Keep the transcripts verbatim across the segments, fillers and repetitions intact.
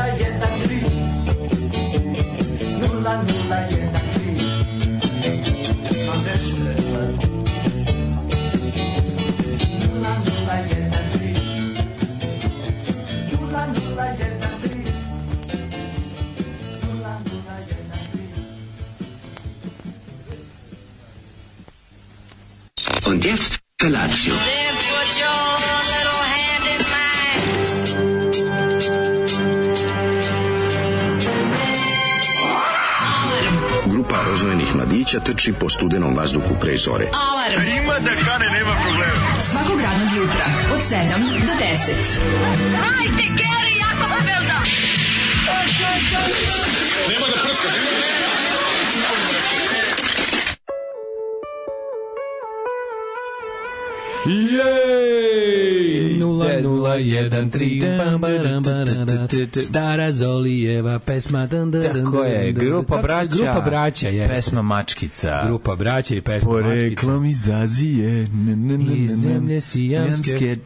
nula jedan tri nula nula jedan tri a nešto je lepo nula nula jedan tri nula nula jedan tri nula nula jedan tri. Und jetzt Felatio. Then put your little hand in mine. Grupa rozvojenih mladića trči po studenom vazduhu pre zore. Alarm. Ima da kane, nema problema. Svakog radnog jutra, od sedam do deset. Hajde, Geri, jako se velda. Nema da prska, nema da prska. Jej! nula nula jedan tri Stara Zolijeva pesma. Tako je, grupa braća. Grupa braća, je. Pesma Mačkica. Grupa braća i pesma Mačkica. Poreklom iz Azije. Iz zemlje Sijamske.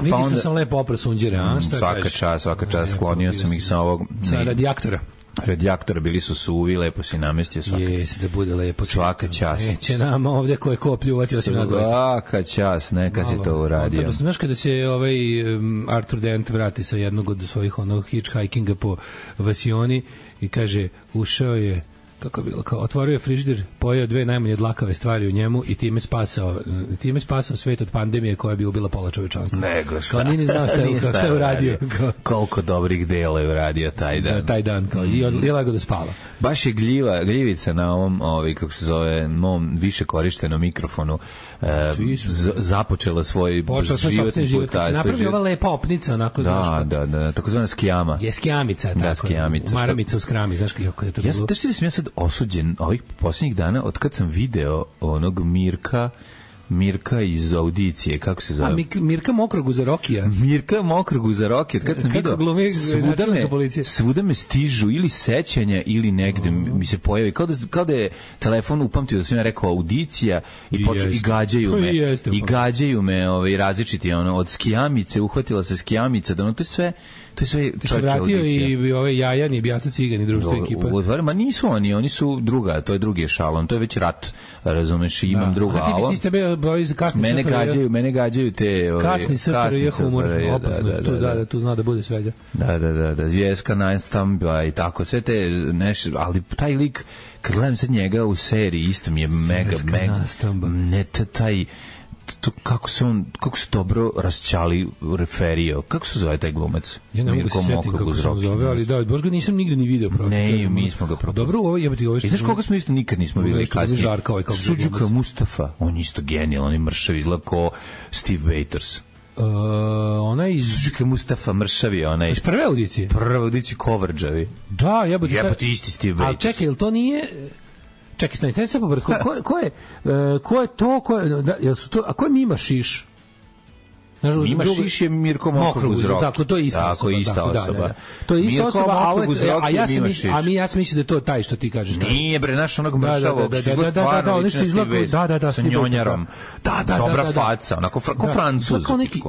Vidiš što sam lepo opra sunđere, a? Svaka čast, svaka čast. Sklonio sam ih sa ovog... Sa radijaktora. Radijaktora, bili su suvi, lepo si namestio svaka. Jes, da bude lepo. Svaka čast. Neće nama ovdje koje ko pljuvati osim nas dvojica. Svaka čast, neka si to uradio. Znaš kada se ovaj um, Arthur Dent vrati sa jednog od svojih onog hitchhikinga po Vasioni i kaže, ušao je, kako je bilo, kao, otvorio je frižider, pojeo dve najmanje dlakave stvari u njemu i time spasao, time spasao svet od pandemije koja bi ubila pola čovečanstva. Nego šta. Kao nije ni znao šta je, šta je uradio. Kao, koliko dobrih dela je uradio taj dan. Da, taj dan, kao, i, od, i lego da spava. Baš je gljiva, gljivica na ovom, ovaj, kako se zove, mom više korištenom mikrofonu e, z, započela svoj životni život. Kad se napravi ova lepa opnica, onako, da, znaš. Da, da, da, takozvana skijama. Je skijamica, tako. Da, skijamica. Maramica u skrami, znaš kako je to bilo. Ja sam, da što sam ja sad osuđen ovih posljednjih dana, od kad sam video onog Mirka, Mirka iz Audicije, kako se zove? A, Mirka Mokrog za Rokija. Mirka Mokrog za Rokija, kad sam video, svuda me, svuda me stižu ili sećanja ili negde uh-huh. mi se pojavi, kao da, kao da je telefon upamtio da sam ja rekao Audicija i, poču, i gađaju me, i, jeste, i gađaju me ovaj, različiti, ono, od skijamice, uhvatila se skijamica, da ono, to je sve, to je sve ti se vratio Audicija. I ove Jajan i Bjato Cigan i društvo ekipa. U, ma nisu oni, oni su druga, to je drugi šalon, to je već rat, razumeš, imam da. druga, a ti, ti tebe kasni mene S F R J. gađaju, mene gađaju te ove, kasni S F R J humor, opasno, da, da, da, da, da, tu zna da bude svega. Da, da, da, da, Zvijezka, Najstamba i tako, sve te neš, ali taj lik, kad gledam sad njega u seriji, isto mi je mega, mega, ne, taj, to, kako se on, kako se dobro rasčali referio, kako se zove taj glumac? Ja ne mogu se sjetiti kako se on zove, ali da, baš ga nisam nigde ni video. Protiv, ne, kažem, mi smo ga propustili. Dobro, ovo jebati ovo što... I znaš koga smo isto nikad nismo videli kasnije? Suđuka Mustafa, on isto genijal, on je mršav, izgleda ko Steve Baters. Uh, ona iz Suđuka Mustafa mršavi, ona iz prve audicije. Prve audicije Kovrđavi. Da, jebati. Jebati isti Steve Baters. Ali čekaj, jel to nije... Čekaj, stani, taj se pobrk, ko, ko, ko je, uh, ko je to, ko je, da, jel su to, a ko je Mima Šiš? Znaš, Mima drugi, Šiš je Mirko Mokrog uz Roki. Tako, to je ista tako, osoba. Ista tako, osoba. Da, da, da. To je ista Mirko osoba, a, ovo je, a, ja sam misli, a mi ja sam mislio da je to taj što ti kažeš. Nije bre, naš onog mršavog, da, da, da, da, da, da, ono što izgleda, da, da, da, sa njonjarom. Da, da, dobra da, da, faca, onako ko Francuz.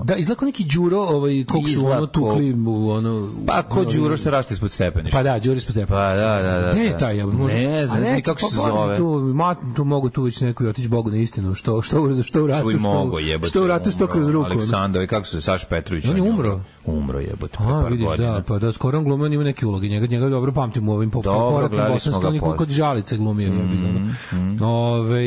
Da, izgleda neki Đuro, ovaj, kog su ono tukli, ono... Pa ko Đuro što raste ispod stepeništa. Pa da, Đuro ispod stepeništa. Pa da, da, da. Gde je taj? Ne znam, ne kako se zove. Tu mogu tu već neko otići Bogu na istinu, što što što u ratu, što u ratu sto kroz ruku. Aleksandar, kako se Saša Petrović? On je umro. Umro jebote. A, vidiš, da, pa da, skoro on glumio, ima neke uloge, njega, njega dobro pamtim u ovim poporatnim bosanskim, kod Žalice glumio. Mm, mm. Ove,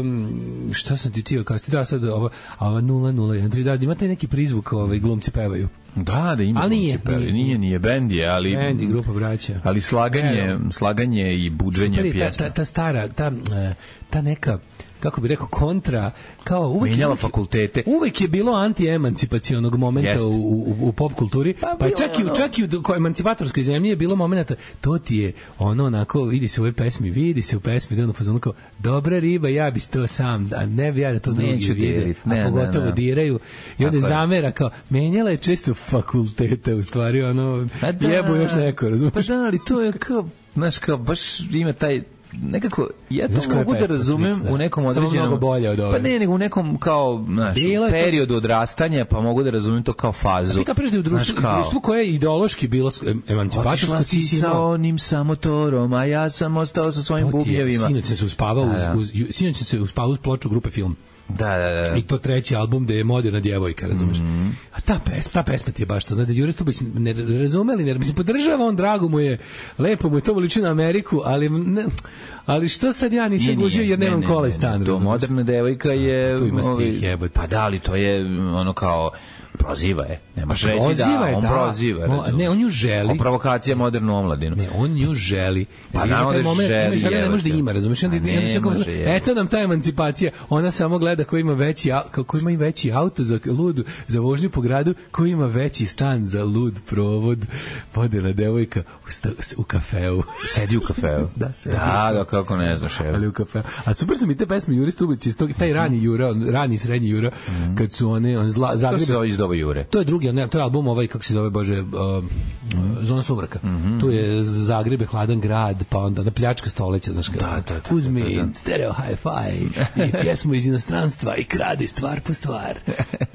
um, šta sam ti tio, kada ti da sad, ova, ova nula nula jedan tri, da, imate neki prizvuk, ovaj, glumci pevaju. Da, da ima glumci pevaju, nije, nije bend je, ali... Bend i grupa braća. Ali slaganje, slaganje i budženje pjesme. Ta, ta, ta stara, ta, ta neka, kako bi rekao, kontra, kao uvek menjala uvek, fakultete. Uvek je bilo anti-emancipacionog momenta u, u, u pop kulturi, pa, pa čak i, čak i u emancipatorskoj zemlji je bilo momenta, to ti je ono onako, vidi se u ovoj pesmi, vidi se u pesmi, da ono fazonu kao, dobra riba, ja bi to sam, a ne bi ja da to drugi vide, a pogotovo ne, ne. diraju, i onda zamera kao, menjala je često fakulteta, u stvari, ono, da, jebu još neko, razumiješ? Pa da, ali to je kao, znaš, kao, baš ima taj nekako ja to mogu da razumem u nekom određenom mnogo bolje od ove. Pa ne, nego u nekom kao, znaš, periodu odrastanja, pa mogu da razumem to kao fazu. Ti kapiraš da u društvu, kao, društvu koje je ideološki bilo emancipatorsko, ti si sa onim sa motorom, a ja sam ostao sa svojim bubnjevima. Sinoć se uspavao uz, uz, sinoć se uspavao uz ploču grupe Film. Da, da, da. I to treći album gde je moderna djevojka, razumeš? Mm-hmm. A ta pesma, ta pesma ti je baš to. Znaš da Đure Stubić ne razumeli, ne, mislim, podržava on, drago mu je, lepo mu je, to mu liči na Ameriku, ali ne, ali što sad ja nisam gužio jer nemam kola i stan. To moderna devojka je... Tu ima stih, jebote. Pa da, ali to je ono kao... proziva je. Ne možeš reći da, on da. proziva. On, ne, on nju želi. O provokacija modernu omladinu. Ne, on nju želi. Pa naravno da moment, želi. Želi ne može da ima, razumiješ? Eto nam ta emancipacija. Ona samo gleda ko ima veći, ko ima i veći auto za ludu, za vožnju po gradu, ko ima veći stan za lud provod. Podela devojka u, sta, u kafeu. Sedi u kafeu. da, sedi. Da, da, kako ne znaš. Ali u kafeu. A super su mi te pesme Jure Stubić, taj rani Jura, rani srednji Jura, mm. kad su one, on zla, Zagreb, Jure. To je drugi, ne, to je album ovaj, kako se zove, Bože, uh, mm-hmm. Zona sumraka. Mm-hmm. Tu je Zagreb, hladan grad, pa onda na pljačka stoleća, znaš kada. Da, da, da, uzmi da, da. stereo hi-fi i pjesmu iz inostranstva i kradi stvar po stvar.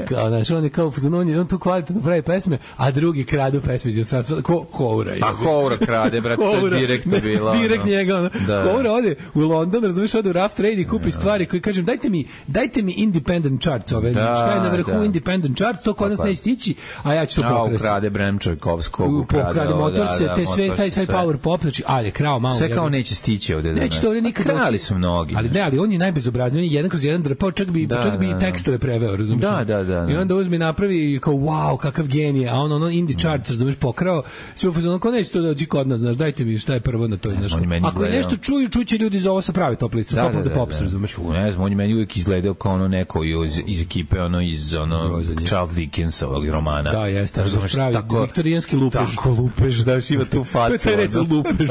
Kao, znaš, on je kao, on, je, on tu kvalitetno pravi pesme, a drugi kradu pesme iz inostranstva. Ko, Houra. A Houra krade, brate, to je direktno bilo. Direkt ono. njega, ono. Da. Houra ode u London, razumiješ, ode u Rough Trade i kupi stvari koji, kažem, dajte mi, dajte mi independent charts ove, da, šta je na vrhu da. Independent charts, to kod nas neće stići, a ja ću to pokrasti. Ukrade Bram Čajkovskog, ukrade, ukrade motor se, te sve, taj sve power pop, znači, ali krao malo. Sve kao neće stići ovde. Neće to ovde nikad. Krali su mnogi. Ali ne, ali on je najbezobrazniji, on je jedan kroz jedan drpao, čak bi, da, čak bi da, i tekstove preveo, razumiješ? Da, da, da. I onda uzmi napravi kao, wow, kakav genije, a on ono indie charts, razumiješ, pokrao, sve u fazonu, ko neće to doći kod nas, znaš, dajte mi šta je prvo na to, znaš. Ako je nešto čuju, čuće ljudi za ovo sa pravi toplica, top of the pops, razumiješ? Ne znam, on je meni uvijek izgledao kao ono neko iz, iz ekipe, ono iz ono Charles Dickensovog romana. Da, jeste, razumiješ, pravi viktorijanski lupež. Tako lupež, daš, ima tu facu. To je reč za lupež.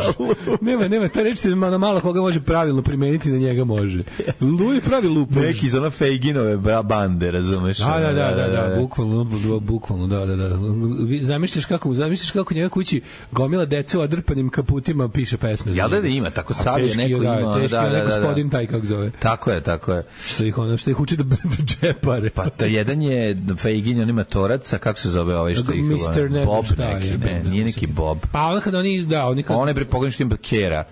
nema, nema, ta reč se na malo koga može pravilno primeniti, na njega može. Luj pravi lupež. Neki iz ono Fejginove bande, razumeš? Da, da, da, da, da, bukvalno, bukvalno, da, da, da. Zamišljaš kako, zamišljaš kako njega kući gomila dece u odrpanim kaputima piše pesme. Jel da da ima, tako sad je neko ima. Da, teški je neko gospodin taj, kako zove. Tako je, tako je. Što ih, ono, što ih uči da, da džepare. Pa to jedan je Fejgin, on ima torac, a kako se zove ovaj što ih... mister Ne Bob šta neki, je. ne, nije neki Bob. Pa onda kada oni, da, oni kad... On je prepogledano što ima Kera.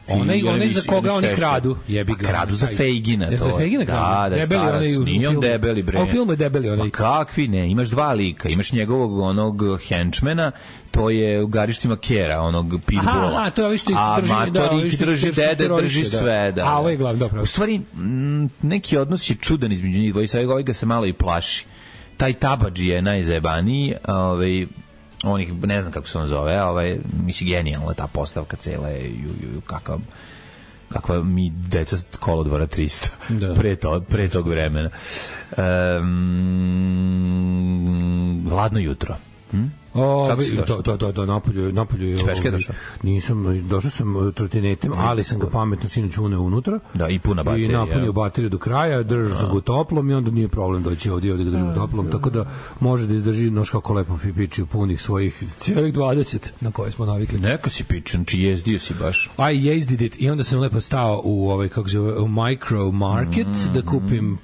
Onaj, onaj za koga oni kradu, jebi ga. Kradu za Fejgina, to. Za Fejgina kradu. Da, da, starac, nije on debeli, bre. A u filmu je debeli onaj. Pa kakvi ne, imaš dva lika, imaš njegovog onog henchmana, to je u garištima Kera, onog pitbulla. Aha, to je ovi što ih drži, a da, ih drži, dede, drži sve, da. A ovo je glav, dobro. U stvari, m, neki odnos je čudan između njih dvojica, ovaj ga se malo i plaši. Taj tabadži je najzajebaniji, ovaj, onih, ne znam kako se on zove, ovaj, misli genijalna ta postavka cela je, ju, ju, kakav, kakva mi deca kolodvora trista, da. pre, to, pre tog vremena. Um, hladno jutro. Hm? O, to, to, to, to, napolju, napolju Peške došao? Nisam, došao sam trotinetem, ali sam ga pametno sinoć uneo unutra. Da, i puna baterija. I napunio bateriju do kraja, držao sam ga u toplom i onda nije problem doći ovdje, ovdje ga držim u toplom, tako da može da izdrži noš kako lepo piči u punih svojih cijelih dvadeset na koje smo navikli. Neka si pičan, či jezdio si baš. I jezdid it i onda sam lepo stao u ovaj, kako se zove, u Micro Market mm, da kupim uh,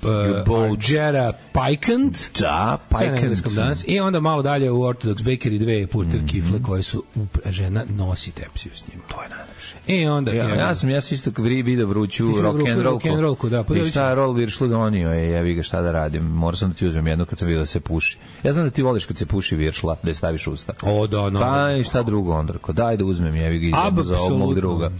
Jera Pikant. Da, Pikant. I onda malo dalje u Orthodox Bakery dve purter kifle koje su žena nosi tepsiju s njim. To je najlepše. E onda ja, ja sam ja sam isto video vruću rock and roll. Rock and da, pa i šta roll viršlu donio je, jebi ga šta da radim. Moram sam da ti uzmem jedno kad sam vidio da se puši. Ja znam da ti voliš kad se puši viršla, da je staviš usta. O da, no. Pa i šta drugo onda, ko daj da uzmem jebi ga za ovog mog druga.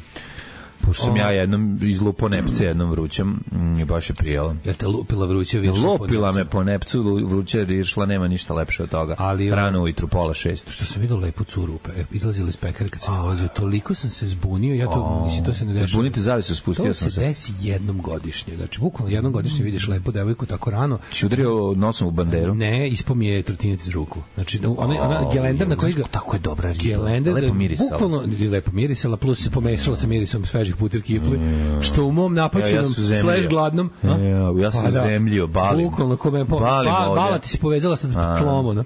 Pošto sam ja jednom izlupao nepce jednom vrućem i baš je prijelo. Jel te lupila vruća viršla? Lupila me po nepcu, vruća viršla, nema ništa lepše od toga. Ali, rano ujutru, pola šest. Što sam vidio lepu curu, izlazila iz pekare kad sam ulazio, toliko sam se zbunio, ja to, mislim, to se ne dešava. Zbunite zavisu, spustio sam se. To se desi jednom godišnje, znači, bukvalno jednom godišnje vidiš lepu devojku tako rano. Si udario nosom u banderu? Ne, ispao mi je trotinet iz ruku. Znači, ona, ona gelender na koji ga... Tako je dobra riba, gelender, lepo mirisala. Bukvalno lepo mirisala, plus se pomešala sa mirisom svežih puter kifli, mm. što u mom napaćenom ja, ja slash gladnom, a? Ja, ja sam pa, zemljio, balim. Bukvalno, kome po, balim ba, bala ti se povezala sa tlom, no?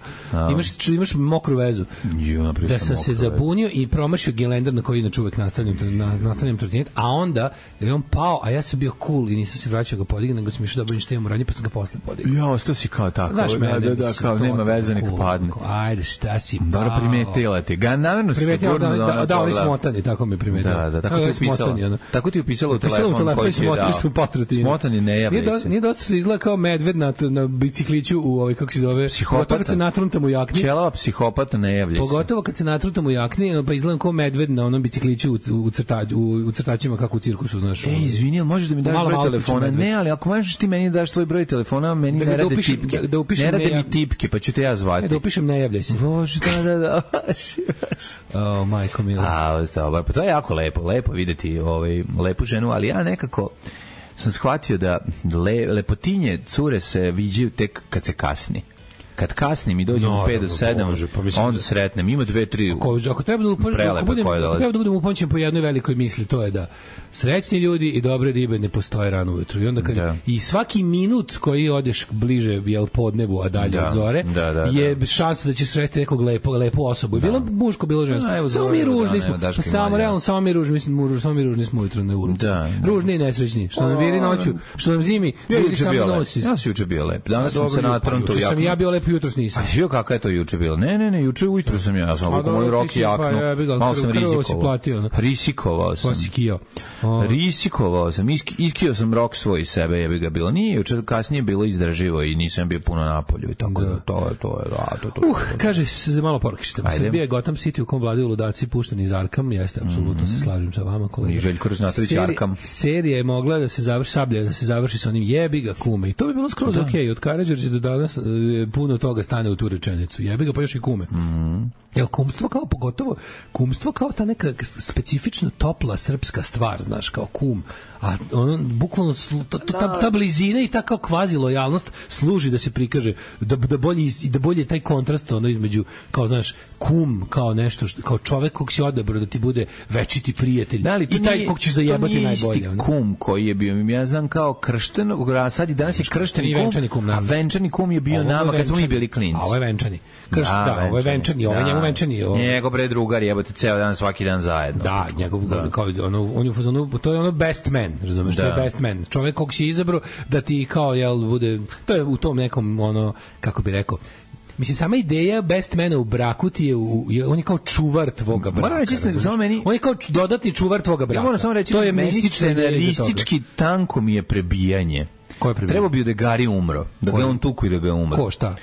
Imaš, imaš mokru vezu. Jo, da sam se zabunio i promašio gelendar na koji inače uvek nastavljam, na, nastavljam trotinet, a onda je on pao, a ja sam bio cool i nisam se vraćao ga podigao, nego sam išao da obavim što imam radnje, pa sam ga posle podigao. Ja, ostao si kao tako. Znaš mene, da, da, kao nema veze, nek padne. Ajde, šta si pao? Bar primetila ti. Ga namerno si primetila, da, da, da, da, oni smotani, tako mi primetila. Da, da, tako ti je pisalo. Tako ti je pisalo u telefon koji ti je dao. Smotani ne javljaj se. Nije dosta se izgleda kao medved na, na bicikliću u ovaj, kako se zove, psihopata. Kad se natruntam u jakni. Ćelava psihopata ne javljaj se. Pogotovo kad se natruntam u jakni, pa izgledam kao medved na onom bicikliću u, u, crta, u, u crtačima kako u cirkusu, znaš. Ej, izvini, ali možeš da mi daš malo, broj telefona? Ne, ali ako možeš ti meni daš tvoj broj telefona, meni da, ne rade upišem, tipke. Da, da upišem, ne rade ne, mi tipke, pa ću te ja zvati. Ne, da upišem ne javljaj se. Bože, da, da, da. O, majko mila. A, dobro, pa to je jako lepo, lepo videti ovaj, lepu ženu, ali ja nekako sam shvatio da le, lepotinje cure se viđaju tek kad se kasni. Kad kasnim i dođem no, u pet do sedam, pa onda sretnem, ima dve, tri ako, ako treba da upam, ako budem, ako treba da budem upamćen po jednoj velikoj misli, to je da srećni ljudi i dobre ribe ne postoje rano ujutru. I onda kad da. I svaki minut koji odeš bliže jel podnevu, a dalje da. Od zore, da, da, je da. Šansa da ćeš sresti nekog lepo, lepu osobu. Da. Bilo muško, bilo žensko. No, samo mi ružni smo. Da, samo realno, samo mi ružni, mislim, mužu, samo mi ružni smo ujutru na ulici. Da, da. Ružni i nesrećni. Što nam viri noću, što nam zimi, viri samo noći. Ja sam juče bio lep. Danas sam se natrnuo jako. Ja bio lep jutros nisam. A kako kakva je to juče bilo? Ne, ne, ne, juče ujutru sam ja, ja sam obukao moj rok i jaknu. Malo sam rizikovao. Rizikovao sam. Rizikovao sam. Iskio sam rok svoj iz sebe, je bi ga bilo. Nije, juče kasnije bilo izdrživo i nisam bio puno na polju i tako da, to je, to je, da, to, to, uh, kaže, malo porukište. Srbija je Gotham City u kom vladaju ludaci pušteni iz Arkam, jeste, apsolutno se slažem sa vama, kolega. I Željko Raznatović Arkam. Serija je mogla da se završi, Sablja, da se završi sa onim jebi ga kume. I to bi bilo skroz okej. Okay. Od Karađorđa do danas puno toga stane u tu rečenicu. Jebi ga, pa još i kume. Mm. Jel kumstvo kao, pogotovo, kumstvo kao ta neka specifično topla srpska stvar, znaš, kao kum. A ono, bukvalno, ta, ta, ta blizina i ta kao kvazi lojalnost služi da se prikaže, da, da, bolje, da bolje taj kontrast ono između, kao, znaš, kum, kao nešto, što, kao čovek kog si odabrao da ti bude večiti prijatelj. Da li, i taj kog ćeš zajebati najbolje. To nije isti kum koji je bio, ja znam kao kršten, a sad i danas je kršteni kum, venčani kum, a venčani kum je bio ovo nama kad smo mi bili klinci. A ovo je venčani. Kršt, da, da, ovo je venčani, ovo je njemu venčani. Ovo... Njegov bre drugar jebote ceo dan, svaki dan zajedno. Da, njegov, da. Kao, ono, on je fazonu, to je ono best man, razumeš, da. To je best man. Čovjek kog si izabrao da ti kao, jel, bude, to je u tom nekom, ono, kako bi rekao, mislim, sama ideja best mana u braku ti je, u, on je kao čuvar tvoga braka. Moram reći, samo meni... On je kao dodatni čuvar tvoga braka. Ja moram samo reći, to je meni scenaristički tanko mi je prebijanje. Ko je prebijanje? Trebao bi da Gari umro, da ga on tuku i da ga umre. Ko, šta?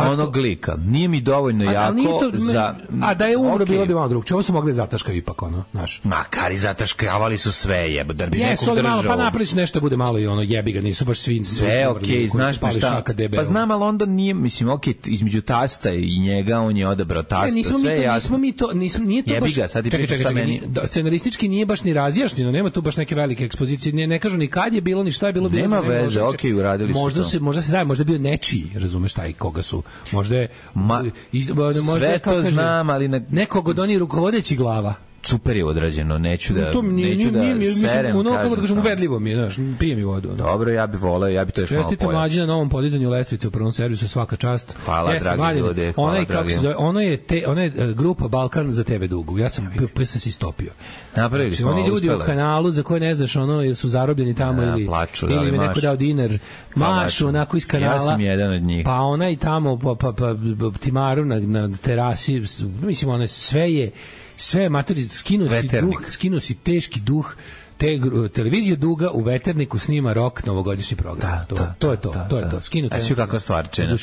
Onog lika. Nije mi dovoljno a, jako to, za... A da je umro, okay. Bilo bi malo drugčije. Ovo su mogli zataškaju ipak, ono, znaš. Ma, Kari zataškavali su sve, jebe, da bi yes, nekog držao. Malo, pa napravili su nešto bude malo i ono, jebi ga, nisu baš svi... Sve, okej, okay, znaš mi šta. Pa znam, ali onda nije, mislim, okej, okay, između tasta i njega, on je odabrao tasta, ne, nismo sve mi to, jasno. Nismo mi to, nismo, nije to jebi baš... Jebi ga, sad ti pričaš šta meni... Da, scenaristički nije baš ni razjašnjeno, nema tu baš neke velike ekspozicije, ne, ne kažu ni kad je bilo, ni šta je bilo. Nema veze, okej, uradili su to. Možda se zaje, možda bio nečiji, razumeš taj koga su, možda je Ma, iz, sve to kaže, znam, ali... Na... Nekog od onih rukovodećih glava. Super je odrađeno, neću da to mi, neću da mi, serem, ono kako da kažem uverljivo mi je, znaš, pije mi vodu. Ono. Dobro, ja bih voleo, ja bih to još malo pojao. Čestite mlađi na novom podizanju lestvice u prvom servisu, svaka čast. Hvala, jeste, dragi mlađine, ljudi, hvala, onaj, dragi. Kako se zove, ono je, te, ono je uh, grupa Balkan za tebe dugu, ja sam, p, sam se istopio. Napravili znači, smo, oni ljudi uspele. U kanalu za koje ne znaš, ono, jer su zarobljeni tamo ja, ili, plaču, ili mi neko dao dinar, mašu onako iz kanala. Ja sam jedan od njih. Pa onaj tamo, pa, pa, pa, Timaru na, na terasi, mislim, ono, sve je, sve materi, skinuo si duh, skinuo si teški duh te televizije Duga u Veterniku snima rok novogodišnji program. Da, to, da, to je to, da, to je da. To. Skinuo. A sve kakva stvarčina.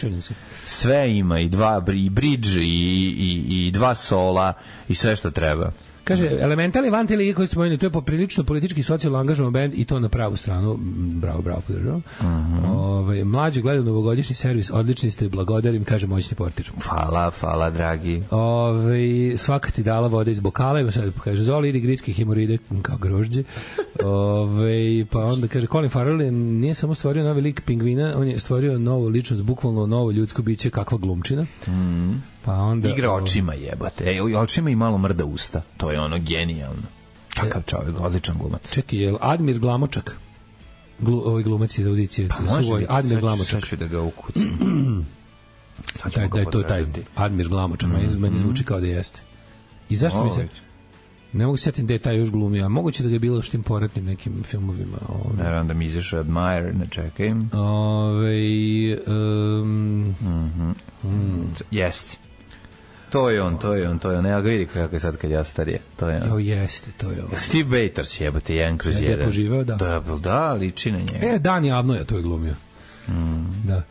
Sve ima i dva i bridge i i i dva sola i sve što treba. Kaže, elementalni van te lige koji ste spomenuli, to je poprilično politički socijalno angažovan bend i to na pravu stranu. Bravo, bravo, podržavam. Uh -huh. Ove, mlađi gledaju novogodišnji servis, odlični ste, blagodarim, kaže moćni portir. Hvala, hvala, dragi. Ove, svaka ti dala vode iz bokala, sad kaže, Zoli, idi gritske hemoride, kao grožđe. Ove, pa onda kaže, Colin Farrell nije samo stvorio novi lik pingvina, on je stvorio novu ličnost, bukvalno novo ljudsko biće, kakva glumčina. Mhm. Pa onda igra očima jebate. Ej, očima i malo mrda usta. To je ono genijalno. Kakav čovjek, odličan glumac. Čekaj, je li Admir Glamočak? Glu, ovaj glumac iz audicije. Pa može biti, Admir Glamočak. Sad ću da ga ukucam. Taj, da je to taj Admir Glamočak, mm-hmm. meni zvuči kao da jeste. I zašto mi se... Ne mogu sjetiti da je taj još glumio, a moguće da ga je bilo što tim poratnim nekim filmovima. Ove. Ne, onda mi izašao Admire, ne čekaj. Ove, um, mm-hmm. mm. Jeste. To je on, to je on, to je on. Evo ga vidi kako je sad kad ja starije. To je on. Jo, jeste, to je on. Steve Baters jebote, jedan kroz jedan. Je poživao, da. Da, da, liči na njega. E, Dan Javnoja to je glumio. Mm. Da.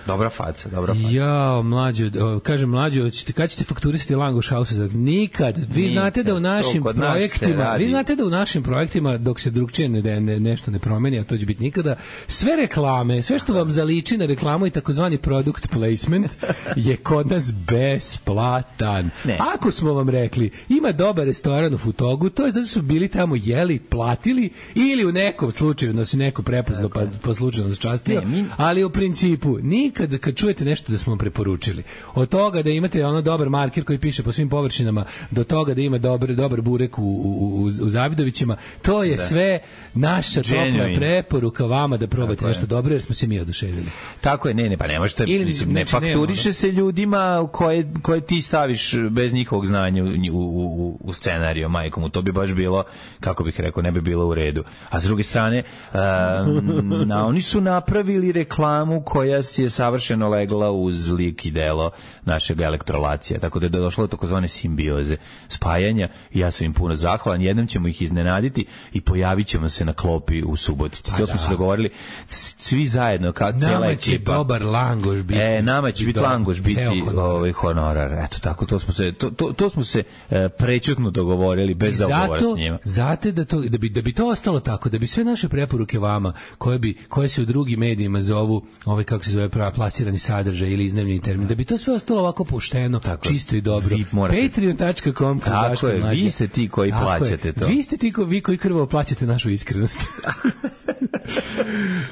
Dobra faca, dobra faca. Ja, mlađe, kažem mlađe, hoćete kad ćete fakturisati Langoš House za nikad. Vi nikad. Znate da u našim projektima, vi znate da u našim projektima dok se drugčije ne, ne, nešto ne promeni, a to će biti nikada, sve reklame, sve što vam zaliči na reklamu i takozvani product placement je kod nas besplatan. Ne. Ako smo vam rekli, ima dobar restoran u Futogu, to je zato što su bili tamo jeli, platili ili u nekom slučaju nas neko prepoznao pa, pa slučajno začastio, mi... ali u principu nikad Kad, kad čujete nešto da smo vam preporučili, od toga da imate ono dobar marker koji piše po svim površinama, do toga da ima dobar, dobar burek u, u, u, u Zavidovićima, to je da. Sve naša topla preporuka vama da probate tako nešto je. Dobro, jer smo se mi oduševili. Tako je, ne, ne, pa ne možete, Ili, mislim, ne fakturiše se ljudima koje, koje ti staviš bez njihovog znanja u, u, u, u scenariju, majkom, to bi baš bilo, kako bih rekao, ne bi bilo u redu. A s druge strane, um, na, oni su napravili reklamu koja se savršeno legla uz lik i delo našeg elektrolacija, tako da je došlo do takozvane simbioze, spajanja i ja sam im puno zahvalan. Jednom ćemo ih iznenaditi i pojavit ćemo se na klopi u Subotici. Pa to da. Smo se dogovorili svi zajedno, kao cijela ekipa. Nama će dobar Langoš biti. E, nama će biti Langoš biti ovaj honorar. Eto, tako, to smo se, to, to, to smo se e, prećutno dogovorili, bez dogovora s njima. Zato da, to, da, bi, da bi to ostalo tako, da bi sve naše preporuke vama, koje, bi, koje se u drugim medijima zovu, ovaj, kako se zove, plasirani sadržaj ili iznajmljeni termin, da bi to sve ostalo ovako pošteno, tako, čisto i dobro. patreon dot com Tako je, mlađe. Vi ste ti koji tako plaćate je. To. Vi ste ti ko, vi koji krvavo plaćate našu iskrenost.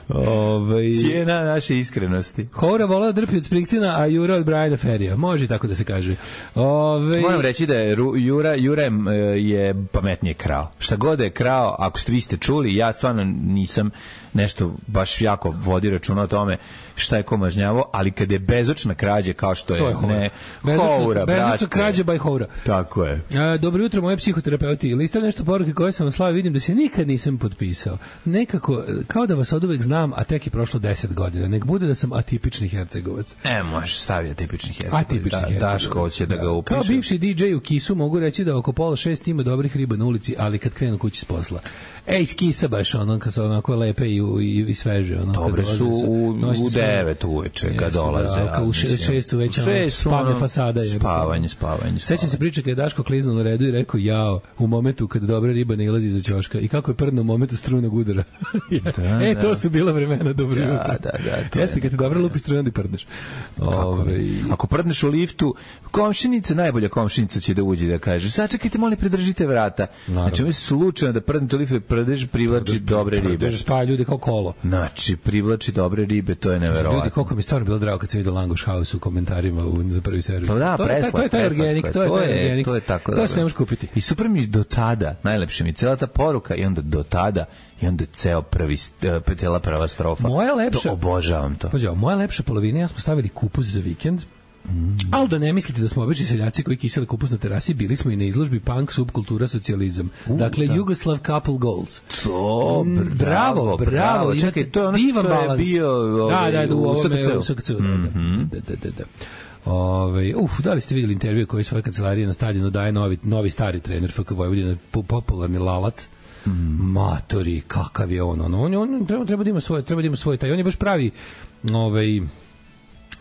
Ove, cijena naše iskrenosti. Houra volao drpi od Springsteena, a Jura od Briana Ferrya. Može tako da se kaže. Ove, Moram reći da je Jura, Jura je pametnije krao. Šta god je krao, ako ste vi ste čuli, ja stvarno nisam nešto baš jako vodi računa o tome šta je ko mažnjavo, ali kad je bezočna krađa kao što je, je ne Houra, bezočna krađa by Houra. Tako je. A, dobro jutro, moje psihoterapeuti. Listam nešto poruke koje sam vam slao, vidim da se nikad nisam potpisao. Nekako, kao da vas od uvek znam, a tek je prošlo deset godina. Nek bude da sam atipični Hercegovac. E, možeš staviti atipični Hercegovac. Atipični da, Hercegovac. Daško hoće da ga upiše. Kao bivši D J u Kisu mogu reći da oko pola šest ima dobrih riba na ulici, ali kad krenu kući s posla. Ej, iz Kisa baš, ono, kad su onako lepe i, i, i sveže. Ono, dobre su u, u devet uveče kad dolaze. Da, u še, šest uveče spavne fasada. Je, spavanje, spavanje. Sećam se priče kada je Daško kliznuo na redu i rekao, jao, u momentu kad dobra riba ne ilazi iza ćoška. I kako je prdno u momentu strujnog udara. da, e, to su bila vremena dobro jutro. Da, da, da. Jeste, kad te dobro lupi struja, onda prdneš. Ove, ako prdneš u liftu, komšinica, najbolja komšinica će da uđe da kaže, sačekajte, molim, pridržite vrata. Naravno. Znači, mi se slučajno da prdnete u liftu, prdeš, privlači dobre ribe. Prdeš, spaja ljudi kao kolo. Znači, privlači dobre ribe, to je neverovatno. Ljudi, koliko mi stvarno bilo drago kad sam vidio Langoš House u komentarima u, za prvi servis. Pa da, to, preslat, to je taj organik, to je taj organik. To je tako to se ne može kupiti. I super mi do tada, najlepše mi cela ta poruka i onda do tada i onda ceo prvi, cela prva strofa. Moja lepša, to obožavam to. Pođao, moja lepša polovina, ja smo stavili kupus za vikend. Mm. Ali da ne mislite da smo obični seljaci koji kisele kupus na terasi, bili smo i na izložbi punk, subkultura, socijalizam. Uh, dakle, da. Jugoslav Couple Goals. To, bravo, bravo. bravo. Čekaj, to je ono što je bio ovaj, da, da, u, u S K C-u. U S K C-u, mm-hmm. da, da, da, da. Ove, uf, da li ste vidjeli intervju koji svoje kancelarije na stadionu daje novi, novi stari trener F K Vojvodina, popularni Lalat? Mm. Matori, kakav je on, ono, on, on treba, treba da ima svoj, treba da ima svoj taj, on je baš pravi ovaj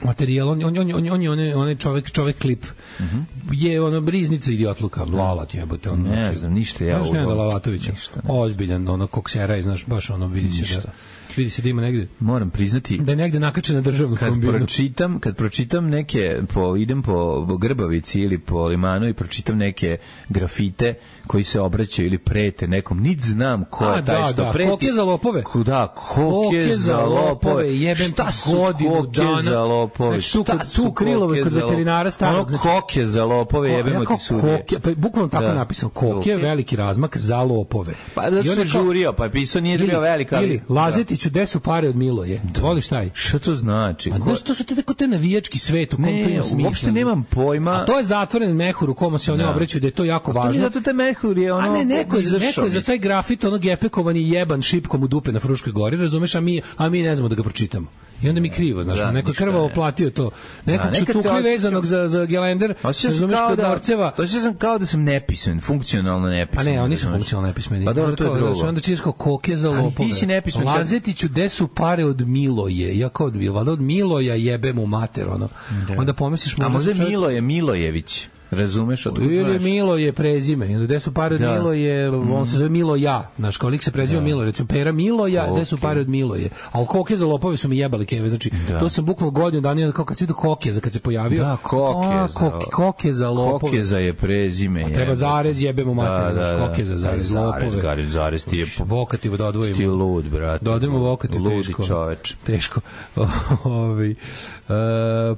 materijal, on on on on on je onaj onaj čovjek čovjek klip. Mm-hmm. Je ono briznica idiotluka, Lalat jebote, on. Ne znam ništa ja. Znaš, ne da Lalatovića. Ozbiljan, ono koksera, znaš, baš ono vidi se da vidi se da ima negde. Moram priznati da je negde nakačena državna kad kombinu. pročitam, kad pročitam neke, po, idem po Grbavici ili po Limanu i pročitam neke grafite koji se obraćaju ili prete nekom, nit znam ko je taj da, što da, preti. Koke za lopove. Da, koke za lopove. Jebem šta su koke dana? za lopove? Šta Šta su tu Krilove kod veterinara starog? Ono koke za lopove, jebemo ti sudije. Pa bukvalno tako napisano, koke, veliki razmak za lopove. Pa da se žurio, pa pisao nije bio velika. Ili, Lazetiću, gde su pare od Miloje? Voliš taj? Šta to znači? A znaš, to su te tako te navijački svet u kom to ima smisla. Uopšte nemam pojma. A to je zatvoren mehur u kom se oni obraćaju da je to jako važno. Zato te mehur je ono... A ne, neko je, neko je za taj grafit ono gepekovani jeban šipkom u dupe na Fruškoj gori, razumeš, a mi, a mi ne znamo da ga pročitamo. I onda mi krivo, znaš, da, neko je krvavo platio to. Nekog da, su tukli osjećam... vezanog za, za Gelender, razumeš, kod da, Norceva. To sam kao da sam nepismen, funkcionalno nepismen. Pa ne, oni su funkcionalno nepismeni. Pa dobro, to je drugo. Onda češ kao koke za lopove. Ali ti si nepismen. Lazetiću, gde su pare od Miloje? Ja kao od Miloja, od Miloja jebem u mater, ono. Da. Onda pomisliš... A možda čovjek... Miloje Milojević. Razumeš? Od ili Milo je prezime. Gde su pare od da. Miloje, on se zove Miloja. Znaš, kao lik se preziva da. Milo, recimo Pera Miloja, gde su pare od Miloje. A koke za lopove su mi jebali keve. Znači, da. To sam bukvalno godinu dana kao kad se vidio koke za kad se pojavio. Da, koke. A, koke, koke za lopove. Koke za je prezime. A treba zarez jebemo materiju. Da, da, da. Koke za zarez lopove. Zarez, zarez ti je... Vokativ da odvojimo. Ti lud, brate. Dodajemo vokativ, teško. Ludi čoveč. Teško. Ovi, uh,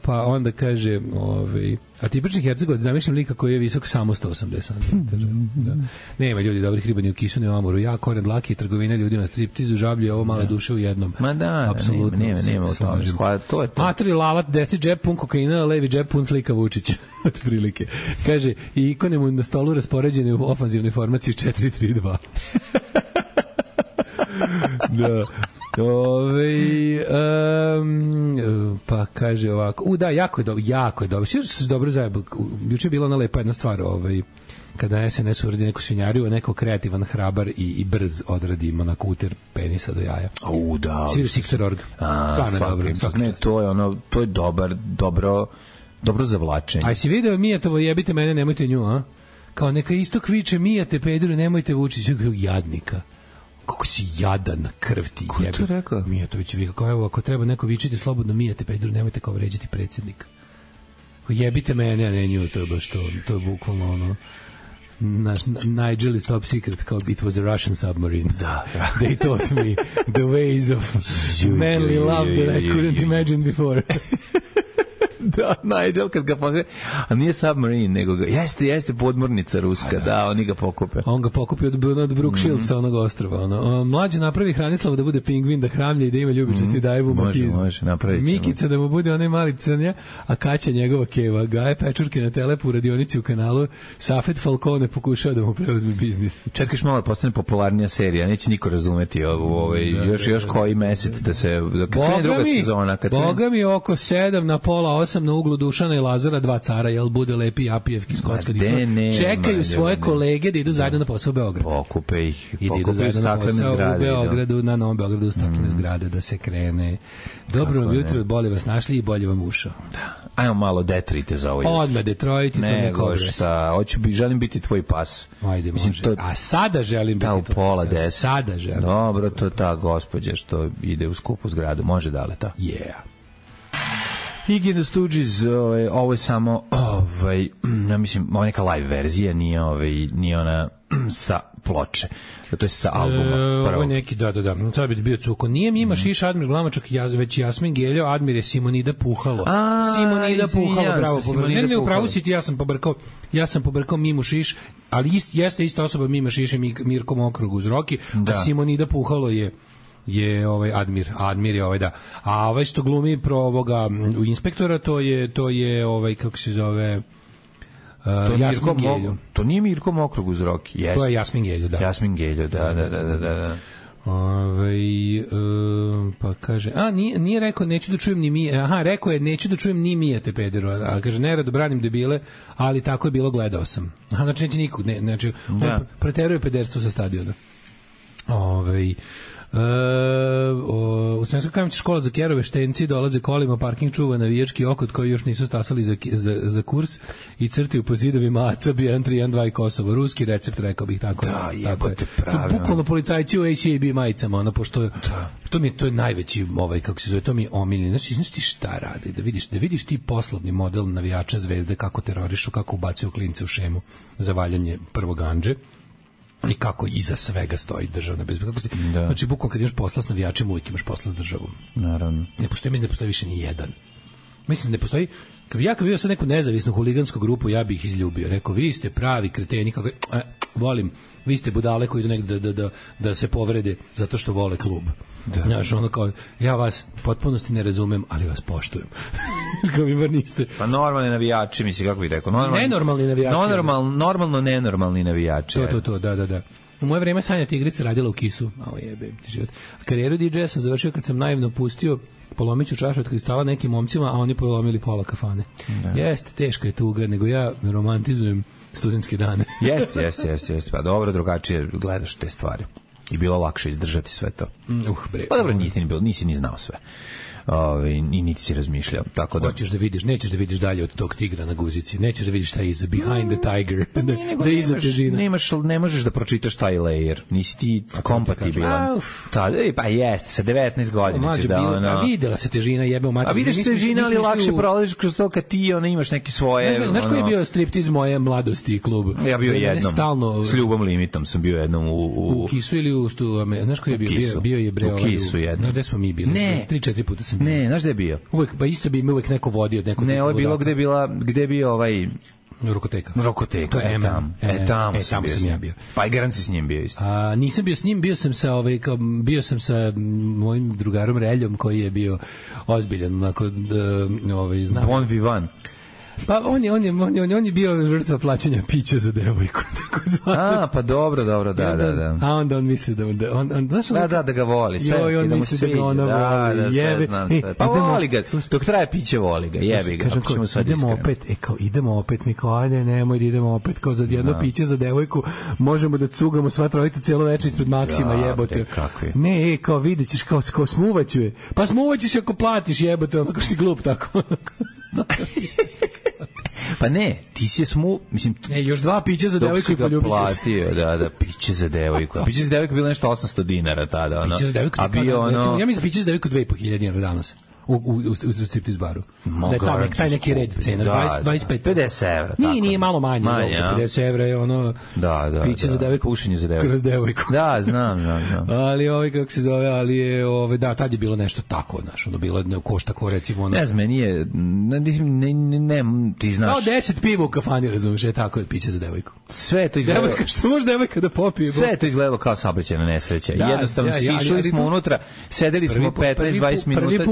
pa onda kaže... Ovi, a tipični Hercegovac, zamišljam lika koji je visok samo sto osamdeset centimetara. Da. Nema ljudi dobrih riba ni u kisu, ni u amoru. Ja, koren, dlaki, trgovina ljudima, striptizu, žablju, ovo male duše u jednom. Ma da, apsolutno, nema, nema, nema u tome. To je to. Maturi lalat, desni džep pun kokaina, levi džep pun slika Vučića. Od prilike. Kaže, i ikone mu na stolu raspoređene u ofanzivnoj formaciji četiri tri dva. Da. Ove, um, pa kaže ovako, u da, jako je dobro, jako je dobro, svi su se dobro zajebali, juče je bila ona lepa jedna stvar, ovaj, kada S N S uradi neku svinjariju, a neko kreativan, hrabar i, i brz odradi onako uter penisa do jaja. U da. Svi u Siktor org. Stvarno dobro. Ne, to je ono, to je dobar, dobro, dobro zavlačenje. A si video Mijatovo jebite mene, nemojte nju, a? Kao neka istok viče Mijate Pedru, nemojte Vučića, jadnika. Kako si jadan, krv ti jebe. Ko to rekao? Mijatović vika, kao evo, ako treba neko vičiti slobodno Mijate Pedru, nemojte kao vređati predsjednika. Jebite mene, a ne nju, to je baš to, to je bukvalno ono, naš Nigel is top secret, kao it was a Russian submarine. Da. They taught me the ways of manly love that I couldn't imagine before. Da, Nigel kad ga pogleda, a nije submarine, nego ga, jeste, jeste podmornica ruska, da, da, oni ga pokupe. On ga pokupi od, od Brook Shieldsa, mm-hmm. onog ostrava. Ono. Mlađe napravi Hranislava da bude pingvin, da hramlja i da ima ljubičasti mm-hmm. dajevu može, makiz. Može, napravit ćemo. Mikica da mu bude onaj mali crnja, a Kaća njegova keva. Gaje pečurke na telepu u radionici u kanalu. Safet Falcone pokušao da mu preuzme biznis. Čekaš malo, postane popularnija serija, neće niko razumeti ovo, ovaj, da, još, da, još koji mesec da se, da kad krene druga sezona. Kad Boga mi oko sedam na pola osam na uglu Dušana i Lazara, dva cara, jel bude lepi Apijevki skotska disko. Čekaju svoje ne, kolege da idu zajedno na posao u Beograd. Pokupe ih, I da idu zajedno na posao u Beogradu, na Novom Beogradu u staklene mm. zgrade, da se krene. Dobro vam jutro, bolje vas našli i bolje vam ušao. Da. Ajmo malo Detroit za ovo. Odmah Detroit i to ne kobres. Šta, hoću bi, želim biti tvoj pas. Ajde, Mislim, može. To, A sada želim biti tvoj pola pas. Deset. Sada želim. Dobro, to ta gospođa što ide u skupu zgradu. Može dale, ta? Yeah. Iggy and the Stooges, ovaj, ovo je samo, ovaj, ja mislim, ovo je neka live verzija, nije, ovaj, nije ona sa ploče, to je sa albuma. E, ovo je neki, da, da, da, sad bi bio Cuko. Nije Mima mm. Šiš, Admir Glamačak, ja, već Jasmin Geljo, Admir je Simonida Puhalo. A, Simonida Puhalo, bravo, pobrkao. Ne, ne, upravo si ti, ja sam pobrkao, ja sam pobrkao Mimu Šiš, ali ist, jeste ista osoba Mima Šiš i Mirko Mokrog uz Roki, da. A Simonida Puhalo je je ovaj Admir, Admir je ovaj da. A ovaj što glumi pro ovoga u inspektora, to je to je ovaj kako se zove uh, to Jasmin Geljo. To nije Mirko Mokrog uz Roki, jeste. To je Jasmin Geljo, da. Jasmin Geljo, da, da, da, da, da. Ovaj uh, pa kaže, a nije nije rekao neću da čujem ni mi, aha, rekao je neću da čujem ni Mijate Pedro, a kaže nerado branim debile, ali tako je bilo, gledao sam. Aha, znači neće nikog, ne, znači da. Preteruje pederstvo sa stadiona. Ovaj Uh, o, u Sremskoj Kamenici škola za kerove, štenci dolaze kolima, parking čuva navijački okot koji još nisu stasali za, za, za kurs i crtaju po zidovima Aca, B jedan tri jedan dva i Kosovo. Ruski recept, rekao bih, tako da, je. Tako je. To bukvalno policajci u A C A B majicama, ono, pošto da. to mi je, to je najveći, ovaj, kako se zove, to mi je omiljeni. Znači, znaš ti šta radi? Da vidiš, da vidiš ti poslovni model navijača Zvezde, kako terorišu, kako ubacuju klince u šemu za valjanje prvog andže. I kako iza svega stoji državna bezbednost. Da. Znači, bukvalno kad imaš posla s navijačem, uvijek imaš posla s državom. Naravno. Ne postoji, mislim da ne postoji više ni jedan. Mislim da ne postoji, kad bi ja kad bi bio sad neku nezavisnu huligansku grupu, ja bih ih izljubio. Rekao, vi ste pravi kreteni, kako, e, volim, vi ste budale koji idu negde da, da, da, da se povrede zato što vole klub. Da. Znaš, ono kao, ja vas potpunosti ne razumem, ali vas poštujem. Kao vi bar niste. Pa normalni navijači, misli, kako bih rekao. Normalni, nenormalni navijači. Normal, normalno nenormalni navijači. To, to, to, da, da, da. U moje vreme Sanja Tigrica radila u Kisu. O jebe, ti život. Karijeru D J sam završio kad sam naivno pustio polomiću čašu od kristala nekim momcima, a oni polomili pola kafane. Da. Jeste, teška je tuga, nego ja romantizujem studentske dane. Jeste, jeste, jeste, jeste. Pa dobro, drugačije gledaš te stvari. I bilo lakše izdržati sve to. Uh, bre. Pa dobro, nisi ni, bilo, nisi ni znao sve. Ove, i niti si razmišljao. Tako da... Hoćeš da vidiš, nećeš da vidiš dalje od tog tigra na guzici. Nećeš da vidiš šta je iza, behind the tiger. Pa da, ne, da iza težina. Nemaš, ne možeš da pročitaš taj layer. Nisi ti kompatibilan. Ta, pa jeste, sa devetnaest godina ćeš da... Ono... A videla se težina, jebe u mater. A vidiš težina, ali lakše prolaziš kroz to kad ti ona imaš neke svoje... Znaš, znaš koji je bio striptiz moje mladosti i klub? Ja bio jednom. Stalno... S Ljubom Limitom sam bio jednom u... U, u Kisu ili u... Stu, znaš koji je bio? Bio, bio je bre... U Kisu jednom. Gde smo mi bili? Ne. Tri, četiri puta sam bio. Ne, znaš gde je bio? Uvek, pa isto bi me uvek neko vodio od nekog. Ne, ovo je bilo gde je bila, gde je bio ovaj Rokoteka. Rokoteka. To je e, tam. E, tamo, e, tamo sam ja bio. Pa i garant si s njim bio isto. A, nisam bio s njim, bio sam sa ovaj, kao, bio sam sa mojim drugarom Reljom koji je bio ozbiljan, onako, ovaj, znam. Bon vivant. Pa on je, on je, on je, on je bio žrtva plaćanja pića za devojku, tako zvano. A, pa dobro, dobro, da, da, da. A onda on misli da, da on, on, znaš, da, da, da ga voli, sve, joj, on da mu misli sviđa, da ga ona da, voli, da, jebe. znam, E, sve. Pa idemo, voli ga, dok traje piće, voli ga, jebi ga. Kažem, kao, idemo iskreno. opet, e, kao, idemo opet, mi kao, ajde, nemoj da idemo opet, kao za jedno da. piće za devojku, možemo da cugamo sva trojica cijelo večer ispred Maksima, da, jebote. Bre, ne, e, kao, vidjet ćeš, kao, kao smuvaću je. Pa smuvaćeš ako platiš, jebote, onako si glup, tako. Pa ne, ti si je smu, mislim, ne, još dva pića za devojku i poljubit će se. Da, da, piće za devojku. A piće za devojku bilo nešto osamsto dinara tada, ono. Piće za devojku, a bio ono, recimo, ja mislim piće za devojku dve i po hiljade dinara danas. U u u u striptiz baru. Da je taj, taj neki red cena, dvadeset, dvadeset pet, pedeset evra. Nije, nije malo manje, manje pedeset evra je ono. Da, da. Piće da, za devojku, pušenje za devojku. Kroz devojku. Da, znam, znam, znam. Ali ovaj kako se zove, ali je ovaj da tad je bilo nešto tako, znaš, ono bilo ne košta ko recimo ono. Ne znam, meni je ne, ne, ne, ne ti znaš. Kao deset piva u kafani, razumiješ, je tako je piće za devojku. Sve to izgledalo. Devojka, što može devojka da popije? Sve to izgledalo kao saobraćajna nesreća. Da, jednostavno ja, ja, sišli smo unutra, sedeli smo petnaest dvadeset minuta.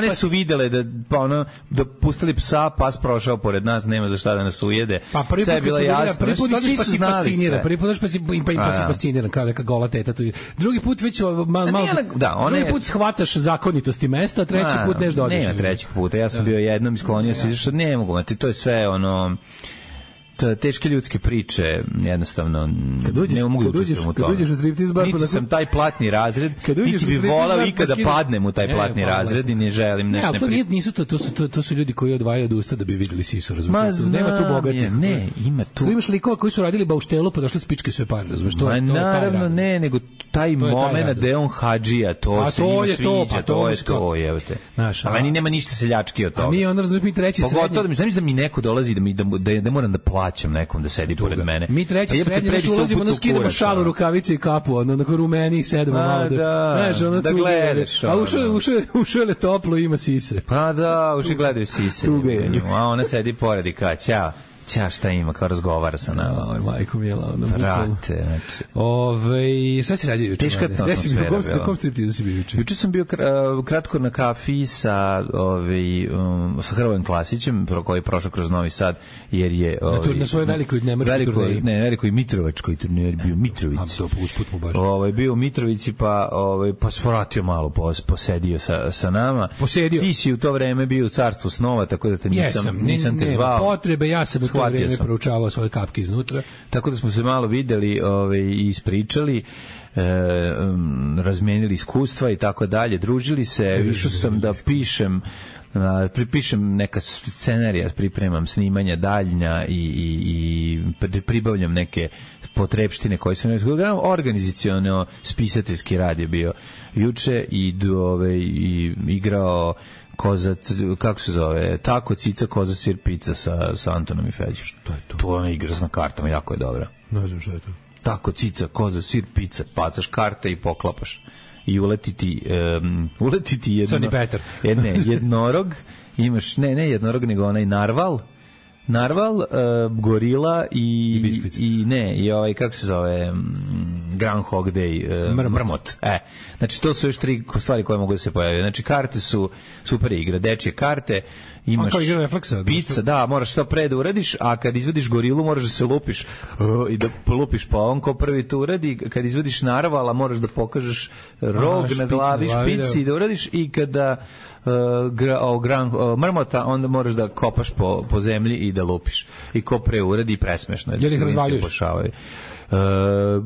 One su videle da pa ono da pustili psa, pas prošao pored nas, nema za šta da nas ujede. Pa prvi put je bilo jasno. Prvi put dođeš pa si fasciniran, prvi put dođeš pa si pa, pa si fasciniran kao neka gola teta tu. Drugi put već malo malo da, one drugi put shvataš zakonitosti mesta, treći put nešto dođeš. Ne, treći put. Ja sam bio jednom sklonio se što ne mogu, znači to je sve ono teške ljudske priče, jednostavno kad uđeš, ne mogu kad uđeš, kad uđeš u striptiz bar, niti sam taj platni razred, niti bi volao ikada padnem u taj platni razred i ne želim nešto. Ne, to nije, nisu to, to su, to, to su ljudi koji odvajaju od usta da bi videli sisu, razumiješ? Nema tu bogatih. Ne, ima tu. Tu imaš likova koji su radili bauštelu pa došli s pičke sve pare, razumiješ? To, Ma, to naravno ne, nego taj moment da je on hadžija, to se ima sviđa, to je to, evo te. A meni nema ništa seljački od toga. A mi onda razumiješ mi treći srednji. Pogotovo da mi znam da mi neko dolazi da mi da moram da plaćam nekom da sedi pored mene. Mi treći srednji već ulazimo, onda skinemo šalu, rukavice i kapu, ono na rumeni sedemo malo da, znaš, ono da gledaš. A ušao ušao ušao je toplo, ima sise. Pa da, uši gledaju sise. A ona sedi pored i kaže: "Ćao." Ćao, šta ima, kao razgovara sa nama. Oj, majko mila, ono. Vrate, znači. Ove, šta si radio juče? Teška atmosfera bila. Na kom striptizu si bio juče? Juče sam bio kratko na kafi sa, ovaj, um, sa Hrvojem Klasićem, koji je prošao kroz Novi Sad, jer je... Ovaj, na svojoj velikoj nemačkoj turneji. Ne, velikoj Mitrovačkoj turneji, bio Mitrovici. A, to usput mu baš. Ovaj, bio u Mitrovici, pa, ovaj, pa svratio malo, pos, posedio sa, sa nama. Posedio. Ti si u to vreme bio u carstvu snova, tako da te nisam, nisam te zvao. Potrebe, ja sam shvatio sam. Proučavao svoje kapke iznutra. Tako da smo se malo videli ovaj, i ispričali, e, um, razmenili iskustva i tako dalje, družili se, išao sam da pišem Uh, pripišem neka scenarija, pripremam snimanja daljnja i, i, i pribavljam neke potrepštine koje sam organizaciono spisateljski rad je bio juče i, ove, i igrao koza, kako se zove, tako cica, koza, sir, pizza sa, sa Antonom i Feđom. Što je to? To ona igra na kartama, jako je dobra. Ne znam što je to. Tako cica, koza, sir, pizza, pacaš karte i poklapaš. I uletiti um, uletiti jedno, je, ne, jednorog imaš, ne, ne jednorog nego onaj narval narval, uh, gorila i, I, i ne, i ovaj, kako se zove um, Groundhog Day, uh, mrmot. mrmot. E, znači to su još tri stvari koje mogu da se pojaviti. Znači karte su super igra, dečje karte, imaš refleksa, pizza, da, moraš to pre da uradiš, a kad izvadiš gorilu moraš da se lupiš uh, i da lupiš po ovom ko prvi to uradi, kad izvadiš narvala moraš da pokažeš rog a, na glavi špici i da uradiš i kada uh, gra, o, gran, o, mrmota, onda moraš da kopaš po, po zemlji i da lupiš. I ko pre uradi, presmešno. Je li ih razvaljuješ? Uh,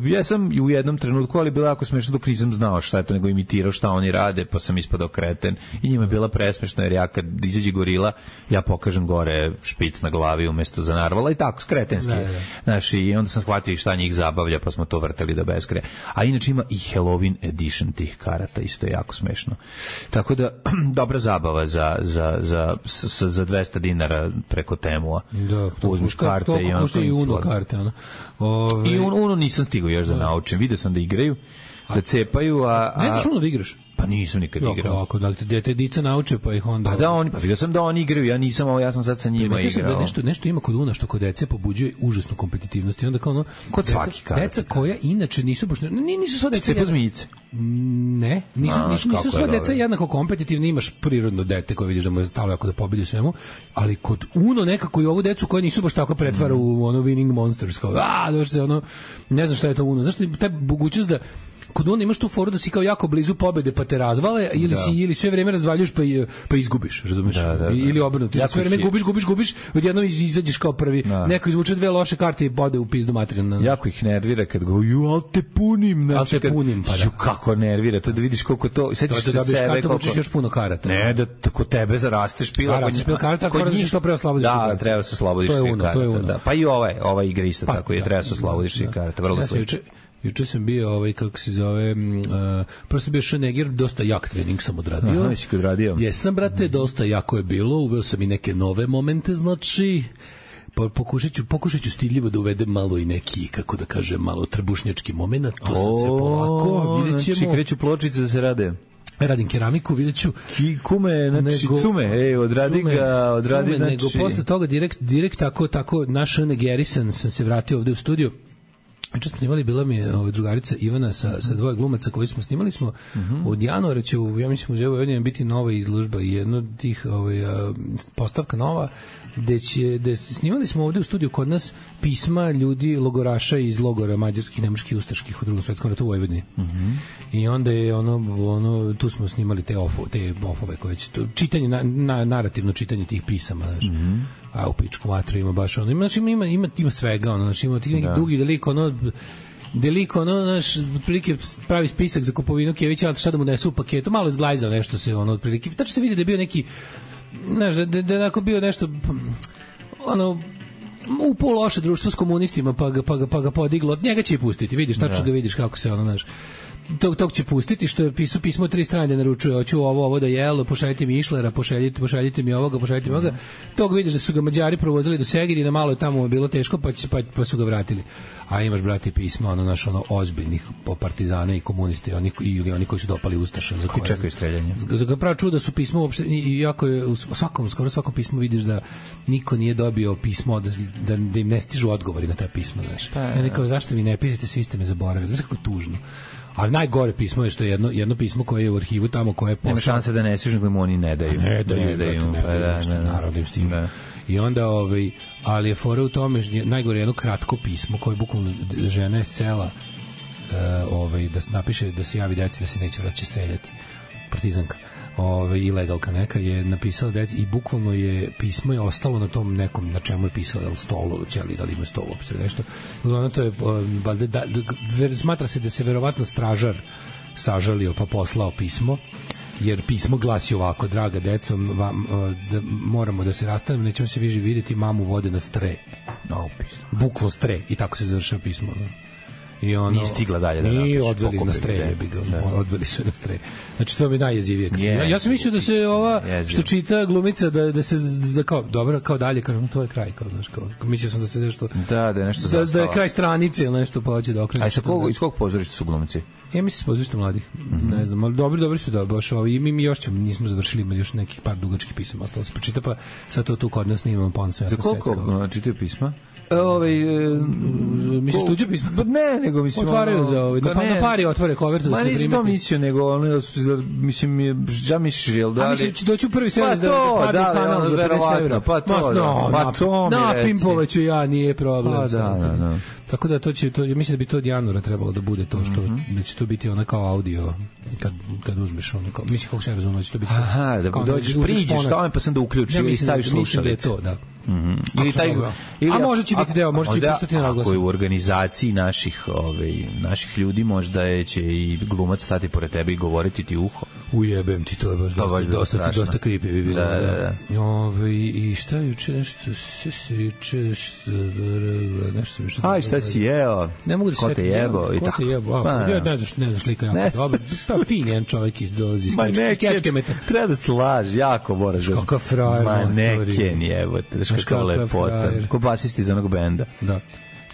ja sam i u jednom trenutku, ali bilo jako smešno dok nisam znao šta je to, nego imitirao šta oni rade, pa sam ispadao kreten i njima je bila presmešno, jer ja kad izađe gorila, ja pokažem gore špic na glavi umesto za narvala i tako, skretenski. Ne, ne. Znaš, i onda sam shvatio i šta njih zabavlja, pa smo to vrteli do beskraja. A inače ima i Halloween edition tih karata, isto je jako smešno. Tako da, dobra zabava za, za, za, za, za dvesta dinara preko Temua. Da, uzmeš karte to, i ono. To i Uno karte, ono. Ove... I Uno, Uno nisam stigao još da naučim. Vidio sam da igraju, da cepaju, a... a... Ne znaš Uno da igraš? Pa nisam nikad Joko, igrao. Ako, da te, te dica nauče, pa ih onda... Pa da, oni, pa vidio sam da oni igraju, ja nisam, ovo, ja sam sad sa njima igrao. Da nešto, nešto ima kod Una što kod dece pobuđuje užasnu kompetitivnost. I onda kao ono... Kod deca, svaki karata. Deca koja inače nisu... Baš, nisu sva deca... Cepo zmijice. Ne, nisu, A, nisu, nisu sva deca jednako kompetitivni, imaš prirodno dete koje vidiš da mu je stalo jako da pobedi u svemu, ali kod Uno nekako i ovu decu koja nisu baš tako pretvara mm. u ono winning monsters, kao, a, došli se ono, ne znam šta je to Uno, zašto ta mogućnost da kod Uno imaš tu foru da si kao jako blizu pobede pa te razvale, ili da. si ili sve vreme razvaljuješ pa, pa izgubiš, razumeš? Da, da, da. Ili obrnuto, ili sve vreme gubiš, gubiš, gubiš, odjednom izađeš kao prvi, da. Neko izvuče dve loše karte i bode u pizdu materijalno. Jako ih nervira kad go, ju, al te punim, znači, al te punim, pa da. Ju, kako nervira, to da vidiš koliko to, sećaš se sebe, koliko još puno karata. Ne, da tako tebe zarasteš pila, da, kod karata, kod njih što pre oslobodiš. Da, treba se oslobodiš svih karata, da. Pa i ovaj, ova igra isto tako je, treba se oslobodiš svih karata, vrlo slično. Juče sam bio, ovaj, kako se zove, uh, prosto bio Šenegir, dosta jak trening sam odradio. Aha, si odradio. Jesam, brate, dosta jako je bilo, uveo sam i neke nove momente, znači, pokušat ću, pokušat ću stidljivo da uvedem malo i neki, kako da kažem, malo trbušnjački moment, to sad sve polako, vidjet ćemo. Znači, kreću pločice da se rade. Radim keramiku, vidjet ću. Ki, kume, znači, nego, cume, ej, odradi cume, ga, odradi, cume, znači. Nego posle toga direkt, direkt tako, tako, naš Šenegeri sam, sam se vratio ovde u studio. Juče smo snimali, bila mi je ovaj, drugarica Ivana sa, sa dvoje glumaca koji smo snimali smo. Uh-huh. Od januara će u ja mislim muzeju Vojvodine biti nova izložba i jedna od tih ovaj, postavka nova gde će, gde snimali smo ovde u studiju kod nas pisma ljudi logoraša iz logora mađarskih, nemačkih, ustaških u Drugom svetskom ratu u Vojvodini. Uh-huh. I onda je ono, ono tu smo snimali te ofove, te ofove koje će to, čitanje na, na, narativno čitanje tih pisama, znači. Uh-huh. A u pičku matru ima baš ono, ima, ima, ima, ima svega, ono, znači ima tih da. dugi delik, ono, delik, ono, naš, otprilike pravi spisak za kupovinu Kevića, ali šta da mu nesu u paketu, malo izglajzao nešto se, ono, otprilike, tačno se vidi da je bio neki, znaš, da, da, da je bio nešto, ono, u pol loše društvo s komunistima, pa ga, pa ga, pa ga podiglo, od njega će i pustiti, vidiš, tačno ga vidiš kako se, ono, znaš, tog, tog će pustiti, što je pisao pismo tri strane da naručuje, hoću ovo, ovo da jelo, pošaljite mi Išlera, pošaljite, pošaljite mi ovoga, pošaljite mi ovoga. Tog vidiš da su ga Mađari provozili do Segedina, malo je tamo bilo teško, pa, pa, pa su ga vratili. A imaš, brati, pisma, ono, naš, ono, ozbiljnih partizana i komuniste, oni, ili oni koji su dopali Ustaša. Za koji čekaju streljanje. Za, za pravo čuda su pismo, uopšte, i jako je, u svakom, skoro svakom pismu vidiš da niko nije dobio pismo, da, da, da im ne stižu odgovori na ta pisma, znaš. Pa, ja nekao, zašto vi ne pišete, svi ste me zaboravili, znaš kako tužno. Ali najgore pismo je što je jedno, jedno pismo koje je u arhivu tamo koje je posao. Nema šanse da ne stižu, nego oni ne daju. Ne daju, ne daju. Ne daju, ne daju, naravno im stižu. I onda, ovaj, ali je fora u tome, najgore je jedno kratko pismo koje bukvalno žena je sela uh, ovaj, da napiše, da se javi deci da se neće vraći streljati. Partizanka. Ove, ilegalka neka je napisala deci i bukvalno je pismo je ostalo na tom nekom na čemu je pisala stolu, ćeli da li ima stol uopšte nešto. Uglavnom to je valjda da, da, smatra se da se verovatno stražar sažalio pa poslao pismo, jer pismo glasi ovako: draga deco, vam, da moramo da se rastanemo, nećemo se više vidjeti, mamu vode na stre. No, pismo. Bukvalno stre i tako se završava pismo. Da. I ono, nije stigla dalje da nije odveli na streje, da. Odveli su na streje. Znači to mi najjezivije. Yeah, ja, ja sam mislio da se ova što čita glumica da da se za kao dobro kao dalje kažem no, to je kraj kao znači kao mislio sam da se nešto da da nešto da, da je kraj stranice ili nešto pa hoće da okrene. A sa kog iz kog pozorišta su glumci? Ja mislim s pozorišta mladih. Mm-hmm. Ne znam, ali dobri dobri su da baš ovi i mi, mi još ćemo nismo završili, ima još nekih par dugačkih pisama ostalo se pročita pa sad to tu kod nas snimamo pa on sve. Za koliko čitaju pisma? Ovaj misliš tuđe pismo? Ne, nego mislim otvaraju za ovaj na, na pari otvore kovertu da se primete. Ma nisam mislio nego ono mislim ja mislim jel da ali misliš doći u prvi servis da padne kanal za pedeset evra pa to no, pa to na pimpovaću ja nije problem. Pa da, da, da. Tako da to će to mislim da bi to od januara trebalo da bude to što mm-hmm. da će to biti ona kao audio kad kad uzmeš ono kao mislim kako se razumije će to biti. Aha, da dođeš priđeš tamo pa sam da uključiš i staviš slušalice. To da. Mhm. Ili taj ili a može će biti deo, može će puštati na glas. Ako je u organizaciji naših, ovaj naših ljudi možda je će i glumac stati pored tebe i govoriti ti u uho. Ujebem ti, to je baš dosta dosta dosta creepy bi bilo. Da, da, da. Ovaj i šta juče nešto se se juče nešto mi što. Aj šta si jeo? Ne mogu da se jebo i tako. Ja ne znaš, ne znaš lika jako dobro. Pa fin jedan čovjek iz dolazi iz Kečke meta. Treba da slaži, jako moraš. Kakav frajer. Ma neken jebote. Kako lepotan. Ko basisti iz onog benda. Da.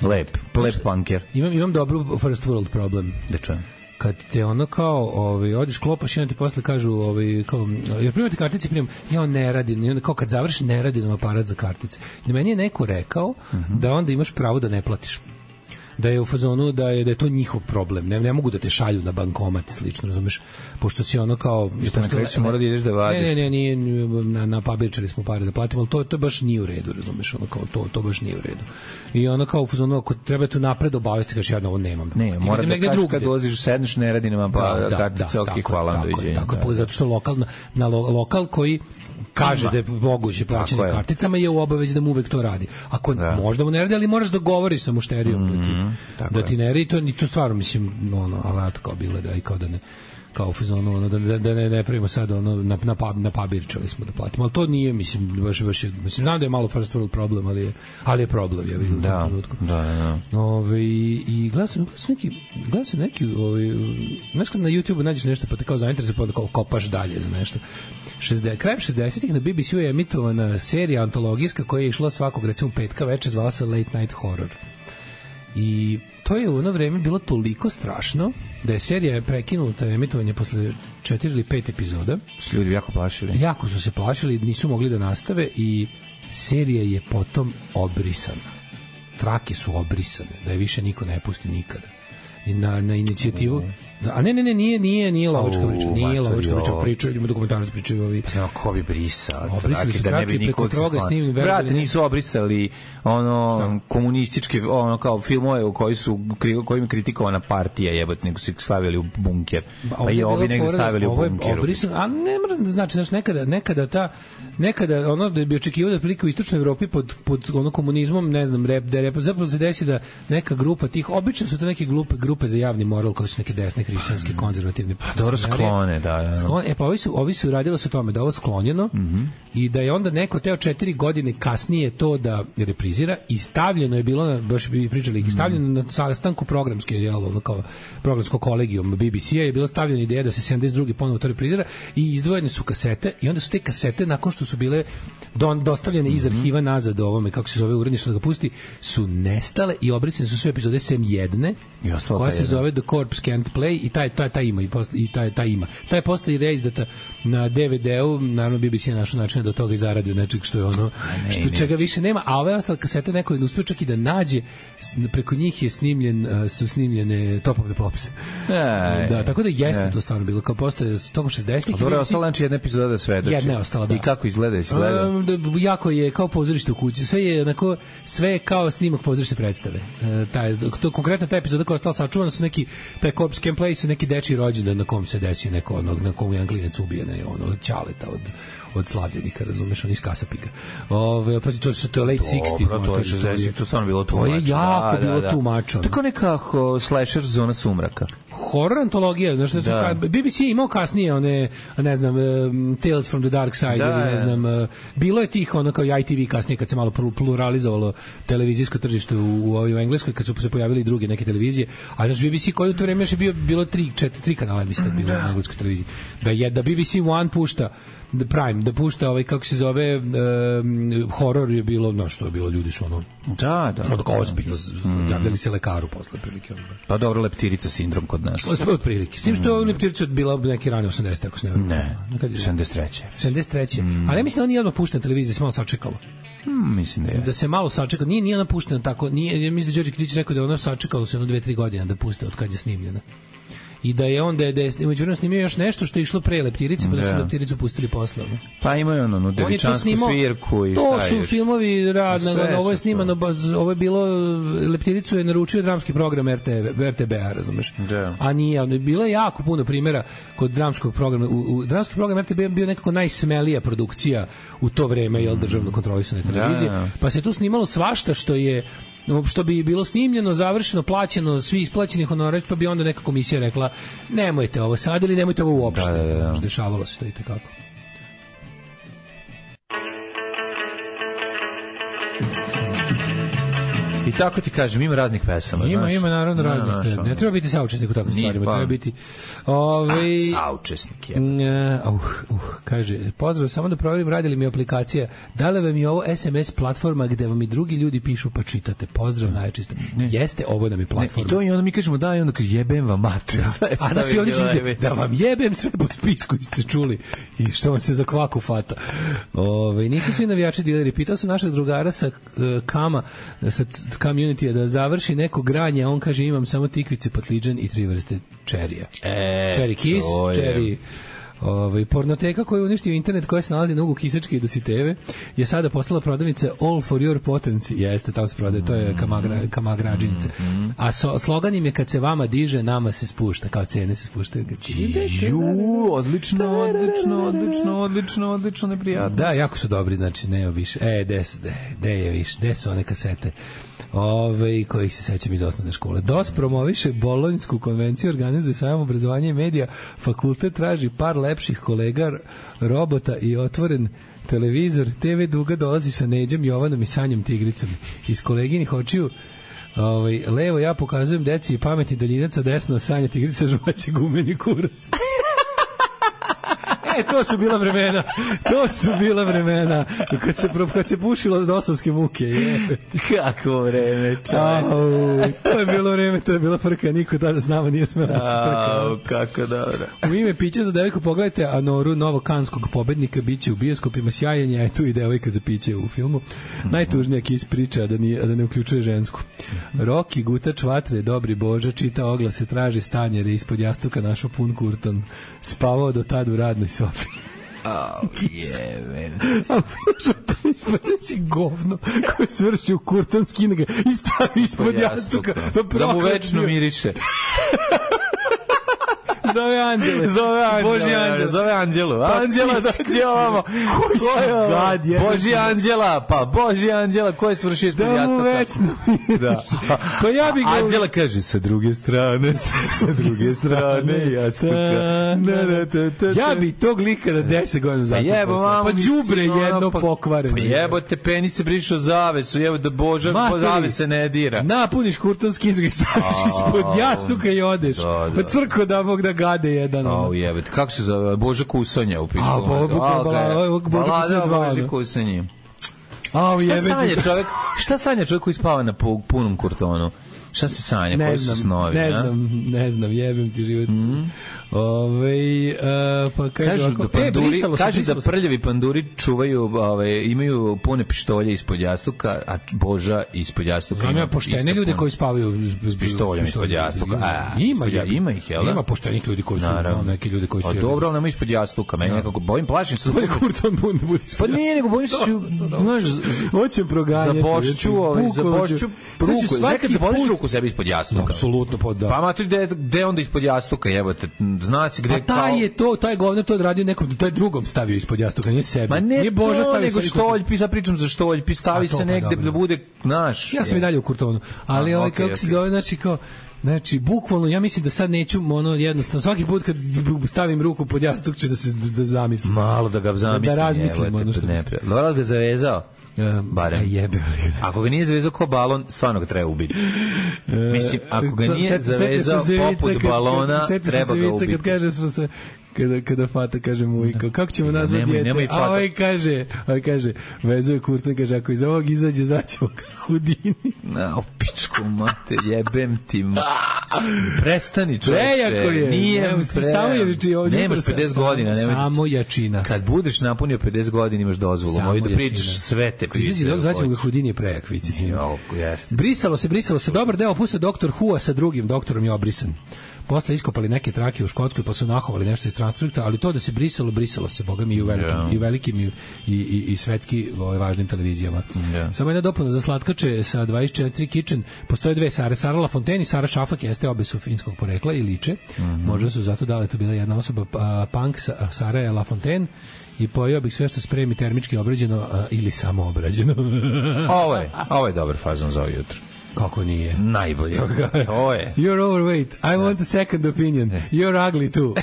Lep, lep punker. Imam, imam dobru first world problem. Da čujem. Kad te ono kao, ovaj, odiš klopaš i onda ti posle kažu, ovaj, kao, jer primate kartice, primam, ja on ne radi, i onda kao kad završi ne radi nam aparat za kartice. I meni je neko rekao uh-huh. da onda imaš pravo da ne platiš. Da je u fazonu da je da je to njihov problem. Ne, ne mogu da te šalju na bankomat slično, razumeš? Pošto si ono kao što na kraju mora da ideš da vadiš. Ne, ne, ne, nije na na papirčari smo pare da platimo, al to to baš nije u redu, razumeš? Ono kao to to baš nije u redu. I ono kao u fazonu ako treba tu napred obavesti kažeš ja ovo nemam. Da ne, mora da kažeš kad dolaziš sedneš ne radi nama pa da, kartice da, ok, hvala vam doviđenja. Tako, tako, zato što lokalna na lo, lokal koji kaže da je moguće plaćanje karticama je u obavezi da mu uvek to radi. Ako da. možda mu ne radi, ali moraš da govoriš sa mušterijom mm-hmm, da ti, da ti ne radi, to ni to stvarno mislim ono, ali kao bilo da i kao da ne kao u fazonu ono, da, da ne, ne pravimo sad ono, na, na, pab, na pabirčali smo da platimo, ali to nije, mislim, baš, baš je, mislim, znam da je malo first world problem, ali je, ali je problem, ja vidim. Da, da, da. Ove, i gledam sam, gledam sam neki, gledam sam neki, ove, znaš kad na YouTube nađeš nešto, pa te kao zainteresuje, pa onda kao kopaš dalje za nešto. šezdeset krajem šezdesetih na B B C-u je emitovana serija antologijska koja je išla svakog, recimo, petka veče, zvala se Late Night Horror. I to je u ono vreme bilo toliko strašno da je serija prekinuta emitovanje posle četiri ili pet epizoda. Su ljudi jako plašili. Jako su se plašili, nisu mogli da nastave i serija je potom obrisana. Trake su obrisane, da je više niko ne pusti nikada. I na, na inicijativu uh. da, a ne, ne, ne, nije, nije, nije lovačka priča, nije lovačka priča, priča, ima dokumentarac pričaju ovi. Pa ko bi brisao? Obrisali su trake preko toga snimili. Brate, nisu obrisali ono šta? Komunističke, ono kao filmove u koji su, kojim je kritikovana partija jebote, nego su ih stavili u bunker. A i ovi negde stavili u bunker. A ne mora, znači, znači, nekada, nekada ta, nekada ono da bi očekivao da prilike u istočnoj Evropi pod, pod ono komunizmom, ne znam, rep, da rep, zapravo se desi da neka grupa tih, obično su to neke grupe, grupe za javni moral, koji su neke desne hrišćanske konzervativne, pa dobro sklone, da, da. Sklone, e pa ovi su ovi su radilo se o tome da ovo sklonjeno mm-hmm. i da je onda neko teo četiri godine kasnije to da reprizira i stavljeno je bilo na, baš bi pričali, mm-hmm. stavljeno na sastanku programske, jel, ono kao programsko kolegijum B B C-a je bilo stavljena ideja da se sedamdeset druge ponovo to reprizira i izdvojene su kasete i onda su te kasete nakon što su bile don, dostavljene mm-hmm. iz arhiva nazad ovome, kako se zove uredništvo da ga pusti, su nestale i obrisane su sve epizode sem jedne koja se zove The Corpse Can't Play i taj taj taj ima i posle i taj taj ima. Taj je posle i reizdata na D V D-u, naravno B B C je našao način da od toga i zaradio nečeg što je ono ne, što ne, čega više nema, a ove ostale kasete neko je uspeo čak i da nađe, preko njih je snimljen uh, su snimljene Top of the Pops. Aj, da, tako da jeste aj. To stvarno bilo kao posle tokom šezdesetih. Dobro, ostala znači jedna epizoda sve. Jedna je ostala, da. I kako izgleda, jesi gledao? Um, jako je kao pozorište u kući. Sve je onako, sve je kao snimak pozorište predstave. E, taj, to, konkretno ta epizoda koja je ostala sačuvana su neki, taj Corpse Can Play su neki dečiji rođendan na kom se desi neko onog, na kom jedan klinec ubijene, ono, ćaleta od od slavljenika, razumeš, on iz Kasapiga. Ove, pa to su to late šezdesetih. Dobro, to je šezdeset, to stvarno bilo tu mačo. To je jako da, bilo da, tu mačo. Tako nekako slasher zona sumraka. Horror antologija, znači da. Ka, B B C je imao kasnije one, ne znam, um, Tales from the Dark Side, da, ili ne znam, uh, bilo je tih ono kao i I T V kasnije kad se malo pluralizovalo televizijsko tržište u, u, u Engleskoj, kad su se pojavili i druge neke televizije, a znači B B C koji u to vreme je bio, bilo tri, četiri, tri kanala, mislim da bilo na engleskoj televiziji. Da je, da B B C One pušta The Prime, da pušta ovaj, kako se zove, um, horor je bilo, no što je bilo, ljudi su ono, da, da, ono kao ozbiljno, mm. javljali se lekaru posle prilike. Ono. Pa dobro, leptirica sindrom kod nas. Od prilike. S tim što je leptirica bila neki rani osamdesete, ako se ne ne, sedamdeset treće sedamdeset treće Mm. Ali ja mislim da on nije odmah pušten na televiziji, se malo sačekalo. Hmm, mislim da je. Da se malo sačekalo. Nije, nije ona puštena tako, nije, ja mislim da Đorđe Kritić rekao da je ona sačekalo se ono dve tri godine da puste od kad je snimljena. I da je onda da je međuvremenu snimio još nešto što je išlo pre leptirice, pa da su leptiricu pustili posle. Pa imaju ono, ono devičansku svirku i šta to su filmovi radna, ovo je snimano, ovo je bilo, leptiricu je naručio dramski program R T B-a, razumeš? Da. A nije, ono, bilo je jako puno primjera kod dramskog programa, u, u dramski program R T B bio nekako najsmelija produkcija u to vreme, jel, državno kontrolisane televizije, da, da. Pa se tu snimalo svašta što je što bi bilo snimljeno, završeno, plaćeno, svi isplaćeni honorari, pa bi onda neka komisija rekla nemojte ovo sad ili nemojte ovo uopšte. Da, da, da. Dešavalo se to i tekako. I tako ti kažem, ima raznih pesama, ima, znaš. Ima, naravno, raznih. No, no, ne, ne treba biti saučesnik u takvim stvarima, treba biti... Ove, A, saučesnik je. Uh, uh, kaže, pozdrav, samo da provjerim, radili mi aplikacija, da li vam je ovo S M S platforma gde vam i drugi ljudi pišu pa čitate, pozdrav najčiste. Jeste, ovo nam je platforma. Ne, i to i onda mi kažemo, da, i onda kaže, jebem vam mater. A da si ovdje čini, da vam jebem sve po spisku, ste čuli, i što vam se za kvaku fata. Ove, nisu svi navijači dileri, pitao sam našeg drugara sa uh, Kama, sa community da završi neko granje, a on kaže imam samo tikvice, patliđan i tri vrste čerija. E, cherry kiss, cherry ovaj pornoteka koja je uništio internet, koja se nalazi na ugu Kisačke i Dositejeve, je sada postala prodavnica All for your potency. Jeste, tamo se prodaje, to je kamagra, kamagrađinica. A so, slogan im je kad se vama diže, nama se spušta, kao cene se spuštaju. Ju, odlično, odlično, odlično, odlično, odlično, neprijatno. Da, jako su dobri, znači nema više. E, gde su, gde je više, gde su one kasete? Ove, kojih se sećam iz osnovne škole. D O S promoviše Bolonjsku konvenciju, organizuje sajam obrazovanja i medija, fakultet traži par lepših kolega, robota i otvoren televizor, T V Duga dolazi sa Neđom, Jovanom i Sanjom Tigricom. Iz koleginih očiju ovaj, levo ja pokazujem deci pametni daljinaca, desno Sanja Tigrica žvaće gumeni kurac. E, to su bila vremena. To su bila vremena. Kad se, kad se pušilo od dosovske muke. Je. Kako vreme, čaj. To je bilo vreme, to je bila frka. Niko tada s nama nije smela da se trka. Kako dobro. U ime pića za devojku pogledajte Anoru, novokanskog pobednika, biće u bioskopima sjajanje, a je tu i devojka za piće u filmu. Najtužnija Kiss priča, a da, nije, a da ne uključuje žensku. Roki, gutač vatre, dobri Boža, čita oglase, traži stanjere, ispod jastuka našo pun kurton. Spavao do tad u radnoj sobi. Au, jeven. A ispod si govno koje svrši u kurton, skine ga i stavi ispod jastuka. Da mu večno miriše. Zove Anđele. Zove Anđele. Boži Anđele. Zove Anđelu. Anđela dođe ovamo. Koji si gad je? Boži Anđela. Pa Boži Anđela. Ko je svršio ispod jastuka? Da mu večno da. Pa ja bih ga... Anđela kaže sa druge strane, sa druge strane jastuka. Ja bih tog lika da deset godina zato poslao. Pa đubre jedno pokvareno. Pa jebote, penis se brišao zavesu. Evo da Boža zavese ne dira. Napuniš kurton, skinski staviš ispod jastuka i odeš. Pa crko da Bog da gade jedan. Au jebate, kako se zove? Boža Kusanja u pičku. A, Boža Kusanja. Au jebate. Šta sanja čovjek? Šta sanja čovjek koji spava na punom kurtonu? Šta se sanja? Koji su snovi? Ne znam, ne znam, jebem ti život. Ove, uh, pa kaže kažu ovako, da panduri, e, kažu da prljavi panduri čuvaju, ove, imaju pune pištolje ispod jastuka, a Boža ispod jastuka. Znam ja poštene ljude koji spavaju s pištoljem ispod jastuka. A, ima, ja, ima ih, jel? Ima poštenih ljudi koji su, no, neki ljudi koji su. A dobro, ali nema ispod jastuka, meni nekako bojim, plašim se. Pa Kurton bude bude. Pa nije, nego bojim se, znaš, hoćem proganjati. Za Bošću, ovaj, za Bošću ruku. Nekad zaboliš ruku sebi ispod jastuka. Apsolutno, pa da. Pa ma tu gde gde onda ispod jastuka, jebote, zna se gde. Pa taj je to, taj govnar to odradio nekom, to je drugom stavio ispod jastuka, nije sebi. Ma ne, nije Boža stavio, nego štoljpi, sad pričam za štoljpi, stavi se negde da bude, znaš. Ja sam i dalje u Kurtonu, ali ovaj kako se zove, znači kao Znači, bukvalno, ja mislim da sad neću, ono, jednostavno, svaki put kad stavim ruku pod jastuk ću da se da zamislim. Malo da ga zamislim. Da razmislim. Ono što ne pre... Lora ga zavezao? Um, barem. Jebe. Ako ga nije zavezao kao balon, stvarno ga treba ubiti. Mislim, ako ga nije zavezao poput balona, treba ga ubiti. Kad kaže smo se, kada kada Fata kaže mu i kako ćemo nazvati dijete, a ovaj kaže, ovaj kaže, vezuje Kurton, kaže ako iz ovog izađe zaćemo Hudini. Na, o pičku mater, jebem ti. Prestani čoveče. Prejako je. Nije, samo je reči ovdje. Nemaš pedeset godina. Samo jačina. Kad budeš napunio pedeset godina imaš dozvolu. Moji da pričaš sve te priče. Izađe dok zaćemo ga Hudini je prejak, vici. Jo, jeste. Brisalo se, brisalo se. Dobar deo pusa doktor Hua sa drugim doktorom je obrisan. Posle iskopali neke trake u Škotskoj, pa su nahovali nešto iz transkripta, ali to da se brisalo, brisalo se, boga mi, i u velikim, yeah. i, velikim i, i, i svetski ovaj, važnim televizijama. Yeah. Samo jedna dopuna za slatkače sa dvadeset četiri Kitchen. Postoje dve Sare, Sara Lafontaine i Sara Šafak, jeste, obe su finskog porekla i liče. Mm -hmm. Možda su zato da li to bila jedna osoba, a, punk, Sara je Lafontaine, i pojeo bih sve što spremi termički obrađeno a, ili samo obrađeno. Ovo je, ovo je dobar fazon za ovo jutro. Kako nije? Najbolje. To je. You're overweight. I want a second opinion. You're ugly too.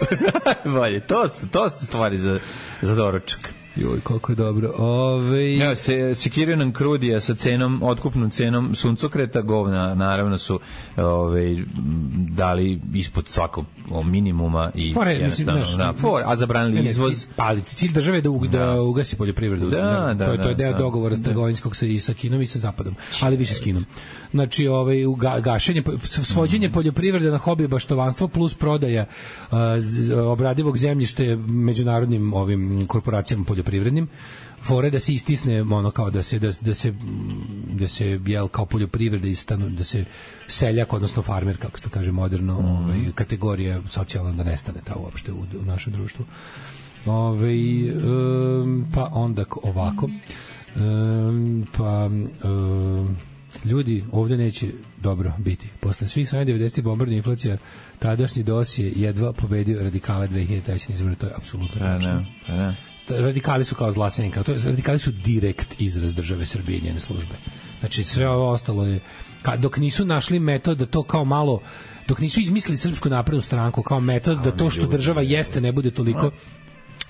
Bolje, to su, to su stvari za, za doručak. Joj, kako je dobro. Ove... Evo, se, sekiraju nam krudija sa cenom, otkupnom cenom suncokreta, govna, naravno su ove, dali ispod svakog minimuma i fore, jednostavno, mislim, da, for, a zabranili izvoz. Pa, cilj države je da, u, da. da ugasi poljoprivredu. Da, da, to, da, to je deo da, dogovora da. s trgovinskog sa, i sa Kinom i sa Zapadom, ali više s Kinom. Znači, ovaj, gašenje, svođenje poljoprivrede na hobi baštovanstvo plus prodaja uh, obradivog zemljišta međunarodnim ovim korporacijama poljoprivrednim, fore da se istisne ono kao da se da, da se da se jel kao poljoprivreda istanu, da se seljak odnosno farmer, kako se to kaže moderno, mm. ovaj, kategorija socijalna da nestane ta uopšte u, u našem društvu. Ovaj um, pa onda ovako um, pa um, ljudi, ovdje neće dobro biti. Posle svih srednjih devedesetih bombardi inflacija, tadašnji DOS je jedva pobedio radikale dve hiljade treće izbore, to je apsolutno tačno. Radikali su kao zla senka, to je, radikali su direkt izraz države Srbije i njene službe. Znači sve ovo ostalo je, dok nisu našli metod da to kao malo, dok nisu izmislili Srpsku naprednu stranku kao metod da to što država jeste ne bude toliko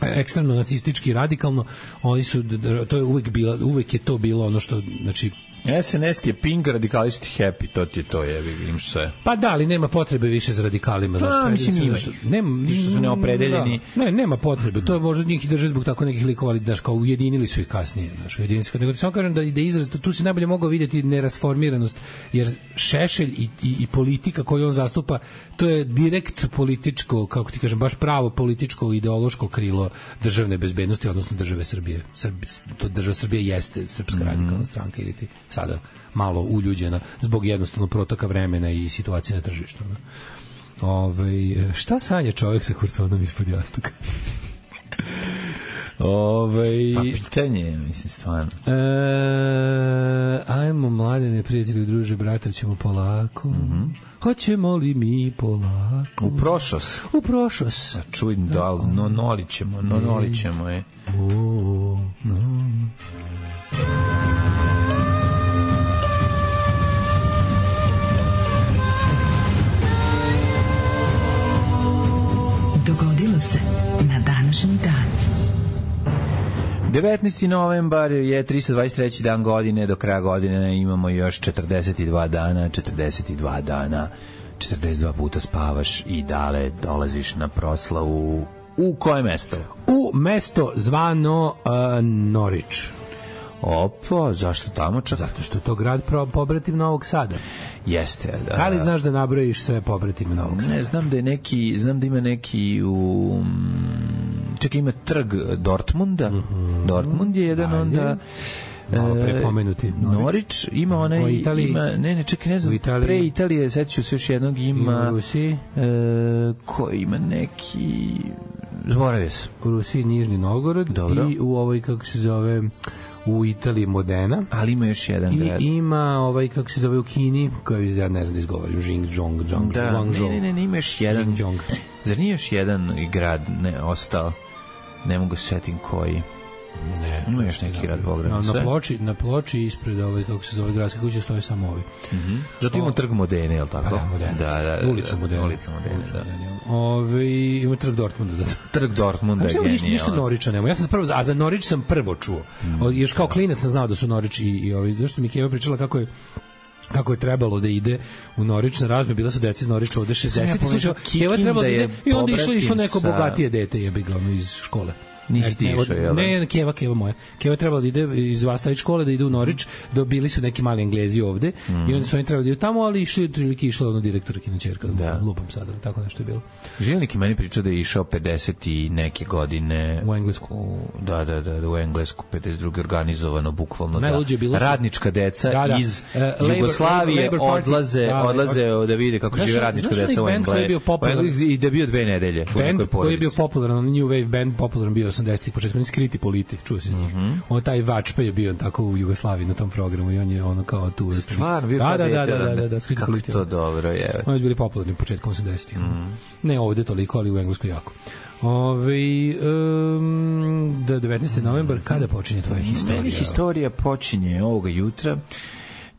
ekstremno nacistički radikalno, oni su, to je uvek bilo, uvek je to bilo ono što, znači S N S je pink, radikali su ti happy, to ti je to, je, imaš sve. Pa da, ali nema potrebe više za radikalima. Pa, znači, mislim, imaš, nema, ti što su neopredeljeni. Da, ne, nema potrebe, to je možda njih drže zbog tako nekih likova, ali daš, kao ujedinili su ih kasnije, znaš, ujedinili su, nego ti samo kažem da, da izraz, tu se najbolje mogao vidjeti nerasformiranost, jer Šešelj i, i, i politika koju on zastupa, to je direkt političko, kako ti kažem, baš pravo političko ideološko krilo državne bezbednosti, odnosno države Srbije. Srbi, to država Srbije jeste Srpska radikalna stranka, ili ti sada malo uljuđena zbog jednostavno protoka vremena i situacije na tržištu. Ove, šta sanja čovjek sa Kurtonom ispod jastuka? Ove, pa pitanje je, mislim, stvarno. E, ajmo, mladene, prijatelji, druže, brata, ćemo polako. Mm-hmm. Hoćemo li mi polako? U prošos. U prošos. A čuj, da, no nolićemo, no nolićemo, je. O, no. Dogodilo se na današnji dan. devetnaesti novembar je tristo dvadeset treći dan godine, do kraja godine imamo još četrdeset dva dana, četrdeset dva dana, četrdeset dva puta spavaš i dale dolaziš na proslavu u koje mesto? U mesto zvano uh, Norwich. Opa, zašto tamo čak? Zato što to grad pro, pobratim Novog Sada. Jeste, da. Da li znaš da nabrojiš sve pobratime Novog Sada? Ne, znam da je neki, znam da ima neki u... Čekaj, ima trg Dortmunda. Mm-hmm. Dortmund je jedan Dalje. Onda... Malo prepomenuti Norić ima onaj ima ne ne čekaj ne znam pre Italije sećam se još jednog ima u Rusiji e, ko ima neki zaboravio sam u Rusiji Nižni Novgorod. Dobro. I u ovoj kako se zove u Italiji Modena, ali ima još jedan i grad. Ima ovaj kako se zove u Kini koji ja ne znam da izgovorim Jingzhong Zhang da, ne, ne ne ima još jedan Jingzhong. Zar nije još jedan grad ne ostao ne mogu setim koji. Ne, ima još neki grad pogledam. Na, na ploči, na ploči ispred ovaj kako se zove gradske kuće stoje samo ovi. Mhm. Mm Zato ima trg Modene, je l' tako? Da, Modene. Da, da, da, ulicu Modene. Ulica Modene, da. Ove ima trg Dortmunda zato. Trg Dortmunda je genijalno. Ništa Noriča nema. Ja sam prvo a za Norić sam prvo čuo. Mm, o, još kao klinac sam znao da su Norić i, i ovi zašto mi Keva pričala kako je kako je trebalo da ide u Norić na razme, bila su deca iz Norića ovde šezdesetih, slušao, Keva trebalo da ide i onda išlo, išlo neko bogatije dete, jebi ga, iz škole. Nisi ti išao, jel? Ne, Keva, Keva moja. Keva trebala da ide iz Vastavić škole, da ide u Norić, dobili su neki mali Englezi ovde mm. i onda su oni trebali da idu tamo, ali išli otprilike išla ono direktor kinoćerka, da. Lupam sada, tako nešto je bilo. Žilnik je meni pričao da je išao pedeset i neke godine u Englesku. U, da, da, da, u Englesku, pedeset druge organizovano, bukvalno da. Bilo radnička deca da, da. iz uh, labor, Jugoslavije labor odlaze, da, odlaze da, da vide kako žive radnička deca u Englesku. I da je bio dve nedelje. Band koji je bio popularan, New Wave band, popularan bio osamdesetih početkom, Skriti politi, čuo se iz njih. Mm-hmm. On taj Vačpa je bio tako u Jugoslaviji na tom programu i on je ono kao tu. Stvarno, bio da, da, da, da, da, da, da, Skriti kako politi. To dobro je. Oni su bili popularni početkom osamdesetih. Mm-hmm. Ne ovde toliko, ali u Engleskoj jako. Ove, um, da devetnaesti novembar, kada počinje tvoja historija? Meni historija počinje ovoga jutra,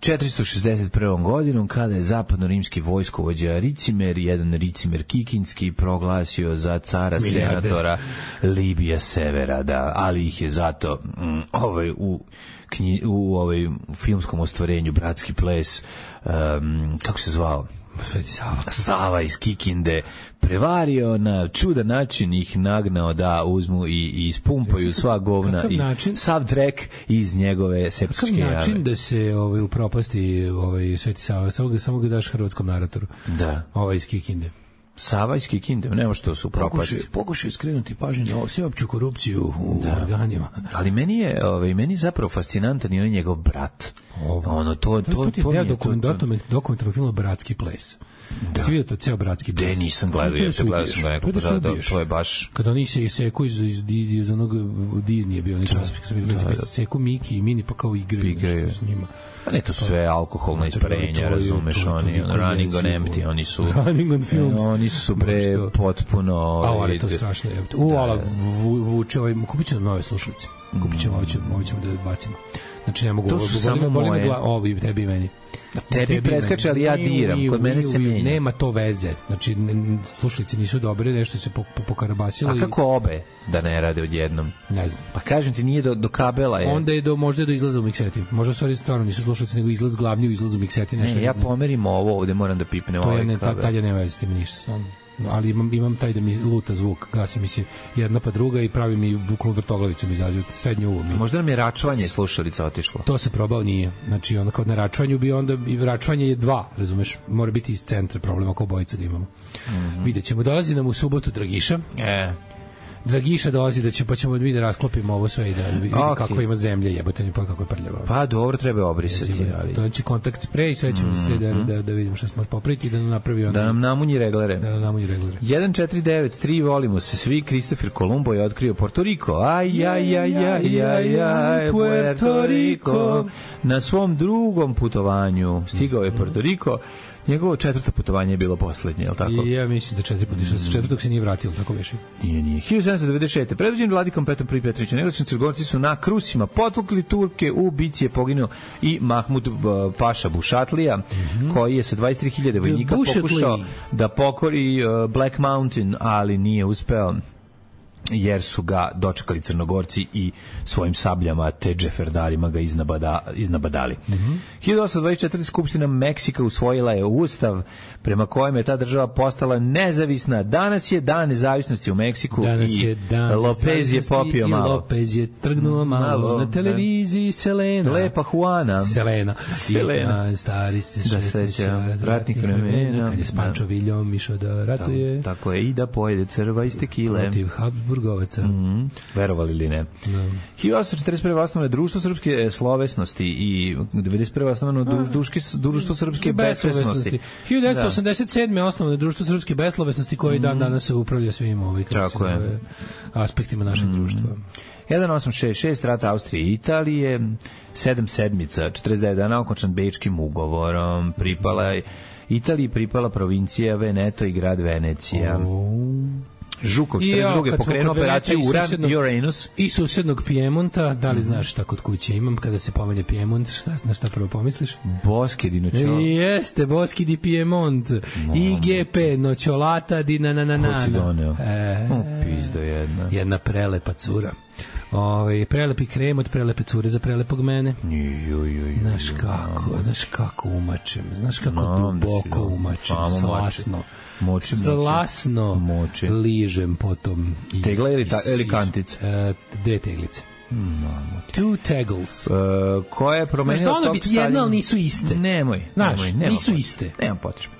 četiristo šezdeset prvom godinom, kada je zapadno-rimski vojskovođa Ricimer, jedan Ricimer Kikinski, proglasio za cara Miliarder. Senatora Libija Severa, da, ali ih je zato mm, ovaj, u, knji, u ovaj filmskom ostvarenju Bratski ples, um, kako se zvao? Sveti Sava. Sava iz Kikinde prevario na čudan način, ih nagnao da uzmu i, i ispumpaju sva govna i način, sav drek iz njegove septičke jame. Kakav način da se ovaj, upropasti ovaj, Sveti Sava, samo ga, samo ga daš hrvatskom naratoru. Da. Ovaj iz Kikinde. Sava iz Kikinde, nema što su propasti. Pokušaj, pokušaj skrenuti pažnju na sveopću korupciju u da. organima. Ali meni je, ovaj, meni zapravo fascinantan i on njegov brat. Ovo. Ono, to, to, to, to, to je dokumentarnog filma Bratski ples. Da. Ti vidio to ceo Bratski ples? De, nisam gledao, ja se gledao sam ga nekako, da, da, to je baš... Kada oni se seku iz, iz, iz onog Disney je bio, oni časpik, seku Miki i Mini, pa kao igraju s njima. Pa ne, to sve alkoholno isparenja, razumeš, oni running on empty, oni su running on films. Oni su bre potpuno... A, ali to strašno je. U, ala, vuče, ovaj, kupit ćemo nove slušalice. Kupit ćemo, ovo ćemo, ovo ćemo da bacimo. Znači, ne mogu... To su samo moje. Ovi, tebi i meni. Tebi preskače, ali ja diram. Kod mene se menja. Nema to veze. Znači, slušalice nisu dobre, nešto se pokarabasilo. A kako obe da ne rade odjednom? Ne znam. Pa kažem ti, nije do, do kabela je. Onda je do, možda je do izlaza u mikseti. Možda u stvari stvarno nisu slušalice, nego izlaz glavni u izlazu mikseti. Ne, ja pomerim ovo, ovde moram da pipnem ovaj kabel. To je, taj nema veze s tim ništa, stvarno. Ali imam, imam taj da mi luta zvuk, gasi mi se jedna pa druga i pravi mi bukvalno vrtoglavicu mi izaziva, srednje uvo mi. Možda nam je račvanje slušalica otišlo. To se probao, nije. Znači, onda kao na račvanju bi onda, i račvanje je dva, razumeš, mora biti iz centra problema, kao bojica ga imamo. Mm-hmm. Vidjet ćemo, dolazi nam u subotu Dragiša. E. Dragiša dolazi da će, pa ćemo mi da rasklopimo ovo sve i da vidi okay. kako ima zemlje, jebote mi pa kako je prljava. Pa dobro, treba obrisati. Ali... To će kontakt sprej, sve ćemo mm-hmm. se da, da, da vidimo što se može popraviti i da nam napravi onda... Da nam namunji reglere. Da nam namunji reglere. jedan četiri devet tri, volimo se svi, Kristofer Kolumbo je otkrio Porto Riko. Aj, aj, aj, aj, aj, aj, Puerto Riko. Na svom drugom putovanju stigao je Porto Riko. Njegovo četvrto putovanje je bilo poslednje, je li tako? Ja mislim da četiri puta, mm. četvrtog se nije vratilo, tako veši. Nije, nije. hiljadu sedamsto devedeset šeste. Predvođeni vladikom Petrom I Petrovićem, neglačni crgovci su na Krusima potukli Turke, u bici je poginuo i Mahmud uh, Paša Bušatlija, mm-hmm. koji je sa dvadeset tri hiljade vojnika pokušao da pokori uh, Black Mountain, ali nije uspeo. jer su ga dočekali Crnogorci i svojim sabljama te džeferdarima ga iznabada, iznabadali. Mm-hmm. hiljadu osamsto dvadeset četvrte. Skupština Meksika usvojila je ustav prema kojem je ta država postala nezavisna. Danas je dan nezavisnosti u Meksiku Danas i Lopez je popio malo. I Lopez je trgnuo malo, malo na televiziji ne. Selena. Lepa Juana. Selena. Selena. I, stari ste da seća ratnih vremena. Kad je s Pančo Viljom išao da ratuje. Tako, tako je, i da pojede crva iz tekile. Protiv Habsburgovaca. Mm, verovali ili ne. No. hiljadu osamsto četrdeset prve. osnovno je društvo srpske slovesnosti i devedeset prve. osnovno druški, društvo srpske besvesnosti. hiljadu devetsto osamdeset sedme. osnovno je društvo srpske beslovesnosti koji mm. dan danas se upravlja svim ovim aspektima našeg mm. društva. hiljadu osamsto šezdeset šeste. rat Austrije i Italije, sedam sedmica, četrdeset devet dana okončan Bečkim ugovorom, pripala je Italiji pripala provincija Veneto i grad Venecija. Oh. Žukov četrdeset druge. pokrenuo operaciju Uran i Uranus. I susednog Pijemonta, da li znaš šta kod kuće imam kada se pomene Pijemont, šta, na šta prvo pomisliš? Boski di noćo. Jeste, Boski di Pijemont. I G P, noćolata di na na na na. Ko ti doneo? E, o, pizdo jedna. Jedna prelepa cura. Ove, prelepi krem od prelepe cure za prelepog mene. Znaš kako, znaš kako umačem, znaš kako no, duboko umačem, slasno. Moči, slasno moči. Ližem potom. Tegla ili, ta, ili kantice? Uh, dve teglice. No, Two tegles. Uh, ko je promenio ono biti jedno, ali nisu iste. Nemoj, znaš, nemoj, nema nisu potrebe. iste. Nema potrebe.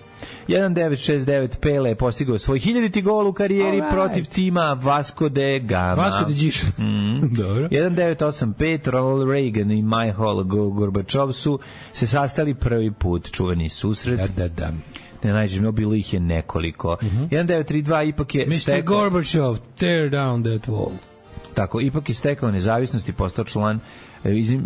hiljadu devetsto šezdeset devete. Pele je postigao svoj hiljaditi gol u karijeri right. protiv tima Vasco de Gama. Vasco de Giš. Mm. Dobro. hiljadu devetsto osamdeset pete. Ronald Reagan i Mihail Gorbačov su se sastali prvi put, čuveni susret. Da, da, da. Ne nađemo, bilo ih je nekoliko. Mm-hmm. hiljadu devetsto trideset dva ipak je mister stekao... Gorbačov, tear down that wall. Tako, ipak je stekao nezavisnost i postao član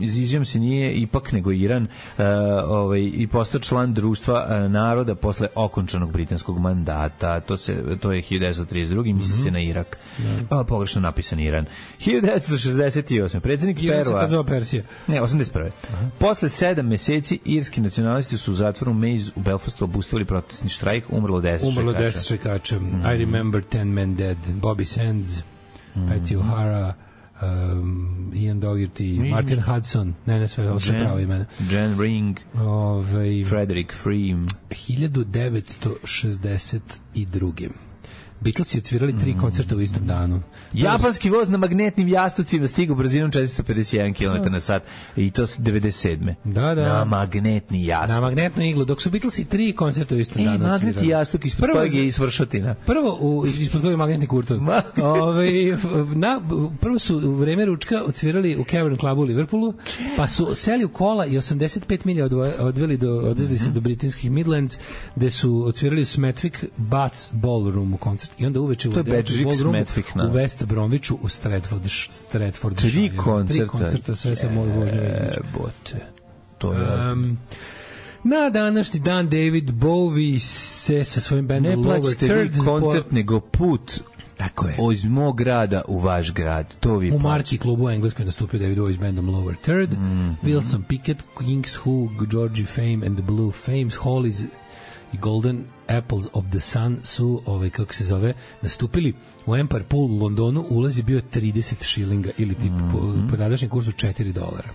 izviđam se nije ipak nego Iran uh, ovaj, i postao član društva uh, naroda posle okončanog britanskog mandata. To, se, to je hiljadu devetsto trideset druge. misli mm-hmm. se na Irak. Mm-hmm. A, pogrešno napisan Iran. hiljadu devetsto šezdeset osme. Predsjednik Perua... Persija. Ne, osamdeset prve. Uh-huh. Posle sedam meseci irski nacionalisti su u zatvoru Maze u Belfastu obustavili protestni štrajk. Umrlo deset Umrlo štrajkača. deset štrajkača. Mm-hmm. I remember ten men dead. Bobby Sands, mm-hmm. Patty O'Hara, Um, Ian Dougherty, Martin Hudson, ne, ne, sve, ovo sve pravo imena. Jen Ring, Ove, Frederick Freem. hiljadu devetsto šezdeset druge. Beatlesi odsvirali tri koncerta u istom danu. Japanski voz na magnetnim jastucima stigao brzinom četiristo pedeset jedan kilometar na sat i to devedeset sedme. Da, da. Na magnetni jastuk. Na magnetnu iglu, dok su Beatlesi tri koncerta u istom e, danu. Magnetni jastuk ispod prvo, kojeg je isvršotina. Prvo, u, ispod kojeg je magnetni kurton. Ove, na, prvo su u vreme ručka odsvirali u Cavern Clubu u Liverpoolu, pa su seli u kola i osamdeset pet milja odveli do, odvezli se do britanskih Midlands, gde su odsvirali u Smethwick Baths Ballroom u koncert. I onda uveče u Ballroomu u West Bromwichu u Stratford, Stratford tri koncerta. Tri koncerta, sve sam moj vožnje između. Bote. To je... Um, na današnji dan David Bowie se sa svojim bandom Lower Third... Ne plaćete vi koncert, po... nego put tako je. Iz mog grada u vaš grad. To vi u Marki klubu u Engleskoj je nastupio David Bowie s bandom Lower Third. Mm-hmm. Wilson Pickett, Kings Who, Georgie Fame and the Blue Fames, Hollies i Golden Apples of the Sun su, ovaj, kako se zove, nastupili u Empire Pool u Londonu. Ulaz je bio trideset šilinga ili tip, mm-hmm. po, po današnjem kursu četiri dolara.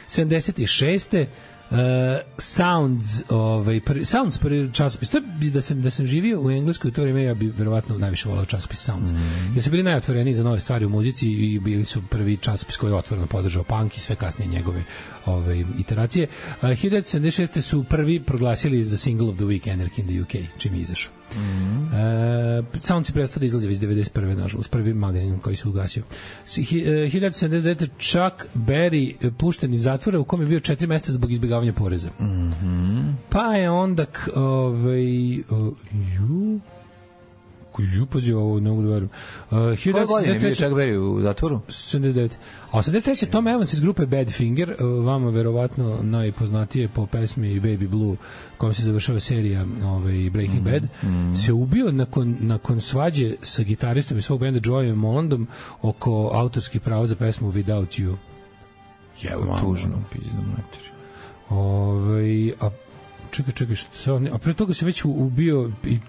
sedamdeset šeste Uh, Sounds, ovaj, prvi, Sounds prvi časopis. To je, da sam, da sam živio u Engleskoj u to vrijeme, ja bih verovatno najviše volao časopis Sounds. Mm-hmm. Jer su bili najotvoreniji za nove stvari u muzici i bili su prvi časopis koji je otvoreno podržao punk i sve kasnije njegove ove, iteracije. Uh, hiljadu devetsto sedamdeset šeste su prvi proglasili za single of the week Anarchy in the U K, čim je izašao. Mm-hmm. Uh, Sounds je prestao da izlazi iz devedeset prve nažalost, prvi magazin koji se ugasio. hiljadu devetsto sedamdeset devete Chuck Berry pušten iz zatvora u kom je bio četiri meseca zbog izbjegavanja poreza. Mm-hmm. Pa je onda k, ovaj, uh, ju Ju, pazi, ovo ne mogu da verujem. Uh, Koje godine je bio Chuck Berry u zatvoru? sedamdeset devete A osamdeset treće Tom Evans iz grupe Badfinger, uh, vama verovatno najpoznatije po pesmi Baby Blue, kojom se završava serija ovaj, Breaking mm-hmm. Bad, mm-hmm. se ubio nakon, nakon svađe sa gitaristom iz svog benda Joeyem Molandom oko autorskih prava za pesmu Without You. Jevo, tužno, pizno mater. Ovaj, a čekaj, čekaj, što a pre toga se već ubio i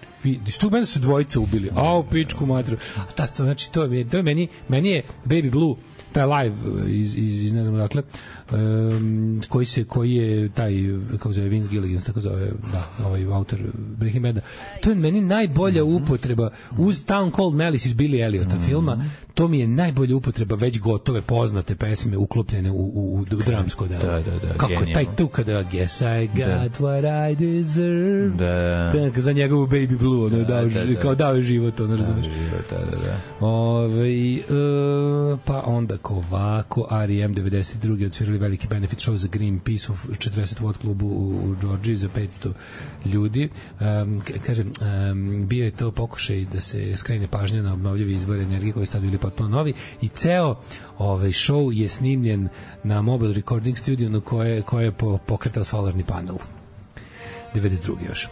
iz tog benda su dvojica ubili. A u pičku matru. A ta stvar, znači, to je, to je meni, meni je Baby Blue, taj live iz, iz, iz ne znam dakle, um, koji se, koji je taj, kako zove, Vince Gilligan, tako zove, da, ovaj autor Breaking Bada. To je meni najbolja upotreba, uz Town Called Malice iz Billy Elliota filma, to mi je najbolja upotreba već gotove, poznate pesme uklopljene u, u, u dramsko delo. Da, da, da. Kako je taj tu kada Guess I got da. What I deserve. Da. Tako, za njegovu Baby Blue, ono, da, dao, da, da. Kao dao je život, ono, razumeš. Da, da, da. Ove, uh, pa onda ovako, R E M devedeset druge odsvirali veliki benefit show za Greenpeace u četrdeset watt klubu u, u Georgiji za petsto ljudi. Um, kažem, um, bio je to pokušaj da se skrene pažnja na obnovljive izvore energije koji su tada bili potpuno novi i ceo ovaj show je snimljen na Mobile Recording Studio na koje, koje je po, pokretao solarni panel. devedeset druge još.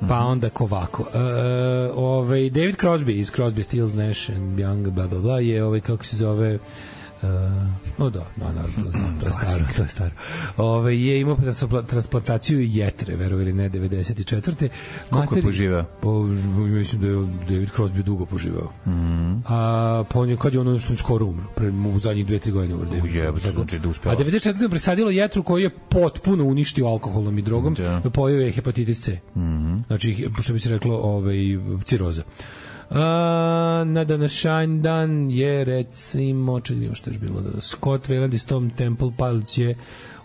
Pa onda ovako. Uh, ovaj David Crosby iz Crosby, Stills, Nash and Young, bla, bla, bla, je ovaj, kako se zove, Uh, no da, da, naravno, to znam, to je staro, to je staro. Ove, je imao transplantaciju jetre, verovali ne, devedeset četvrte Koliko je poživao? Po, mislim da je David Crosby dugo poživao. Mm -hmm. A po njoj, kad je ono što je skoro umro, pre, u zadnjih dve, tri godine umro. A devedeset četvrte je presadilo jetru koju je potpuno uništio alkoholom i drogom, da. Pojeo je hepatitis C. Mm -hmm. Znači, što bi se reklo, ovaj, ciroza. Uh, na današnji dan je recimo čekaj, što je bilo da Scott Weiland iz Tom Temple Pilots je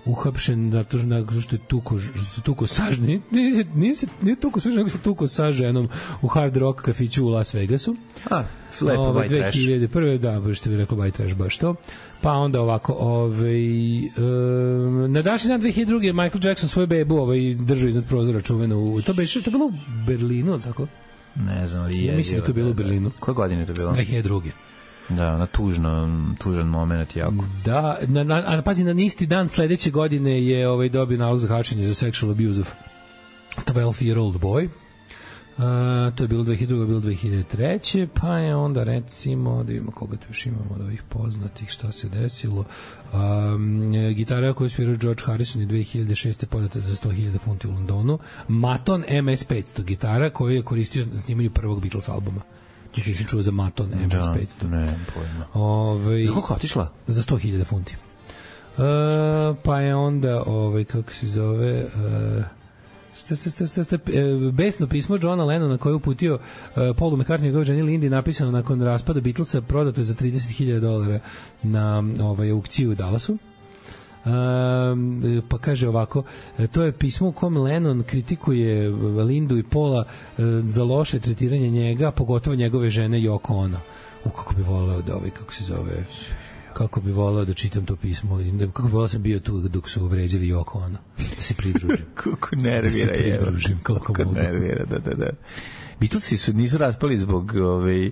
uhapšen zato što je tuko, što tuko sa nije, nije, nije, nije tuko sa nego što tuko sa ženom u Hard Rock kafiću u Las Vegasu. A, lepo Ove, by trash. dve hiljade prve da, baš što bi rekao by trash, baš to. Pa onda ovako, ovaj, um, na današnji dan dve hiljade druge Michael Jackson svoju bebu ovaj, držao iznad prozora čuveno u, to bi to bilo u Berlinu, tako? Ne znam li je. Ja mislim da to bilo u Berlinu. Koje godine je to bilo? dve hiljade druge Da, na tužno, tužan moment jako. Da, na, na, a pazi, na isti dan sledeće godine je ovaj dobio nalog za hapšenje za sexual abuse of twelve-year-old boy. Uh, to je bilo dve hiljade druge bilo dve hiljade treće pa je onda recimo, da vidimo koga tu još imamo od ovih poznatih, šta se desilo. Um, gitara koju svirao George Harrison je dve hiljade šeste podata za sto hiljada funti u Londonu. Maton M S petsto gitara koju je koristio na snimanju prvog Beatles albuma. Ti si čuo za Maton M S petsto? Da, ne, pojma. Ove, za koliko otišla? Za sto hiljada funti. Uh, pa je onda, ovaj, kako se zove... Uh, Sta, sta, sta, sta, sta, besno pismo Johna Lennona koje je uputio uh, Paulu McCartney i Jenny Lindy napisano nakon raspada Beatlesa, prodato je za trideset hiljada dolara na ovaj, aukciju u Dallasu. Um, pa kaže ovako, to je pismo u kom Lennon kritikuje Lindu i Paula uh, za loše tretiranje njega, pogotovo njegove žene Yoko Ono. U, kako bi voleo da ovaj, kako se zove... kako bi voleo da čitam to pismo, kako bi voleo sam bio tu dok su vređali Yoko Ono, da se pridružim. Kako nervira, da se pridružim, koliko mogu. Nervira, da, da, da. Beatlesi su, nisu raspali zbog, ovaj,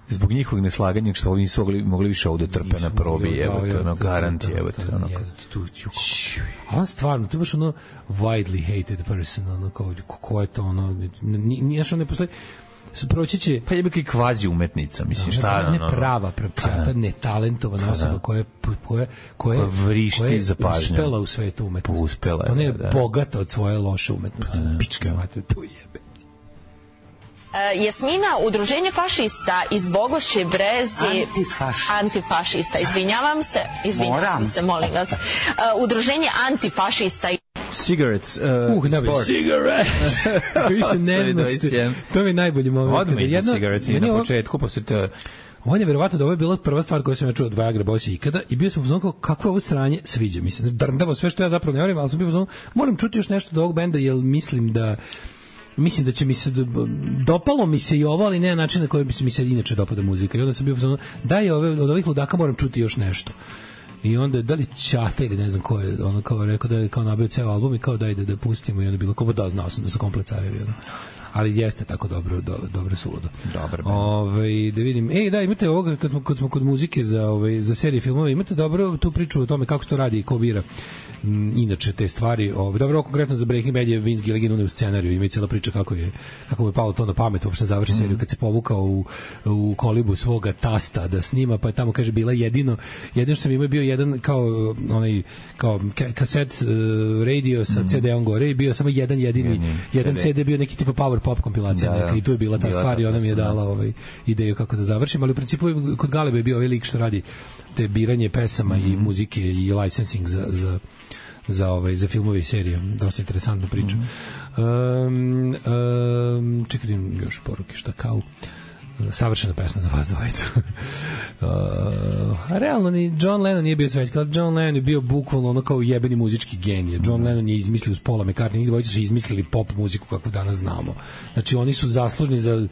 zbog njihovog neslaganja, što oni nisu mogli, mogli više ovde trpe na probi, evo te, ono, garanti, evo te, ono. A on stvarno, to je baš ono widely hated person, ono, kao, ko je to, ono, nije što ne postoji, proći će pa jebe kao kvazi umetnica, mislim, šta je ona, ne prava pravcijata, ne talentovana osoba koja koja koja vrišti za pažnju, uspela u svetu umetnosti, uspela, ona je bogata od svoje loše umetnosti, pička mate, tu jebe. Uh, Jasmina, udruženje fašista iz Bogošće Brezi, Antifašista. Antifašista, izvinjavam se, izvinjavam Moram. se, molim vas. Uh, udruženje antifašista. Cigarettes, uh, uh nabi, cigarettes. Više ne znaš, to mi je najbolji moment. Odmah ide cigarettes i na početku, posle to... On je verovatno da ovo je bila prva stvar koju sam ja čuo od Viagra Boysa ikada i bio sam u fazonu kako je ovo sranje, sviđa mi se. Drndavo sve što ja zapravo ne volim, ali sam bio u fazonu, moram čuti još nešto od ovog benda, jer mislim da mislim da će mi se dopalo mi se i ovo, ali ne na način na koji bi se mi se inače dopada muzika. I onda sam bio u fazonu, daj ove, od ovih ludaka moram čuti još nešto. I onda da li Ćate ili ne znam ko je, ono kao rekao da je kao nabio ceo album i kao da ide da pustimo i onda bilo kao da znao sam da su komplet carevi. Ono. ali jeste tako dobro, do, dobro suludo. Dobro. Ovaj da vidim. Ej, da, imate ovoga kad smo kad smo kod muzike za ovaj za serije filmove, imate dobro tu priču o tome kako se to radi i ko bira inače te stvari. Ovaj dobro, konkretno za Breaking Bad je Vince Gilligan u scenariju, ima cela priča kako je kako mu je palo to na pamet uopšte završi mm. seriju kad se povukao u u kolibu svoga tasta da snima, pa je tamo kaže bila jedino jedino što sam imao bio jedan kao onaj kao kaset uh, radio sa mm. ce de-om gore i bio samo jedan jedini Jedin, jedan ce de bio neki tipa power pop kompilacija da, neka i tu je bila ta bila stvar i ona mi je dala ovaj ideju kako da završim, ali u principu kod Galebe je bio ovaj lik što radi te biranje pesama mm. i muzike i licensing za za za ovaj za filmove i serije. Dosta interesantna priča. Mm. Um, um, čekaj još poruke šta kao savršena pesma za vas dvojicu. uh, a realno ni John Lennon nije bio svetski, ali John Lennon je bio bukvalno ono kao jebeni muzički genije. John mm. Lennon je izmislio uz Paula McCartney, njih dvojica su izmislili pop muziku kakvu danas znamo. Znači oni su zaslužni za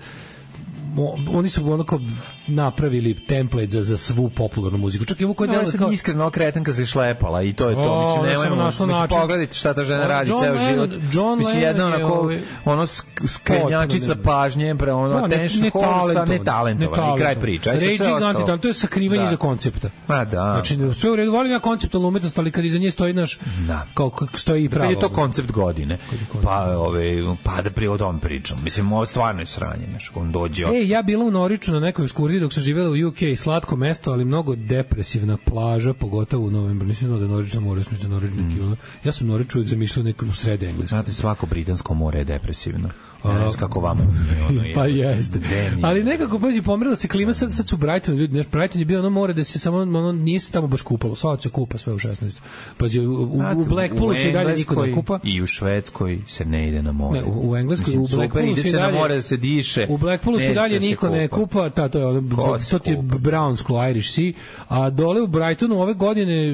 oni su onako napravili template za, za svu popularnu muziku. Čak i ovo koji no, delo kao iskreno kretenka se šlepala i to je to. O, mislim nemojmo mislim pogledajte šta ta žena radi ceo život. John mislim jedna onako ovaj, ono skrenjačica pažnje, pre ono no, attention horsa, ne talentovan i kraj priča. Aj se sve to je sakrivanje iza koncepta. Ma da. Znači sve u redu, volim ja konceptualnu umetnost, ali kad iza nje stoji naš da. kao stoji pravo. Je to koncept godine. Pa ove pa da pri o tom pričam. Mislim ovo stvarno je sranje, znači on dođe. Ej, ja bila u Noriču na nekoj ekskurziji dok sam živela u U K, slatko mesto, ali mnogo depresivna plaža, pogotovo u novembru. Nisam znao da je Norič na more, sam da je Norič neki. Mm. Ja sam Norič uvijek zamišljao nekom u srede Engleske. Znate, svako britansko more je depresivno. Ne znam kako vama. Ono je, pa jeste. Ali nekako pazi, pomerila se klima, sad, sad su u Brightonu ljudi, nešto Brighton je bio ono more da se samo, ono, nije se tamo baš kupalo. Sad se kupa sve u šesnaest. Pazi, u, u, u Blackpoolu se i dalje niko ne kupa. I u Švedskoj se ne ide na more. Ne, u, u Engleskoj, u Blackpoolu se na more da se diše. U Blackpoolu se dalje niko ne kupa, ta, to je, to ti je Brownsko Irish Sea, a dole u Brightonu ove godine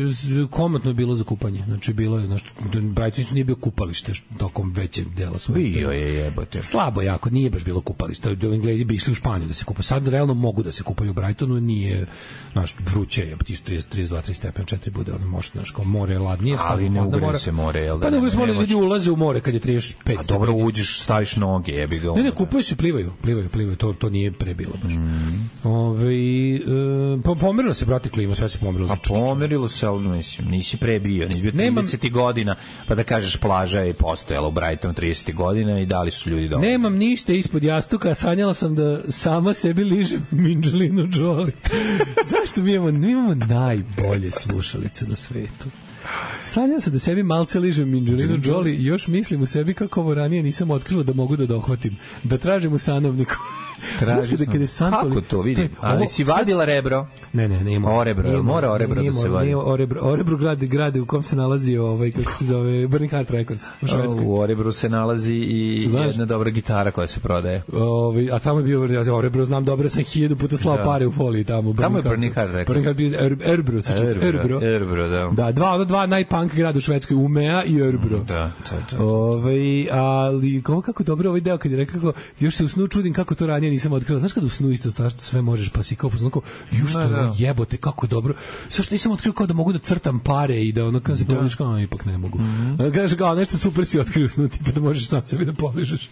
komotno je bilo za kupanje. Znači, bilo je, znači, Brighton nije bio kupalište tokom većeg dela svoje. Bio je jebote. Slabo jako, nije baš bilo kupalište. Da Englezi bi išli u Španiju da se kupa. Sad realno mogu da se kupaju u Brightonu, nije naš vruće je, trideset, trideset dva, trideset stepena, četiri bude, ono može, znaš, kao more je ladnije. Ali ne ugre se more, jel da? Pa ne ugre se more, ljudi ulaze u more kad je trideset pet stepena. A dobro uđeš, staviš noge, jebi ga. Ne, ne, kupaju se, plivaju, plivaju, plivaju, to, to nije prebilo baš. Mm. Ove, e, po, pomerilo se, brate, klima, sve se pomerilo. A pomerilo se, ali mislim, nisi pre bio, nisi bio trideset godina, pa da kažeš plaža je postojala u Brightonu trideset godina i dali su ljudi dobro. Nemam ništa ispod jastuka, sanjala sam da sama sebi ližem Angelinu Jolie. Zašto mi imamo, mi imamo najbolje slušalice na svetu? Sanjala sam da sebi malce ližem Angelinu Jolie i još mislim u sebi kako ovo ranije nisam otkrila da mogu da dohvatim, da tražim u sanovniku. Traži da kada Santoli, kako to vidim? Ali si vadila rebro? Ne, ne, ne ima. Orebro, nije, mora orebro nije, da se vadi. Nije orebro, orebro grade, grade u kom se nalazi ovaj, kako se zove, Burning Heart Records u Švedskoj. U orebru se nalazi i znaš, jedna dobra gitara koja se prodaje. Ovaj, a tamo je bio, ja orebro znam dobro, sam hiljadu puta slao da. pare u foliji tamo. Tamo je Burning Heart Records. Burning Heart bio Erbro, se čuje. Erbro. Erbro, da. Da, dva, ono dva najpunk grada u Švedskoj, Umea i Erbro. Da, da, da. Ovaj, ali kako dobro ovaj deo kad je rekao kako još se u snu čudim kako to ranije nisam otkrila. Znaš kad u snu isto stvar sve možeš pa si kao poznako ju što da. jebote kako dobro. Sve što nisam otkrio kao da mogu da crtam pare i da ono kad se da. poliš kao ipak ne mogu. Mm -hmm. Kažeš kao nešto super si otkrio u snu tipa da možeš sam sebi da poližeš.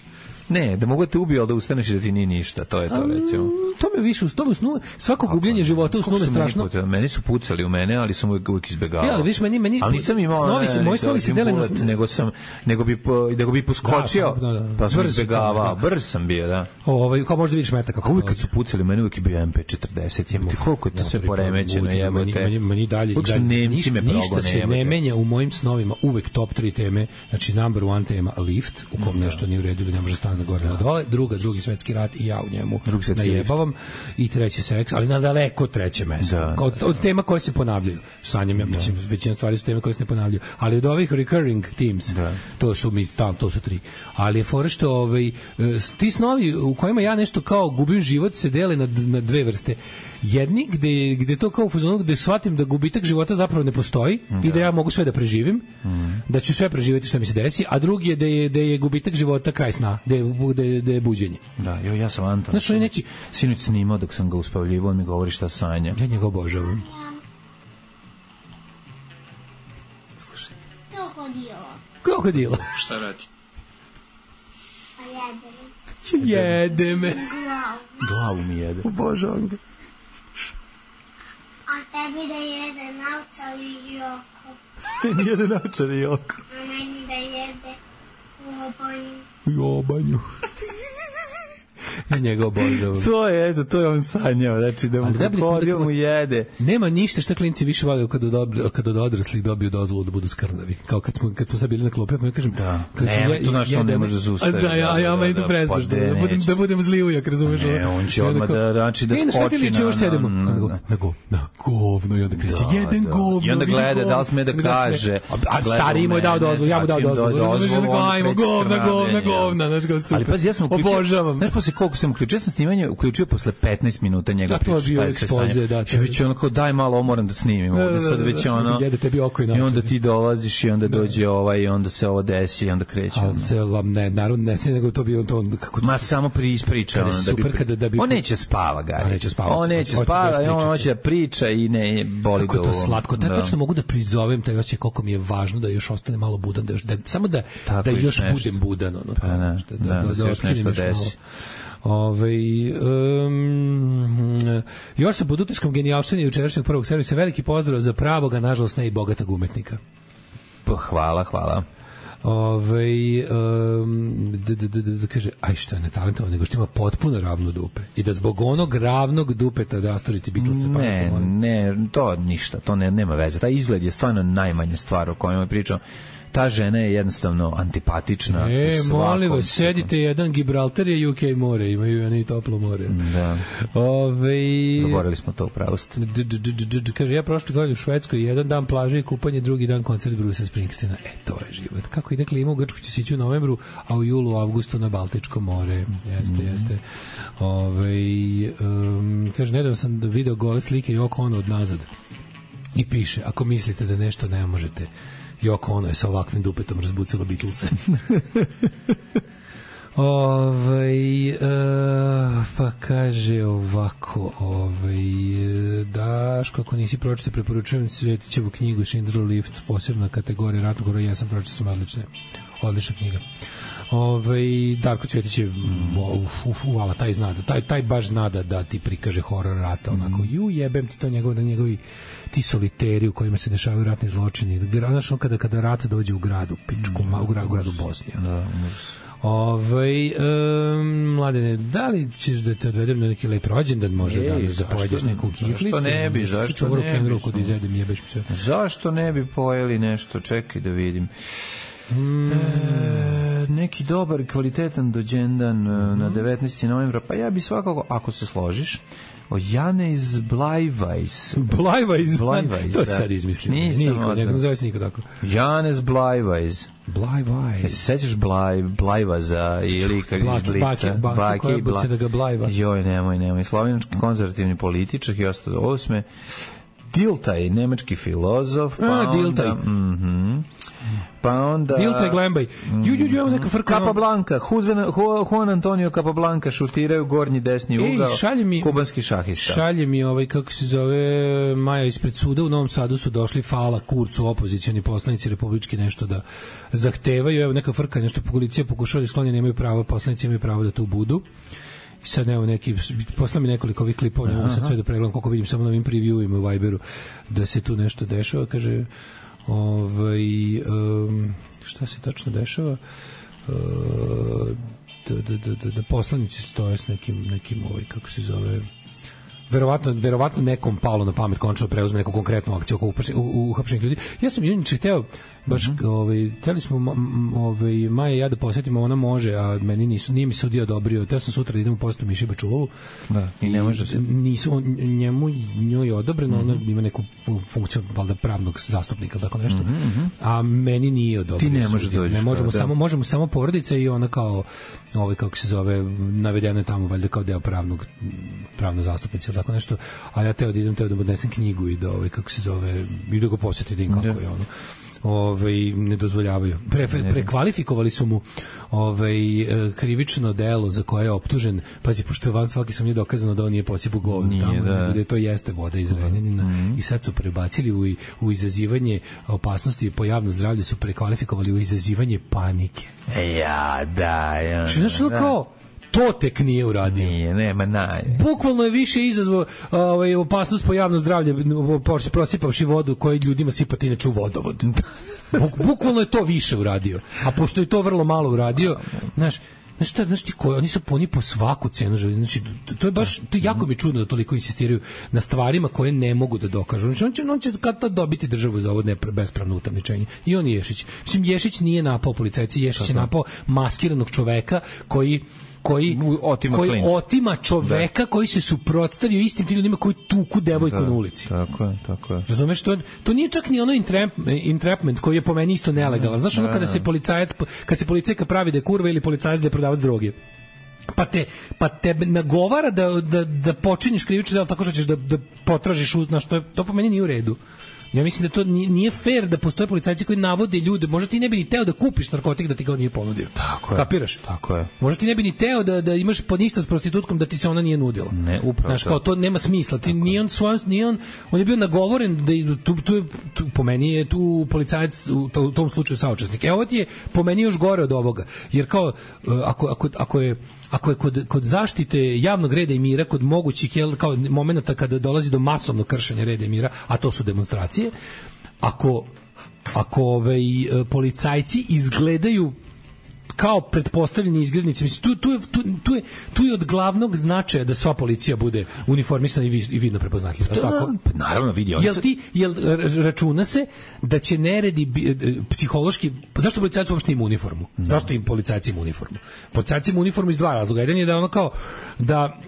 Ne, da mogu te ubiti, ali da ustaneš i da ti nije ništa, to je to, recimo. To me više, to me u snu, svako gubljenje života u snu me strašno. Puta, meni su pucali u mene, ali sam uvijek, uvijek izbegavao. Ja, viš, meni, meni, ali nisam imao, snovi se, moji snovi se dele na... Nego sam, nego bi, nego bi poskočio, da, da, da. pa sam izbegavao, brz sam bio, da. O, ovaj, kao možda vidiš meta kako. Uvijek kad su pucali, meni uvijek je bio M P četrdeset, jebote, koliko je to sve poremećeno, jebote. Meni, meni dalje, ništa se ne menja u mojim snovima, uvek top tri teme, znači number one tema lift, u kom nešto nije u redu ili ne može stane gore na dole, druga, drugi svetski rat i ja u njemu najebavam i treći seks, ali na daleko treće mesto. Da, od, od tema koje se ponavljaju. Sanjam ja, da. Većina stvari su teme koje se ne ponavljaju. Ali od ovih recurring themes, da. to su mi stav, to su tri. Ali je fora što ovaj, ti snovi u kojima ja nešto kao gubim život se dele na, na dve vrste. Jedni gde, gde to kao u fazonu gde shvatim da gubitak života zapravo ne postoji da. i da ja mogu sve da preživim, mm. da ću sve preživjeti što mi se desi, a drugi je da je, da je gubitak života kraj sna, da je, da je, da je buđenje. Da, jo, ja sam Anton. Znaš, on neki... Sinoć snimao dok sam ga uspavljivo, on mi govori šta sanja. Ja njega obožavam. Slušaj. Krokodilo. Krokodilo. Šta radi? A jede. Jede me. Glavu mi jede. Obožavam ga. A tebi da jede naučar i oko. Meni jede naučar i oko. A meni da jede u obanju. U obanju. Ja njega obožavam. To je, eto, to je on sanjao, znači da mu krokodil mu jede. Nema ništa šta klinci više vole kada od, kada od odraslih dobiju dozvolu da budu skrnavi. Kao kad smo, kad smo sad bili na klupi, pa ja kažem... Da, ne, to naš on ne može da zaustavi. Da, ja, ja me idu prezbaš, da budem, da budem zli ujak, razumeš? Ne, on će odmah da, znači, da skoči na... Na go, na govno, i onda kreće, jedan govno. I onda gleda da li sme da kaže. A stari mu je dao dozvolu, ja mu dao dozvolu. Razumeš, da go, ajmo, govna, govna, govna, znaš kao super. Ali pazi, ja sam uključio, znaš posle koliko sam uključio, sam snimanje uključio posle petnaest minuta njega priča šta je sve sanje. Da, to već onako daj malo moram da snimim ovde, sad već ono i onda ti dolaziš i onda dođe ovaj i onda se ovo desi i onda kreće. Ali se vam ne, naravno ne se nego to bi on to kako ma samo priča on da bi kada da bi on neće spava ga. On neće spava. On neće spava, on hoće da priča i ne boli ga. To slatko, da tačno mogu da prizovem taj osjećaj koliko mi je važno da još ostane malo budan, da još da samo da da još budem budan ono. Da da se nešto desi. Ove, um, još sam pod utiskom genijalštine jučerašnjeg prvog servisa. Veliki pozdrav za pravoga, nažalost ne i bogatog umetnika. Hvala, hvala. Ove, um, d, d, d, d, kaže, aj što je netalentovan, nego što ima potpuno ravno dupe. I da zbog onog ravnog dupeta da Astoriti Beatles se ne, ne, to ništa, to ne, nema veze. Taj izgled je stvarno najmanja stvar o kojoj pričam. Ta žena je jednostavno antipatična. E, molim vas, sedite jedan Gibraltar je U K more, imaju jedno i toplo more. Da. Ove... Zaborili smo to upravo ste. Kaže, ja prošle godine u Švedskoj, jedan dan plaže i kupanje, drugi dan koncert Brusa Springsteena. E, to je život. Kako ide klima u Grčku će se ići u novembru, a u julu, u avgustu na Baltičko more. Jeste, mm. jeste. Ove, um, kaže, nedavno sam video gole slike i oko ono od nazad. I piše, ako mislite da nešto ne možete, Joko Ono je sa ovakvim dupetom razbucala Beatlese. Ovaj uh, pa kaže ovako, ovaj Daško, ako nisi pročitao, preporučujem Svetićevu knjigu Schindlerov lift, posebna kategorija ratnog heroja, ja sam pročitao, sam odlična, odlična knjiga. Ovaj Darko Cvetić je uvala taj zna da taj taj baš zna da, da ti prikaže horor rata onako ju jebem ti to njegov da njegovi ti soliteri u kojima se dešavaju ratni zločini. Granačno kada kada rat dođe u gradu pičku mm. u gradu, gradu Bosni. Da. Ovaj um, Mladene, da li ćeš da te odvedem na neki lep rođendan možda Ej, danas da pojedeš neku kiflicu? Zašto ne bi, zašto ne bi? Kod izjedem, jebeš sve. Zašto ne bi pojeli nešto? Čekaj da vidim. Hmm. E, neki dobar i kvalitetan dođendan mm-hmm. na devetnaesti novembra, pa ja bi svakako, ako se složiš, o Janez Blajvajs. Blajvajs? Blajvajs, to je sad izmislio. Niko, ne zove se niko tako. Janez Blajvajs. Blajvajs. Jesi sećaš Blaj, Blajvaza i lika iz Blica? Baki, koja buce da ga Blajva. Joj, nemoj, nemoj. Slovenački konzervativni političar, hiljadu osamsto osme. Diltaj, nemački filozof. A, Diltaj. Mhm. Pa onda Diltaj Glembaj. Ju ju ju neka frka. Capablanca, Juan Antonio Capablanca šutiraju gornji desni ugao. Mi, kubanski šahista. Šalje mi ovaj kako se zove Maja ispred suda u Novom Sadu su došli Fala Kurcu, opozicioni poslanici republički nešto da zahtevaju. Evo neka frka, nešto policija pokušava da skloni, nemaju pravo, poslanici imaju pravo da tu budu. I sad evo neki, posla mi nekoliko ovih klipova, ne mogu sad sve da pregledam, koliko vidim samo na ovim previewima u Viberu da se tu nešto dešava, kaže ovaj, um, šta se tačno dešava, uh, da, da, da, da, da poslanici stoje s nekim, nekim ovaj, kako se zove, verovatno, verovatno nekom palo na pamet končno preuzme neku konkretnu akciju oko uhapšenih ljudi. Ja sam juče hteo baš mm-hmm. ovaj hteli smo ovaj Maja ja da posetimo, ona može, a meni nisu, nije mi se udio odobrio. Teo sam sutra da idemo u posetu Miši Bačulovu. Da, i ne može se. Nisu on, njemu njoj je odobreno, mm-hmm. ona ima neku funkciju valjda pravnog zastupnika, tako nešto. Mm-hmm. A meni nije odobrio. Ti ne možeš doći. Ne možemo da. samo možemo samo porodica i ona kao ovaj kako se zove navedena je tamo valjda kao deo pravnog pravna zastupnica, tako nešto. A ja teo da idem, teo da odnesem knjigu i da ovaj kako se zove i da ga posetim kako je ono. Ovaj ne dozvoljavaju. Pre, prekvalifikovali su mu ovaj krivično delo za koje je optužen. Pazi, pošto van svaki sam nije dokazano da on nije posipao govno tamo, da. Da to jeste voda iz Renjanina mm-hmm. i sad su prebacili u, u izazivanje opasnosti po javno zdravlje, su prekvalifikovali u izazivanje panike. Ja, da, ja. Znači, znači da. Kao to tek nije uradio. Nije, nema naj. Bukvalno je više izazvao ovaj, opasnost po javno zdravlje prosipavši vodu koju ljudima sipati inače u vodovod. Buk, bukvalno je to više uradio. A pošto je to vrlo malo uradio, znaš, Znaš šta, znaš ti koji, oni su poni po svaku cenu želi, znači, to je baš, to je jako mi čudno da toliko insistiraju na stvarima koje ne mogu da dokažu. Znači, on će, on će kad tad dobiti državu za ovo bespravno utamničenje. I on je Ješić. Mislim, Ješić nije napao policajci, Ješić je napao maskiranog čoveka koji koji otima, koji otima čoveka da. Koji se suprotstavio istim tim ljudima koji tuku devojku da, na ulici. Tako je, tako je. Razumeš, to, to nije čak ni ono entrap, entrapment koji je po meni isto nelegalan. Znaš, ono kada se policajac, kad se policajka pravi da je kurva ili policajac da je prodavac droge. Pa te, pa tebe nagovara da, da, da počiniš krivično delo tako što ćeš da, da potražiš uzna, što je, to po meni nije u redu. Ja mislim da to nije fair da postoje policajci koji navode ljude, možda ti ne bi ni teo da kupiš narkotik da ti ga nije ponudio. Tako je. Kapiraš? Tako je. Možda ti ne bi ni teo da, da imaš pod ništa s prostitutkom da ti se ona nije nudila. Ne, upravo. Znaš, kao to nema smisla. Ti nije on svoj, nije on, on je bio nagovoren da tu, tu, tu, po meni je tu policajac u, to, u tom slučaju saučesnik. Evo ti je po meni još gore od ovoga. Jer kao, ako, ako, ako je ako je kod, kod zaštite javnog reda i mira, kod mogućih jel, kao momenata kada dolazi do masovnog kršenja reda i mira, a to su demonstracije, ako, ako ovaj, policajci izgledaju kao pretpostavljeni izgrednici, mislim, tu, tu, je, tu, tu, je, tu je od glavnog značaja da sva policija bude uniformisana i, vid, i vidno prepoznatljiva. Tako? Naravno, vidi. Jel ti, jel računa se da će neredi psihološki, zašto policajci uopšte ima uniformu? No. Zašto im policajci ima uniformu? Policajci ima uniformu iz dva razloga. Jedan je da ono kao da,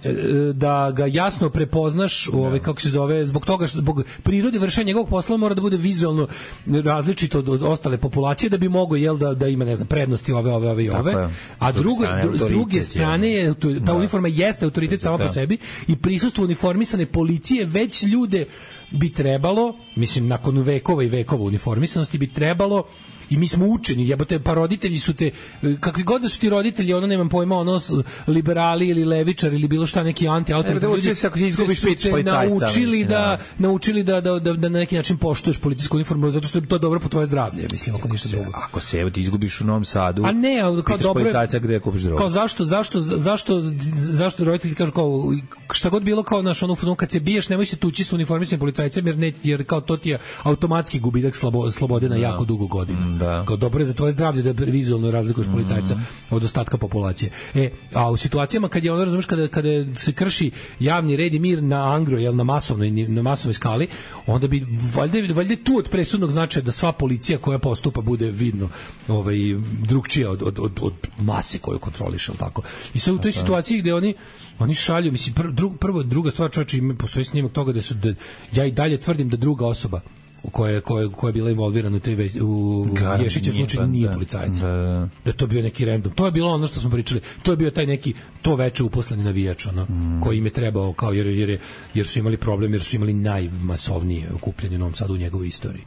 da ga jasno prepoznaš, no. ovaj, kako se zove, zbog toga, zbog prirode vršenja njegovog posla mora da bude vizualno različito od, od ostale populacije da bi mogao jel, da, da ima ne znam, prednosti ove, ove, ove i ove. A drugo, s druge strane je, ta uniforma jeste autoritet sama po sebi i prisustvo uniformisane policije već ljude bi trebalo, mislim, nakon vekova i vekova uniformisanosti bi trebalo i mi smo učeni, jebote, pa roditelji su te, kakvi god da su ti roditelji, ono nemam pojma, ono liberali ili levičari ili bilo šta, neki anti-autoritarni ljudi, se, ako si izgubiš peć naučili mislim, da, naučili da, da, da, da na neki način poštuješ policijsku uniformu, zato što je to dobro po tvoje zdravlje, mislim, ako ništa drugo. Ako se, evo, ti izgubiš u Novom Sadu, a ne, kao dobro, gde kupiš drogu. Kao zašto, zašto, zašto, zašto roditelji kažu kao, šta god bilo kao naš, ono, kad se biješ, nemoj se tući s uniformisanim policajcem, jer, ne, jer kao to ti je automatski gubitak slobode na jako dugo godina. Da. Kao dobro je za tvoje zdravlje da vizualno razlikuješ policajca mm. od ostatka populacije. E, a u situacijama kad je ono, razumeš, kada, kada se krši javni red i mir na angro, jel, na masovnoj, na masovnoj skali, onda bi valjda, valjda tu od presudnog značaja da sva policija koja postupa bude vidno ovaj, drugčija od, od, od, od mase koju kontroliš, tako. I sad u toj situaciji gde oni oni šalju, mislim, prvo, drug, prvo druga stvar, čovječe, ima, postoji snimak toga da su, da, ja i dalje tvrdim da druga osoba koja koja koja je bila involvirana u te u Ješićev slučaj nije policajac. Da, da. Da to bio neki random. To je bilo ono što smo pričali. To je bio taj neki to veče uposleni navijač, ono, mm. koji im je trebao kao jer jer jer su imali problem, jer su imali najmasovnije okupljanje u Novom Sadu u njegovoj istoriji.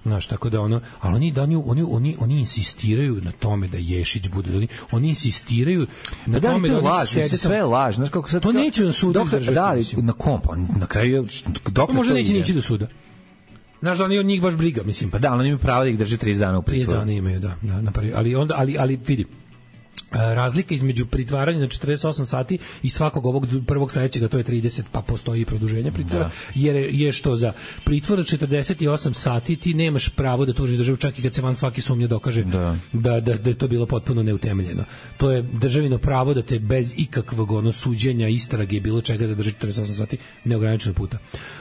Znaš, tako da ono, ali oni, da oni, oni, oni, oni insistiraju na tome da Ješić bude, oni, oni insistiraju na da, tome da oni laž, sede, sve je laž, znaš kako sad to kao, neće na sudu izdržati. Da, na kompa, na kraju, dok možda neće nići do suda. Znaš da oni od njih baš briga, mislim. Pa da, oni imaju pravo da ih drže trideset dana u pritvoru. trideset dana imaju, da, da, na prvi, ali onda, ali, ali vidi, razlika između pritvaranja na četrdeset osam sati i svakog ovog prvog sledećega, to je trideset, pa postoji i produženje pritvora, da. jer je što za pritvor od četrdeset osam sati ti nemaš pravo da tužiš državu čak i kad se van svaki sumnja dokaže da. Da, da, da je to bilo potpuno neutemeljeno. To je državino pravo da te bez ikakvog ono suđenja, istrage i bilo čega zadrži četrdeset osam sati neograničeno puta.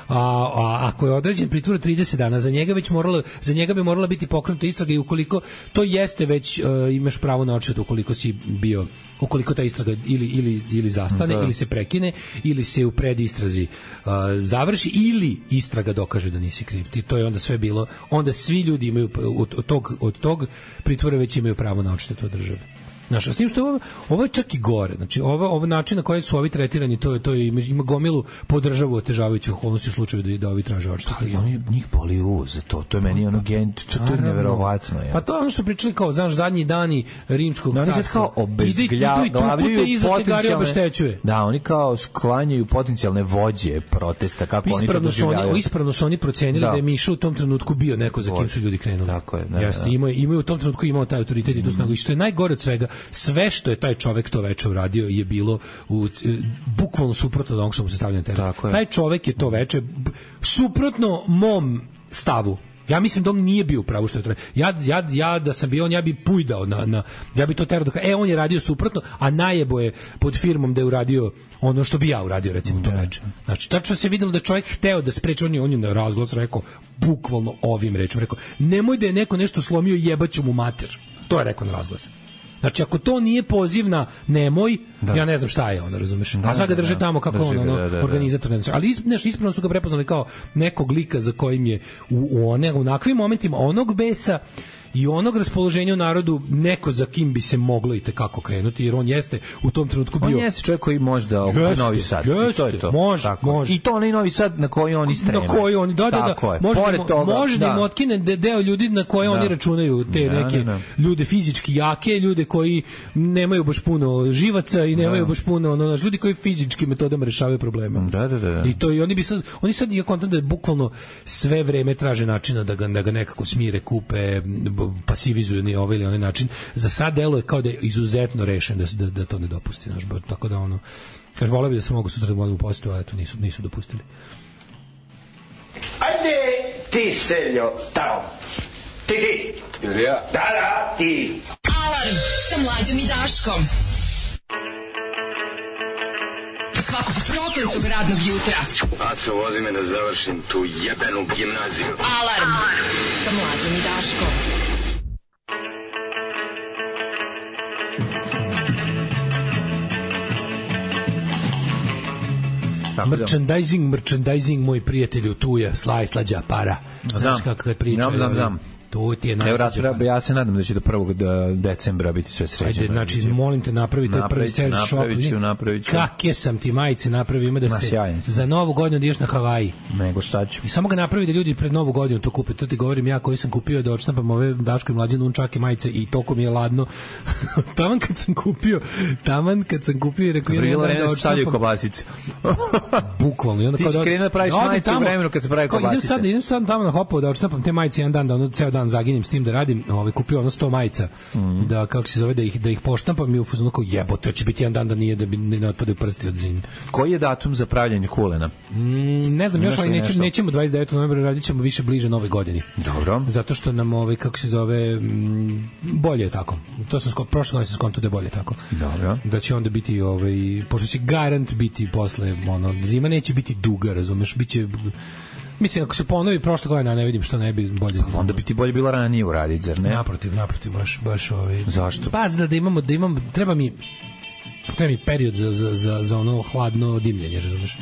A, a ako je određen pritvor trideset dana, za njega već moralo, za njega bi morala biti pokrenuta istraga i ukoliko to jeste već uh, imaš pravo na odštetu ukoliko si bio, ukoliko ta istraga ili, ili, ili zastane, da. ili se prekine, ili se u predistrazi uh, završi, ili istraga dokaže da nisi kriv. Ti, to je onda sve bilo, onda svi ljudi imaju od, od, tog, od tog pritvora već imaju pravo na odštetu od države. Znaš, s tim što ovo, ovo je čak i gore. Znači, ovo, ovo način na koji su ovi tretirani, to je, to je, ima gomilu podržavu otežavajućih okolnosti u slučaju da, da ovi traže odštetu. Pa i oni njih boli uz, to, to je meni ono gen, to, to je neverovatno. Ja. Pa to je ono što pričali kao, znaš, zadnji dani rimskog no, carstva. Oni kao obezglavljuju potencijalne... Da, oni kao sklanjaju potencijalne vođe protesta, kako ispravno oni to doživljavaju. Oni, ispravno su oni procenili da, da je Miša u tom trenutku bio neko za kim su ljudi krenuli. Tako je. Da, Jasne, da. Imaju, imaju u tom trenutku imao taj autoritet i tu snagu. I što je najgore od svega, sve što je taj čovek to veče uradio je bilo u, bukvalno suprotno od onog što mu se stavlja na teret. Taj čovek je to veče suprotno mom stavu. Ja mislim da on nije bio u pravu što je to. Ja, ja, ja da sam bio on, ja bi pujdao na, na ja bi to terao. E, on je radio suprotno, a najebo je pod firmom da je uradio ono što bi ja uradio, recimo, to veče. Znači, tačno se videlo da čovjek hteo da spreči, on je, on je na razglas rekao, bukvalno ovim rečima, rekao, nemoj da je neko nešto slomio, jebaću mu mater. To je rekao na razglas. Znači, ako to nije poziv na nemoj, da. Ja ne znam šta je ono, razumeš? Da, a sad ga drže da, tamo kako on, ono, da, da, organizator, ne znam. Ali is, neš, ispravno su ga prepoznali kao nekog lika za kojim je u, u, one, u onakvim momentima onog besa i onog raspoloženja u narodu neko za kim bi se moglo i tekako krenuti, jer on jeste u tom trenutku bio... On jeste čovjek koji može da okupi Novi Sad. Jeste, I to je to. Može, tako. može. I to onaj Novi Sad na koji oni streme. Na koji oni, da, da, da. Može, da, toga, može da im otkine deo ljudi na koje da. Oni računaju, te da, neke da, da. Ljude fizički jake, ljude koji nemaju baš puno živaca i nemaju da. Baš puno, ono, ljudi koji fizičkim metodama rešavaju probleme. Da, da, da. I to i oni bi sad, oni sad je kontent da je bukvalno sve vreme traže načina da ga, da ga nekako smire, kupe, pasivizuju ni ovaj ili onaj način. Za sad deluje kao da je izuzetno rešen da, da, da to ne dopusti, naš, tako da ono, kaže, voleo bi da se mogu sutra da mogu postati, ali eto, nisu, nisu dopustili. Ajde ti, Seljo, tamo. Ti, ti. Ili ja? Da, da, ti. Alarm sa Mlađom i Daškom. Svakog prokletog radnog jutra. Aco, vozi me da završim tu jebenu gimnaziju. Alarm, Alarm. Sa Mlađom i Daškom. Merchandising, merchandising, moj prijatelju, tu je slaj, slađa, para. Znaš kako je priča? Znam, znam, znam. To ti je najslađa. Ja se nadam da će do prvog decembra biti sve sređeno. Ajde, znači, molim te, napravite prvi sales shop. Napravit ću, napravit ću. Kakve sam ti majice napravio, ima da se za Novu godinu da ideš na Havaji. Nego šta ću. I samo ga napravi da ljudi pred Novu godinu to kupe. To ti govorim ja koji sam kupio da odštampam ove Daško i Mlađe nunčake majice i toko mi je ladno. Taman kad sam kupio, taman kad sam kupio, rekao je da odštampam. Stavljaju kobasice. Bukvalno. I onda ti si krenuo da praviš majice u vremenu kad se pravi kobasice. Idem sad, idem sad tamo na Hopovo da odštampam te majice jedan dan, da ono ceo dan zaginim s tim da radim, ovaj kupio ono sto majica, mm. da kako se zove da ih da ih poštampam i u fazonu kao jebote, hoće biti jedan dan da nije da bi ne otpadaju prsti od zime. Koji je datum za pravljenje kulena? Mm, ne znam, još ali nećemo nećemo dvadeset devetog novembra, radićemo više bliže Novoj godini. Dobro. Zato što nam ovaj kako se zove m, bolje je tako. To sam skoro prošle godine sam skonto da je bolje tako. Dobro. Da će onda biti ovaj pošto će garant biti posle ono zima neće biti duga, razumeš, biće. Mislim, ako se ponovi prošle godine, ne vidim što ne bi bolje. Pa onda bi ti bolje bilo ranije uraditi, zar ne? Naprotiv, naprotiv, baš, baš ovaj. Zašto? Pa da, da imamo, da imamo, treba mi, treba mi period za, za, za, za ono hladno dimljenje, razumiješ?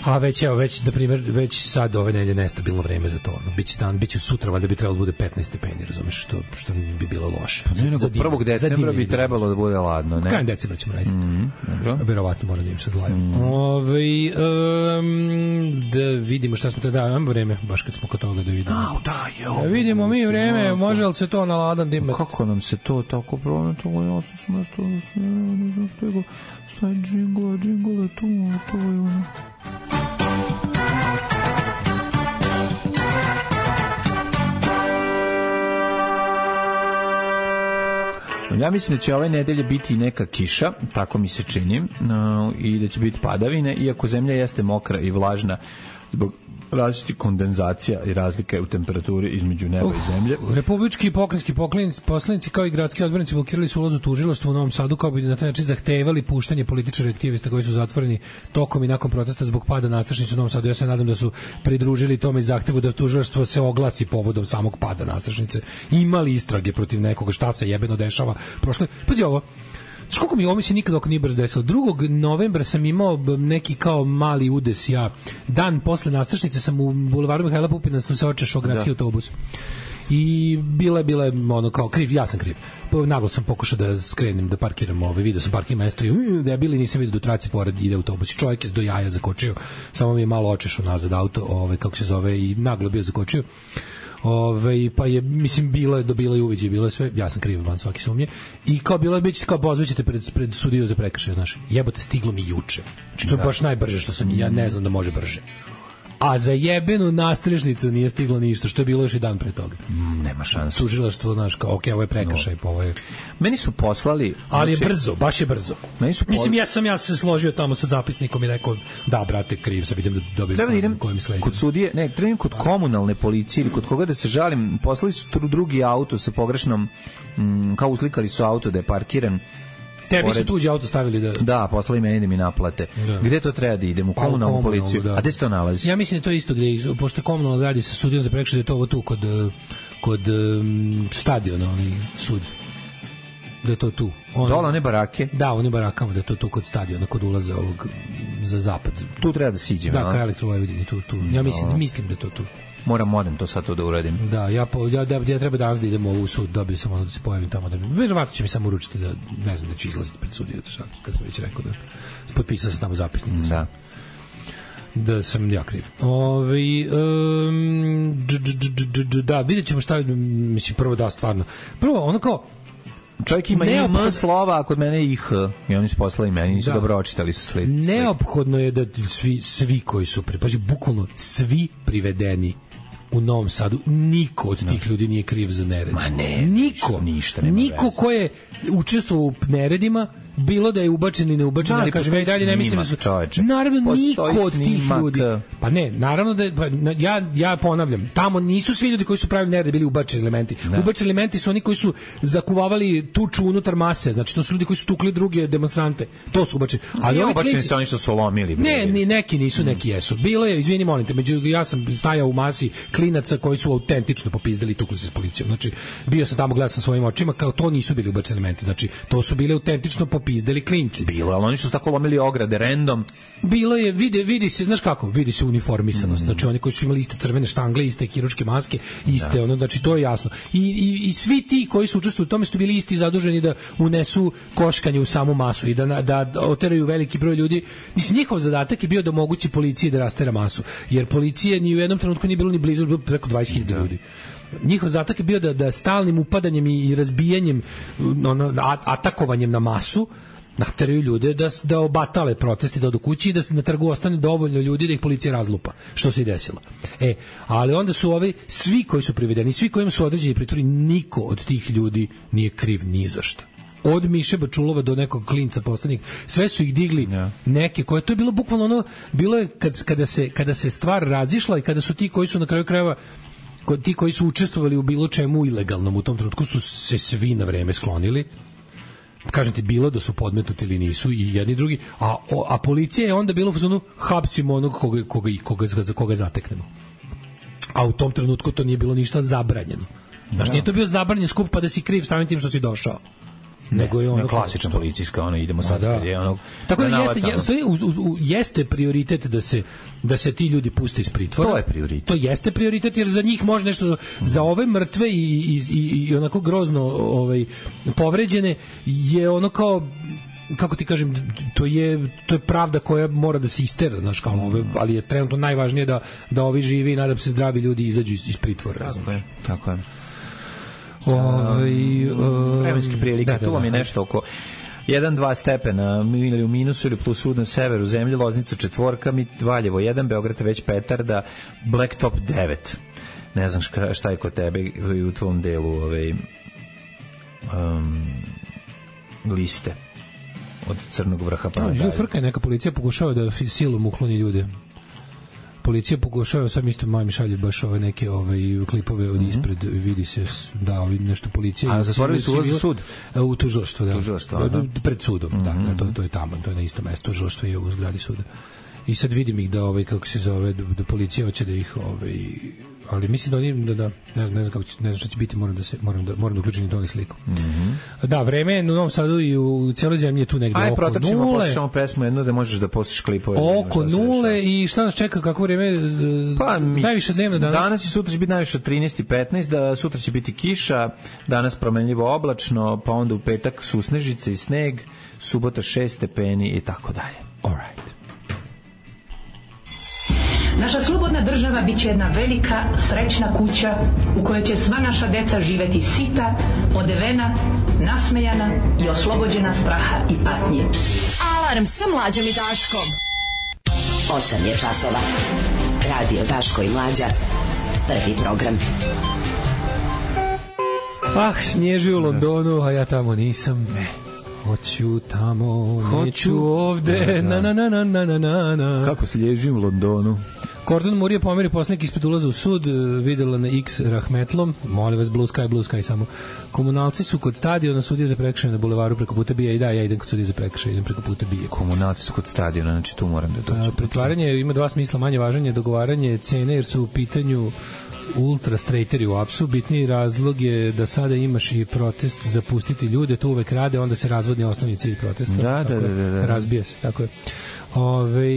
A već, evo, već, da primjer, već sad ove nedelje nestabilno vreme za to. Ono. Biće dan, biće sutra, valjda bi trebalo da bude petnaest stepeni, razumeš, što, što bi bilo loše. Pa ne, prvog decembra bi trebalo da bude ladno, ne? Krajem decembra ćemo raditi. Mm -hmm. Verovatno moram da im se zlaju. Mm -hmm. Ove, um, da vidimo šta smo tada, da, imamo vreme, baš kad smo kod toga da vidimo. Au, da, jo. Da vidimo mi vreme, može li se to na ladan dimet? Kako nam se to tako prometilo? Ja sam se nešto, ne znam stego, šta je džingula, džingula, tu, to je ono. Ja mislim da će ove nedelje biti neka kiša, tako mi se čini, no, i da će biti padavine, iako zemlja jeste mokra i vlažna zbog različitih kondenzacija i razlike u temperaturi između neba uh, i zemlje. Republički i pokrajinski poslanici kao i gradski odbornici blokirali su ulaz u tužilaštvo u Novom Sadu kao bi na taj način zahtevali puštanje političara i aktivista koji su zatvoreni tokom i nakon protesta zbog pada nastrešnice u Novom Sadu. Ja se nadam da su pridružili tome zahtevu da tužilaštvo se oglasi povodom samog pada nastrešnice. Imali istrage protiv nekoga, šta se jebeno dešava. Prošle, pazi ovo, koliko mi ovo mi se nikad oko nije brzo desilo. drugog novembra sam imao neki kao mali udes, ja dan posle nastrešnice sam u bulevaru Mihajla Pupina sam se očešao gradski autobus i bila je, bila je ono kao kriv, ja sam kriv. Naglo sam pokušao da skrenem, da parkiram ovaj, video sam parking mesto i da je bili nisam vidio do traci pored ide autobus. Čovjek je do jaja zakočio, samo mi je malo očešao nazad auto, ovaj, kako se zove, i naglo bio zakočio. Ove, pa je, mislim, bilo je, dobilo je uviđe, bilo je sve, ja sam kriv van svaki sumnje, i kao bilo je, biće, kao pozvaćete pred, pred sudiju za prekršaj, znaš, jebote, stiglo mi juče, znači to je baš najbrže što sam, ja ne znam da može brže. a za jebenu nastrešnicu nije stiglo ništa, što je bilo još i dan pre toga. Mm, nema šanse. Tužilaštvo, znaš, kao, ok, ovo je prekršaj, no. Ovo je... Meni su poslali... Ali je brzo, baš je brzo. Meni su pol... Mislim, ja sam ja se složio tamo sa zapisnikom i rekao, da, brate, kriv, sad idem da dobijem treba da idem kojim sleđem. Kod sudije, ne, treba idem kod komunalne policije ili kod koga da se žalim. Poslali su drugi auto sa pogrešnom, m, kao uslikali su auto da je parkiran. Tebi su tuđi auto stavili da... Da, poslali meni da mi naplate. Da. Gde to treba da idem? U komunalnu pa, policiju? Da. A gde se to nalazi? Ja mislim da to isto gde, pošto komunalno radi sa sudijom za prekršaj, da je to ovo tu kod, kod um, stadiona, onaj sud. Da je to tu. On, Dole one barake? Da, one barakama, da je to tu kod stadiona, kod ulaza ovog za zapad. Tu treba da siđem. Da, ka Elektrovojvodini, tu, tu. Ja mislim, no. mislim da je to tu. Moram, moram to sad to da uradim. Da, ja, po, ja, da, ja treba danas da idemo u sud, dobio sam ono da se pojavim tamo. Da, verovatno će mi samo uručiti da, ne znam, da ću izlaziti pred sudiju, kad sam već rekao da potpisao sam tamo zapisnik. Da. Da sam ja kriv. Ove, um, dž, dž, dž, dž, dž, da, vidjet ćemo šta, mislim, prvo da, stvarno. Prvo, ono kao, čovjek ima i M slova, a kod mene i H. I oni su poslali meni, nisu da. dobro očitali sa sled. Neophodno je da svi, svi koji su, paži, bukvalno svi privedeni u Novom Sadu, niko od tih no. ljudi nije kriv za nered. Ma ne, niko, ništa, niko ko je učestvovao u neredima, bilo da je ubačen ili ne ubačen, ja kažem, ja dalje ne mislim da su... Čoveče. Naravno, postoji niko od tih snimak. ljudi... Pa ne, naravno da... Pa, ja, ja ponavljam, tamo nisu svi ljudi koji su pravili nerede bili ubačeni elementi. Da. Ubačeni elementi su oni koji su zakuvavali tuču unutar mase, znači to su ljudi koji su tukli druge demonstrante. To su ubačeni. Ali ovi ubačeni su oni što su lomili. Ne, ni, neki nisu, mm. neki jesu. Bilo je, izvini, molim te, među, ja sam stajao u masi klinaca koji su autentično popizdali i tukli se s policijom. Znači, bio sam tamo, gledao sa svojim očima, kao to nisu bili ubačeni elementi. Znači, to su bili autentično popizdali klinci. Bilo, ali oni su tako lomili ograde random. Bilo je, vidi, vidi se, znaš kako, vidi se uniformisanost. Mm. Znači oni koji su imali iste crvene štangle, iste kirurške maske, iste, da. ono, znači to je jasno. I, i, i svi ti koji su učestvovali u tome su bili isti zaduženi da unesu koškanje u samu masu i da, da, da oteraju veliki broj ljudi. Mislim, njihov zadatak je bio da omogući policiji da rastera masu. Jer policije ni u jednom trenutku nije bilo ni blizu, bilo preko dvadeset hiljada ljudi. Njihov zadatak je bio da, da stalnim upadanjem i razbijanjem, ono, atakovanjem na masu nateraju ljude da, da obatale protesti, da odu kući i da se na trgu ostane dovoljno ljudi da ih policija razlupa, što se i desilo. E, ali onda su ovi, svi koji su privedeni, svi kojima su određeni pritvori, niko od tih ljudi nije kriv ni za šta. Od Miše Bačulova do nekog klinca postanik, sve su ih digli ja. neke koje, to je bilo bukvalno ono, bilo je kad, kada, se, kada se stvar razišla i kada su ti koji su na kraju krajeva ti koji su učestvovali u bilo čemu ilegalnom u tom trenutku su se svi na vreme sklonili. Kažem ti, bilo da su podmetnuti ili nisu i jedni i drugi, a, a policija je onda bilo u zonu hapsimo onog koga, koga, koga, za koga zateknemo. A u tom trenutku to nije bilo ništa zabranjeno. Znaš, nije to bio zabranjen skup pa da si kriv samim tim što si došao. Nego je ono klasična policijska, ono idemo sad da. je ono. Tako da, da jeste, jeste, u, u, jeste prioritet da se da se ti ljudi puste iz pritvora. To je prioritet. To jeste prioritet jer za njih može nešto mm. za ove mrtve i, i, i, i onako grozno ovaj povređene je ono kao kako ti kažem, to je to je pravda koja mora da se istera, znaš, kao ove, ali je trenutno najvažnije da da ovi živi i nadam se zdravi ljudi izađu iz, iz pritvora, tako je, tako je. Ovaj um, vremenske prilike, da, da, tu vam je da, nešto oko jedan do dva stepena, ili u minusu ili plus na severu zemlje, Loznica četvorka, Valjevo jedan, Beograd već petarda, Blacktop devet. Ne znam šta, šta je kod tebe i u tvom delu ovaj, um, liste od Crnog vrha pa nadalje. Frka je, neka policija pokušava da silom ukloni ljude. Policija pokušava, sad isto mami šalje baš ove neke ove klipove od ispred, mm-hmm. vidi se da ovi nešto policija. A zatvorili su ulaz u sud? U tužilaštvo, da. Tužilaštvo, da. Pred sudom, mm-hmm. da, to, to je tamo, to je na isto mesto, tužilaštvo je u zgradi suda. I sad vidim ih da ovaj kako se zove da, da policija hoće da ih ovaj ali mislim da oni da, da ne znam ne znam kako će, ne znam šta će biti, moram da se moram da moram da uključim to na sliku. Mm-hmm. Da, vreme u Novom Sadu i u celoj zemlji je tu negde Aj, oko nule. Aj, poslušamo pesmu jednu da možeš da pustiš klipove. Oko nule i šta nas čeka, kako vreme? Pa mi, najviše dnevno danas. Danas i sutra će biti najviše trinaest i petnaest, da sutra će biti kiša, danas promenljivo oblačno, pa onda u petak susnežice i sneg, subota šest stepeni i tako dalje. All right. Naša slobodna država bit će jedna velika, srećna kuća u kojoj će sva naša deca živeti sita, odevena, nasmejana i oslobođena straha i patnje. Alarm sa Mlađom i Daškom. Osam je časova. Radio Daško i Mlađa. Prvi program. Ah, snježi u Londonu, a ja tamo nisam. Ne. Hoću tamo, Hoću. neću ovde. Na, na, na, na, na, na, na. Kako slježi u Londonu? Gordon Moore je pomeri poslanik ispred ulaza u sud, videla na X rahmetlom, molim vas, Blue Sky, Blue Sky samo. Komunalci su kod stadiona sudije za prekršaj na bulevaru preko puta Bija i da, ja idem kod sudije za prekršaj, idem preko puta Bija. Komunalci su kod stadiona, znači tu moram da dođem. Pretvaranje ima dva smisla, manje važanje, dogovaranje cene, jer su u pitanju ultra straighteri u apsu. Bitniji razlog je da sada imaš i protest za pustiti ljude, to uvek rade, onda se razvodni osnovni cilj protesta. Da, da, da, da, da. Razbija se, tako je. Ove,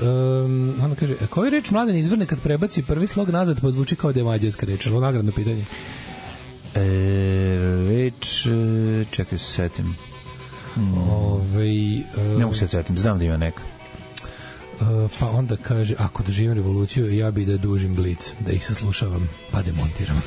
um, ona kaže, koju reč Mladen izvrne kad prebaci prvi slog nazad pa zvuči kao da je mađarska reč? Ovo nagradno pitanje. E, reč, čekaj se setim. Hmm. Ove, um, ne mogu se setim, znam da ima neka. Uh, pa onda kaže, ako doživim revoluciju, ja bi da dužim Blic, da ih saslušavam, pa demontiram.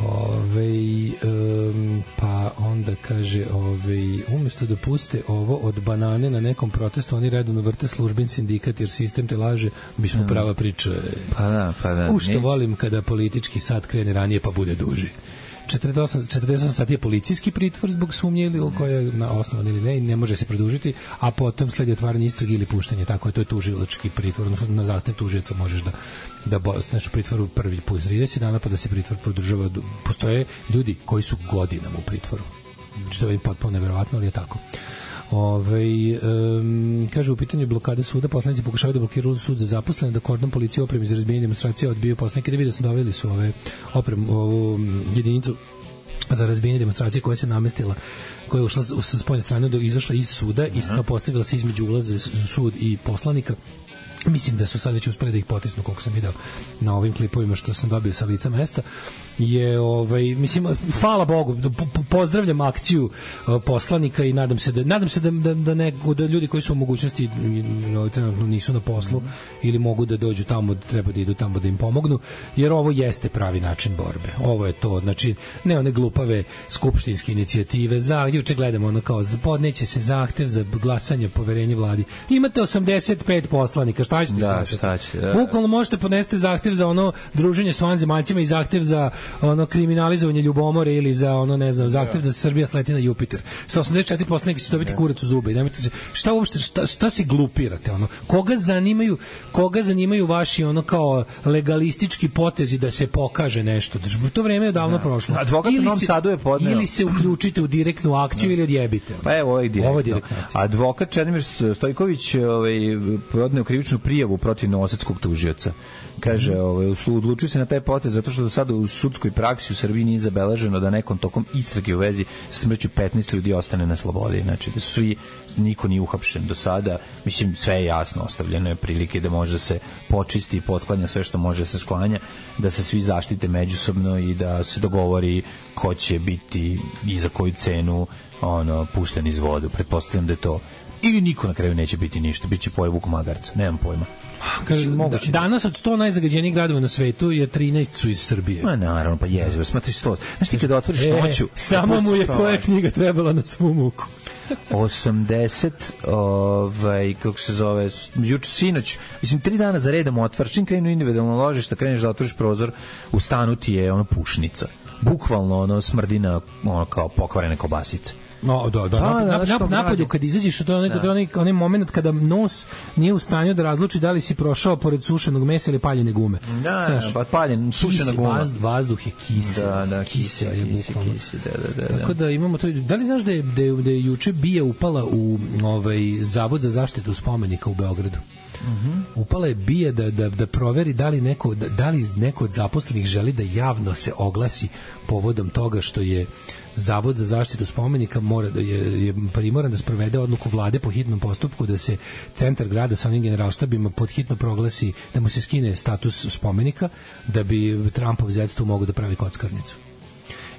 Ove, um, pa onda kaže, ove, umjesto da puste ovo od banane na nekom protestu, oni redovno vrte služben sindikat jer sistem te laže, mi smo prava priča. Pa da, pa da. U što volim kada politički sat krene ranije pa bude duži. četrdeset osam, četrdeset osam sati je policijski pritvor zbog sumnje ili koja je na osnovan ili ne, ne može se produžiti, a potom sledi otvaranje istrage ili puštanje, tako je, to je tužilački pritvor, odnosno na zahtev tužioca možeš da da ostaneš u pritvoru prvi put trideset dana pa da se pritvor produžava. Postoje ljudi koji su godinama u pritvoru, što je potpuno neverovatno, ali je tako. Ove, um, kaže, u pitanju blokade suda, poslanici pokušavaju da blokiraju sud za zaposlene, da kordon policije opremi za razbijenje demonstracije odbiju poslanike, da vidio sam doveli su ove oprem, ovu jedinicu za razbijenje demonstracije koja se namestila, koja je ušla sa spoljne strane, do izašla iz suda i to postavila se između ulaza sud i poslanika. Mislim da su sad već uspeli da ih potisnu, koliko sam video na ovim klipovima što sam dobio sa lica mesta. Je, ovaj, mislim, hvala Bogu, pozdravljam akciju poslanika i nadam se da nadam se da da da, neko, da ljudi koji su u mogućnosti trenutno nisu na poslu ili mogu da dođu tamo, treba da idu tamo da im pomognu, jer ovo jeste pravi način borbe. Ovo je to, znači ne one glupave skupštinske inicijative, za juče gledamo ono kao podneće se zahtev za glasanje poverenja vladi. Imate osamdeset pet poslanika, šta ćete? Da, šta će? Da. Bukvalno možete podnesti zahtev za ono druženje s vanzemaljcima i zahtev za ono kriminalizovanje ljubomore ili za ono, ne znam, zahtev da Srbija sleti na Jupiter. Sa osamdeset četiri poslanika će dobiti kurac u zube. Nemojte se, šta uopšte, šta, šta se glupirate, ono? Koga zanimaju, koga zanimaju vaši ono kao legalistički potezi da se pokaže nešto? U to vreme je davno da. prošlo. Advokat u Novom Sadu je podneo. Ili se uključite u direktnu akciju da. ili odjebite. Pa evo ovaj direktno. Ovo direktno. Advokat Čedomir Stojković ovaj podneo krivičnu prijavu protiv novosadskog tužioca. Kaže, ovaj, odlučio se na taj potez zato što do sada u sudskoj praksi u Srbiji nije zabeleženo da nekom tokom istrage u vezi sa smrću petnaest ljudi ostane na slobodi. Znači, da su svi, niko nije uhapšen do sada. Mislim, sve je jasno, ostavljeno je prilike da može se počisti i potklanja sve što može se sklanja, da se svi zaštite međusobno i da se dogovori ko će biti i za koju cenu ono, pušten iz vodu. Pretpostavljam da je to. Ili niko na kraju neće biti ništa, bit će pojavuk magarca, nemam pojma. Kaže, da, danas od sto najzagađenijih gradova na svetu je trinaest su iz Srbije. Ma naravno, pa jezivo, smatri sto. Znaš ti kada otvoriš e, noću... Samo mu je tvoja knjiga trebala na svu muku. osamdeset, ovaj, kako se zove, juče sinoć, mislim, tri dana za redom otvaraš, čim krenu individualno ložišta, kreneš da otvoriš prozor, u stanu ti je ono pušnica. Bukvalno ono smrdina, ono kao pokvarene kobasice. No, da, da, pa, na, na, na, napolju kad izađeš, to je onaj, da. onaj, onaj moment kada nos nije u stanju da razluči da li si prošao pored sušenog mesa ili paljene gume. Da, znaš, pa paljen, sušena guma. Vazduh, vazduh je kisel. Da, da, kisel je bukvalno. Kisi, da, da, da, tako da imamo to. Da li znaš da je, da je, da je juče Bija upala u ovaj Zavod za zaštitu spomenika u Beogradu? Uh-huh. Upala je Bija da, da, da proveri da li, neko, da, da li neko od zaposlenih želi da javno se oglasi povodom toga što je Zavod za zaštitu spomenika mora da je, je primoran da sprovede odluku vlade po hitnom postupku da se centar grada sa onim generalštabima pod hitno proglasi da mu se skine status spomenika da bi Trumpov zet tu mogu da pravi kockarnicu.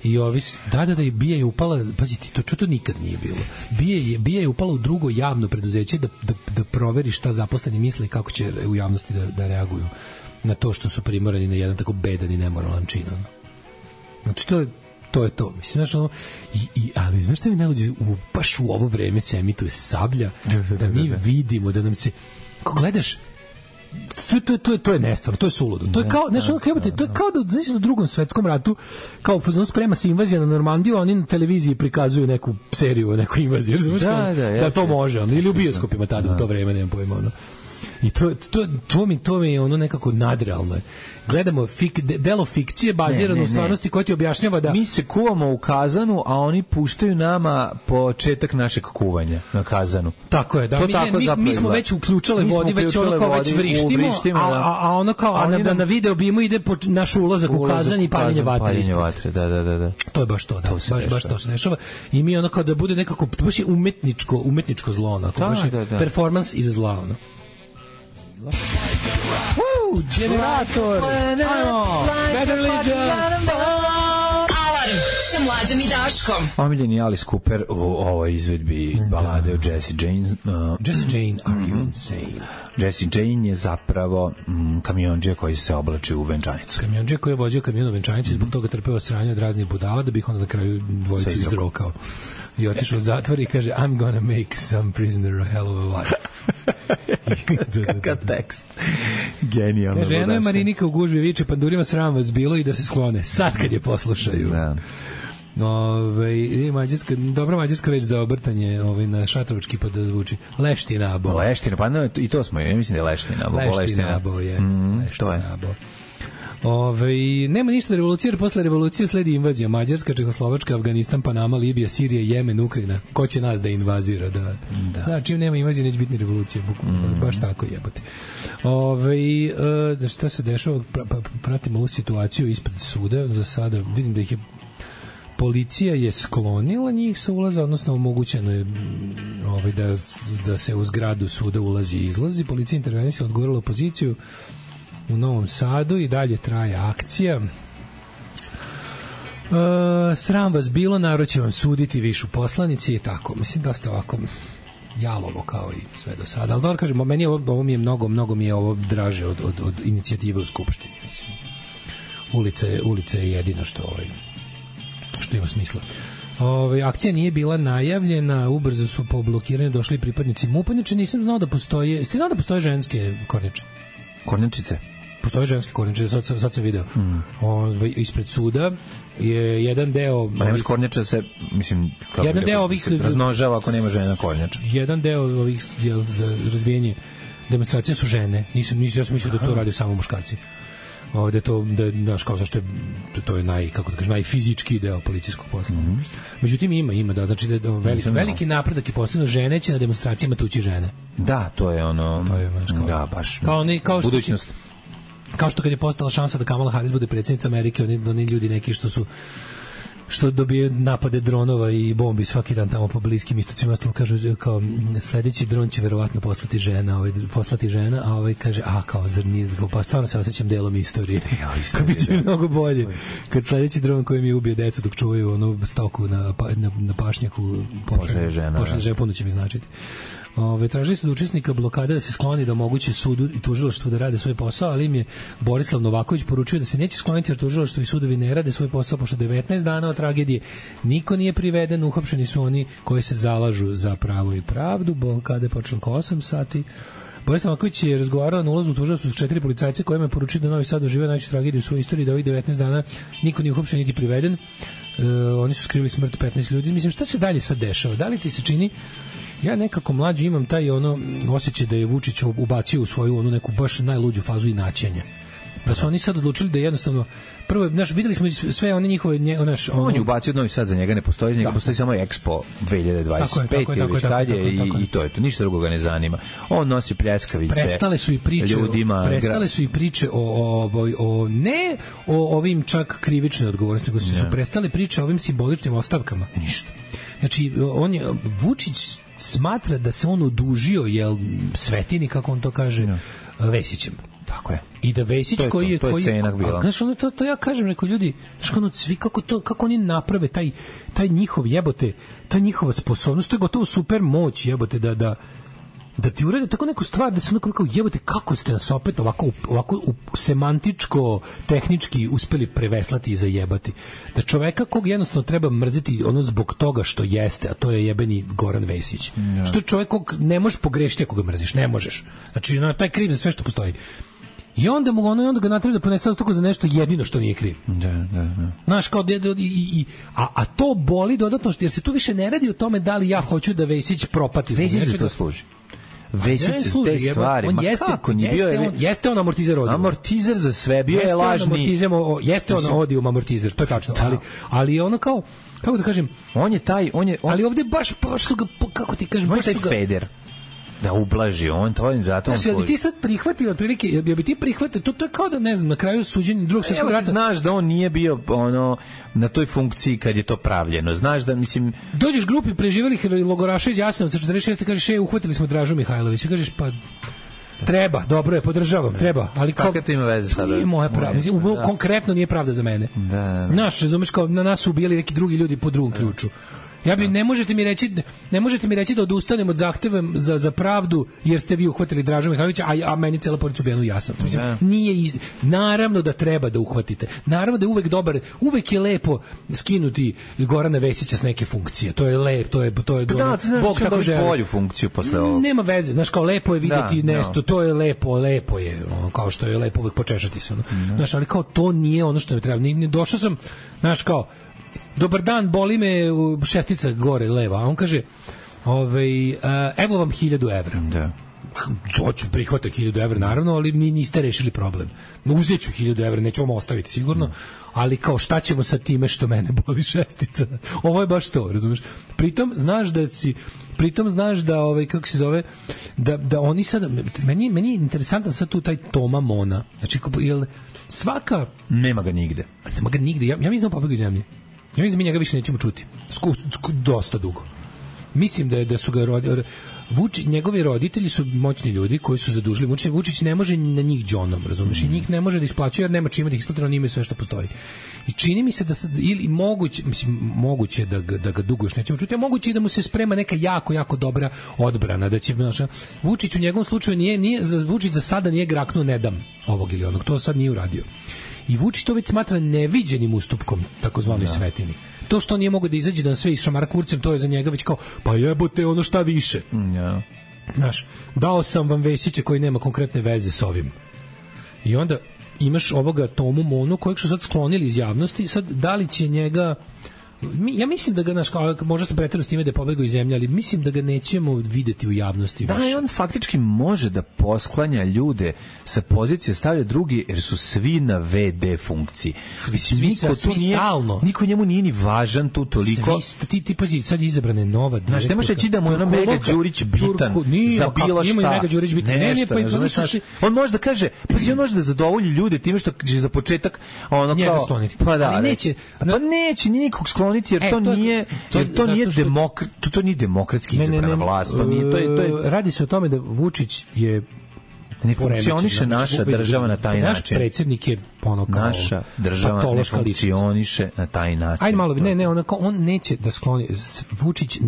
I ovi, da, da, da, je Bija je upala, pazite, to čuto nikad nije bilo. Bija je, Bija je upala u drugo javno preduzeće da, da, da proveri šta zaposleni misle i kako će u javnosti da, da reaguju na to što su primorani na jedan tako bedan i nemoralan čin. Znači, to je to je to. Mislim, znaš, ono, i, i, ali znaš šta mi najluđe, u, baš u ovo vreme se emituje Sablja, da mi vidimo, da nam se, ko gledaš, to to to to je nestvarno, to je suludo. To je kao, znači, ono jebote, to je kao da znači u Drugom svetskom ratu kao pozno sprema se invazija na Normandiju, oni na televiziji prikazuju neku seriju o nekoj invaziji, znači da, da, da to može, on ili u bioskopima tada u to vreme, nemam pojma, ono. I to, to, to, mi, to mi je ono nekako nadrealno. Gledamo fik, delo fikcije bazirano ne, ne, u stvarnosti koja ti objašnjava da... Mi se kuvamo u kazanu, a oni puštaju nama početak našeg kuvanja na kazanu. Tako je, da. To mi, ne, mi, mi smo već uključale vodi, već ono kao već vrištimo, vrištimo a, a, a ono kao a na, nam, na video bimu ide po naš ulazak, ulazak u kazan i paljenje vatre. Paljenje vatre, da, da, da, da. To je baš to, da. To baš, baš to se dešava. I mi ono kao da bude nekako, baš je umetničko, umetničko zlo, ono. Da, baš je da, da. Performance iz zla, ono. Woo, generator. Ajmo, Better Legion. Alarm sa Mlađom i Daškom. Omiljeni Alice Cooper u ovoj izvedbi balade o Jessie Jane. Uh, Jessie Jane, are you insane? Jessie Jane je zapravo mm, kamionđe koji se oblači u venčanicu. Kamionđe koji je vozio kamion u venčanicu i zbog toga trpeo sranje od raznih budala da bi ih onda na kraju dvojicu izrokao. I otišao u zatvor i kaže I'm gonna make some prisoner a hell of a life. Kakav tekst. Genijalno. Kaže, eno je Marinika u gužbi viče, pandurima sram vas bilo i da se sklone. Sad kad je poslušaju. Da. Ove, mađarska, dobra mađarska reč za obrtanje ovaj, na šatrovački pa da zvuči. Leština abo. Leština, pa no, i to smo, ja mislim da je leština abo. Leština abo, je. Mm, leština to je. Abo. Ove, nema ništa revolucije, jer posle revolucije sledi invazija Mađarska, Čehoslovačka, Afganistan, Panama, Libija, Sirija, Jemen, Ukrajina. Ko će nas da invazira? Da. Da. Da, čim nema invazije neće biti ni revolucije, mm. baš tako jebote. Ove, da šta se dešava, pra, pra, pratimo ovu situaciju ispred suda, za sada vidim da ih je policija je sklonila njih sa ulaza, odnosno omogućeno je ovaj, da, da se u zgradu suda ulazi i izlazi. Policija intervenisala, odgovorila opoziciju u Novom Sadu i dalje traje akcija. E, sram vas bilo, narod će vam suditi višu poslanici i tako. Mislim da ste ovako jalovo kao i sve do sada. Ali dobro kažem, meni je ovo, ovo mi je mnogo, mnogo mi je ovo draže od, od, od inicijative u Skupštini. Mislim. Ulica je, ulica je jedino što ovaj, što ima smisla. Ove, akcija nije bila najavljena, ubrzo su po blokiranju došli pripadnici MUP-a, inače nisam znao da postoje, ste znao da postoje ženske kornjače? Kornjačice? Postoje ženske kornjače, sad, sad sam video. Mm. Ove, ispred suda je jedan deo... Ma nemaš kornjača se, mislim, kako jedan deo ovih, se razmnožava ako nema žena kornjača. Jedan deo ovih jel, za razbijenje demonstracije su žene. Nisam, nisam, ja sam mislio da to radi samo muškarci. Ovde to da znaš kao zašto je to je naj kako da kažem najfizički deo policijskog posla. Mm -hmm. Međutim ima ima da znači da veliki veliki napredak je postignuo, žene će na demonstracijama tući žene. Da, to je ono to je baš kao, da baš kao oni kao budućnost. Što, kao što kad je postala šansa da Kamala Harris bude predsjednica Amerike, oni oni ljudi neki što su što dobije napade dronova i bombi svaki dan tamo po Bliskim istocima, ostalo kažu kao sledeći dron će verovatno poslati žena, ovaj poslati žena, a ovaj kaže a kao zar nije, pa stvarno se osjećam delom istorije. Ja isto bi ti mnogo bolje. Kad sledeći dron koji mi ubije decu dok čuvaju onu stoku na na, na pašnjaku pošle žena. Pošle žena puno će mi značiti. Ove, tražili su od učesnika blokade da se skloni, da omoguće sudu i tužilaštvu da rade svoj posao, ali im je Borislav Novaković poručio da se neće skloniti jer tužilaštvo i sudovi ne rade svoj posao, pošto devetnaest dana od tragedije niko nije priveden, uhapšeni su oni koji se zalažu za pravo i pravdu. Blokada je počela oko osam sati. Borislav Novaković je razgovarao na ulazu u tužilaštvo s četiri policajce kojima je poručio da Novi Sad doživeo najveću tragediju u svojoj istoriji, da ovih devetnaest dana niko nije uhapšen niti priveden. E, oni su skrivili smrt petnaest ljudi. Mislim, šta se dalje sad dešava? Da li ti se čini ja nekako mlađi imam taj ono osjećaj da je Vučić ubacio u svoju onu neku baš najluđu fazu inaćenja. Da su oni sad odlučili da jednostavno prvo, znaš, videli smo sve one njihove naš ono, on je ubacio Novi Sad, za njega ne postoji, za njega da. Postoji samo Expo dve hiljade dvadeset pet ili već kad je i to je to, ništa drugo ga ne zanima. On nosi pljeskavice. Prestale su i priče ljudima, prestale su i priče o, o, o, o ne o ovim čak krivičnoj odgovornosti, nego su, su prestale priče o ovim simboličnim ostavkama. Ništa. Znači, on je, Vučić smatra da se on odužio, jel, Svetini, kako on to kaže, no. Vesićem. Tako je. I da Vesić to je koji je... To, to je cenak bila. Znaš, ono, to, to ja kažem, neko ljudi, znaš, ono, svi, kako, to, kako oni naprave taj, taj njihov jebote, ta njihova sposobnost, to je gotovo super moć jebote, da, da da ti urede tako neku stvar da se onako kao jebote kako ste nas opet ovako ovako u semantičko tehnički uspeli preveslati i zajebati da čoveka kog jednostavno treba mrziti ono zbog toga što jeste, a to je jebeni Goran Vesić. Ja. Što je čovek kog ne možeš pogrešiti ako ga mrziš, ne možeš. Znači no, taj kriv za sve što postoji. I onda mu ono i onda ga natraži da ponese tako za nešto jedino što nije kriv. Da, da, da. Znaš, kao i, i, a, a to boli dodatno jer se tu više ne radi o tome da li ja hoću da Vesić propati. Vesić za to služi. Vesić se te stvari, on ma jeste, kako nije jeste bio on, jeste on amortizer odijum. Amortizer za sve, bio je lažni. Jeste on odijum amortizer, to je tačno, ali, ali ono kao, kako da kažem, on je taj, on je... On, ali ovde baš, baš su ga, kako ti kažem, baš su ga... Feder. Da ublaži on, to je zato on služi. Znači, bi ti sad prihvatio otprilike, jel bi ti prihvatio, to, to je kao da, ne znam, na kraju suđenja drugog svjetskog rata. Znaš da on nije bio ono na toj funkciji kad je to pravljeno. Znaš da, mislim... Dođeš grupi preživelih logoraša iz Jasenovca četrdeset šeste kažeš, e, uhvatili smo Dražu Mihajlovića. Kažeš, pa... Treba, dobro je, podržavam, treba, ali kao... Kako to ima veze sada? Nije moja pravda, mislim, da. Konkretno nije pravda za mene. Da, da. Naš, razumeš, kao na nas ubijali neki drugi ljudi po drugom ključu. Ja bi, ne možete mi reći ne možete mi reći da odustanem od zahteva za, za pravdu jer ste vi uhvatili Draža Mihajlovića, a, a meni cela porodica ubijena u Jasenovcu. Mislim, yeah. nije iz... naravno da treba da uhvatite. Naravno da je uvek dobar, uvek je lepo skinuti Gorana Vesića s neke funkcije. To je lep, to je to je da, da, znaš, Bog tako želi. Bolju funkciju posle ovog. Nema veze, znaš, kao lepo je videti da, nešto, no. To je lepo, lepo je, ono, kao što je lepo uvek počešati se, ono. Mm. Znaš, ali kao to nije ono što mi treba. Ni, ni došao sam, znaš, kao dobar dan, boli me šestica gore leva, a on kaže ovaj, uh, evo vam hiljadu evra. Da. Hoću prihvatiti hiljadu evra, naravno, ali mi niste rešili problem. Uzet ću hiljadu evra, neću vam ostaviti sigurno, ali kao šta ćemo sa time što mene boli šestica? Ovo je baš to, razumiješ? Pritom znaš da si pritom znaš da ovaj kako se zove da, da oni sad meni meni je interesantan sad tu taj Toma Mona. Znači jel svaka nema ga nigde. Nema ga nigde. Ja ja mislim da pobegao iz zemlje. Ja mislim da mi njega više nećemo čuti. Sku, sku, dosta dugo. Mislim da je, da su ga rodili Vučić, njegovi roditelji su moćni ljudi koji su zadužili Vučića. Vučić ne može na njih džonom, razumiješ? I njih ne može da isplaćuje jer nema čime da ih isplati, oni imaju sve što postoji. I čini mi se da sad, ili moguće, mislim, moguće da ga, da ga dugo još nećemo čuti, a moguće i da mu se sprema neka jako, jako dobra odbrana. Da će, znaš, Vučić u njegovom slučaju nije, nije, za Vučić za sada nije graknuo ne dam ovog ili onog, to sad nije uradio. I Vučić to već smatra neviđenim ustupkom takozvanoj da. Svetini. To što on nije mogao da izađe da na sve išamara kurcem, to je za njega već kao, pa jebote, ono šta više. Ja. Znaš, dao sam vam Vesića koji nema konkretne veze s ovim. I onda imaš ovoga Tomu Monu kojeg su sad sklonili iz javnosti, sad da li će njega... Ja mislim da ga, naš, možda sam pretjerao s time da je pobegao iz zemlje, ali mislim da ga nećemo videti u javnosti. Da, i on faktički može da posklanja ljude sa pozicije, stavlja drugi, jer su svi na ve de funkciji. Mislim, svi, niko, svi nije, niko njemu nije ni važan tu toliko. Svi, ti, ti pazi, sad izabrane nova direktorka. Znaš, ne može reći da mu je ono Mega Đurić bitan Turku, nije, za bilo šta. Mega Đurić bitan. Ne, ne, pa, pa, si... On može da kaže, pazi, on može da zadovolji ljude time što će za početak ono njega kao... skloniti. Pa da, ali neće. Pa neće nikog skloniti jer e, to, to nije to, jer to nije što... demokrat to, to nije demokratski izabrana vlast, to nije to je to je radi se o tome da Vučić je ne funkcioniše naša država na taj naš način. Naš predsjednik je ono kao naša država ne funkcioniše na taj način. Ajde malo, ne, ne, onako on neće da skloni Vučić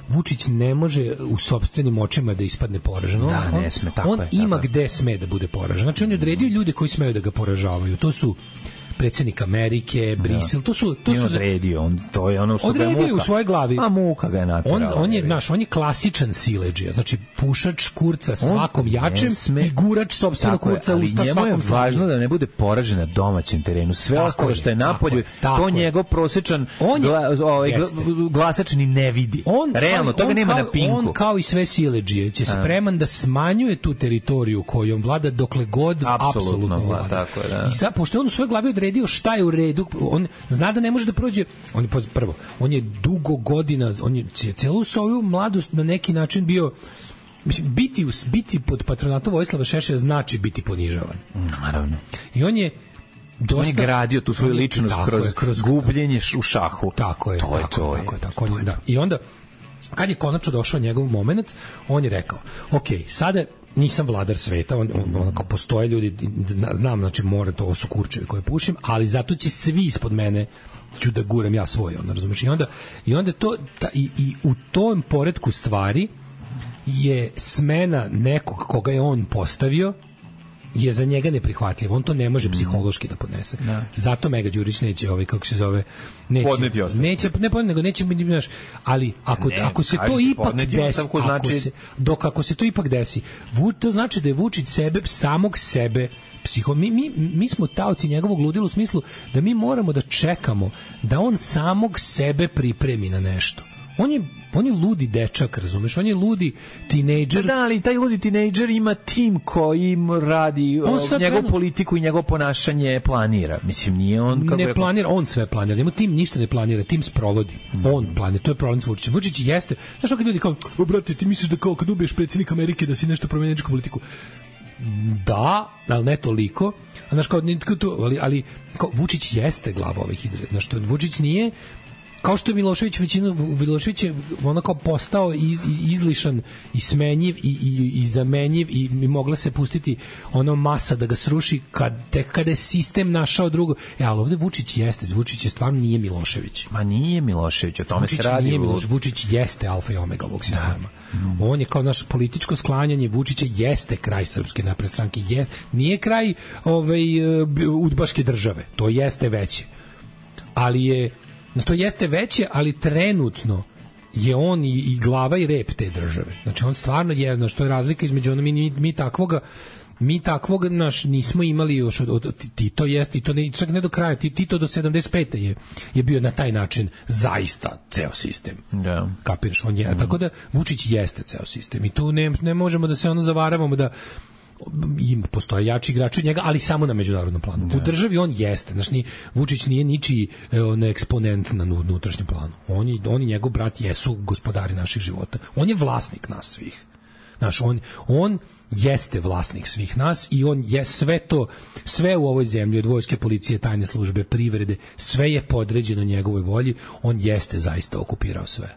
Vučić ne može u sopstvenim očima da ispadne poražen. Da, on, ne sme, tako on je, ima tako gde sme da bude poražen. Znači on je odredio ljude koji smeju da ga poražavaju. To su predsjednik Amerike, Brisel, da. to su to su odredio, on to je ono što odredio ga je muka. u svojoj glavi. A muka ga je naterao. On on je naš, on je klasičan siledžija, znači pušač kurca svakom on jačem sme... i gurač sopstvenog kurca u usta svakom. Njemu je važno da ne bude poražen na domaćem terenu. Sve tako ostalo je, što je napolju, to njegov prosječan gla, ovaj, glasač ni ne vidi. On, realno toga nema na pinku. On kao i sve siledžije će spreman da smanjuje tu teritoriju kojom vlada dokle god apsolutno vlada. Tako je, da. I sad pošto on u svojoj glavi odredio šta je u redu, on zna da ne može da prođe, on je prvo, on je dugo godina, on je celu svoju mladost na neki način bio, mislim, biti, biti pod patronatom Vojislava Šešelja znači biti ponižavan. Naravno. I on je dosta, on je gradio tu svoju ličnost kroz, je, kroz gubljenje u šahu. Tako je, to je, tako, to je. Tako je, tako je, da. I onda, kad je konačno došao njegov moment, on je rekao, ok, sada nisam vladar sveta, on, on, on kao postoje ljudi, znam, znači mora to, ovo su kurčevi koje pušim, ali zato će svi ispod mene ću da guram ja svoje, on, razumiješ? I onda, i onda to, ta, i, i u tom poretku stvari je smena nekog koga je on postavio je za njega neprihvatljivo. On to ne može psihološki da podnese. Da. Zato Mega Đurić neće, ovaj kako se zove, neće neće ne podne, nego neće biti, znaš, ali ako ne, ako se to ipak desi, ako znači... se dok ako se to ipak desi, to znači da je Vučić sebe samog sebe psiho mi, mi, mi smo taoci njegovog ludila u smislu da mi moramo da čekamo da on samog sebe pripremi na nešto. On je, on je ludi dečak, razumeš? On je ludi tinejdžer. Da, ali taj ludi tinejdžer ima tim koji radi njegovu trenu... politiku i njegovo ponašanje planira. Mislim, nije on... Kako ne rekao... planira, on sve planira. Ima tim ništa ne planira, tim sprovodi. Mm. On planira, to je problem s Vučićem. Vučić jeste... Znaš što kad ljudi kao, o brate, ti misliš da kao kad ubiješ predsjednik Amerike da si nešto promenio nečku politiku? Da, ali ne toliko. Znaš, kao, ali, ali kao, Vučić jeste glava ovih hidre. Znaš, što Vučić nije... Kao što je Milošević većinu Milošević je onako postao iz, izlišan i smenjiv i, i, i zamenjiv i, i mogla se pustiti ono masa da ga sruši kad, tek kada je sistem našao drugo. E, ali ovde Vučić jeste, Vučić je stvarno nije Milošević. Ma nije Milošević, o tome Vučić se radi. Nije Miloš, Vučić jeste alfa i omega ovog sistema. Da. On je kao naš političko sklanjanje Vučića jeste kraj Srpske napredne stranke, jeste, nije kraj ovaj, udbaške države, to jeste veće. Ali je to jeste veće, ali trenutno je on i, i glava i rep te države. Znači on stvarno je, znači što je razlika između ono, mi, mi, mi takvoga mi takvog naš nismo imali još od, od, od Tito jeste i to ne, čak ne do kraja, Tito do sedamdeset pete je, je bio na taj način zaista ceo sistem. Da. Kapiraš, on je, mm. tako da Vučić jeste ceo sistem i tu ne, ne možemo da se ono zavaravamo da im postoje jači igrači od njega, ali samo na međunarodnom planu. Da. U državi on jeste, znači ni Vučić nije ničiji on eksponent na unutrašnjem planu. On i on i njegov brat jesu gospodari naših života. On je vlasnik nas svih. Znaš, on on jeste vlasnik svih nas i on je sve to, sve u ovoj zemlji, od vojske, policije, tajne službe, privrede, sve je podređeno njegovoj volji. On jeste zaista okupirao sve.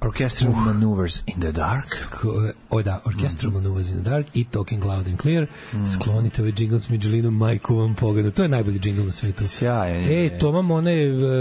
Orchestral uh. maneuvers in the dark. O da, orchestral mm-hmm. maneuvers in the dark i Talking Loud and Clear. Mm. Sklonite ovaj džingl s Međulinom, majku vam pogledu. To je najbolji džingl na svetu. Sjajan. E, to vam one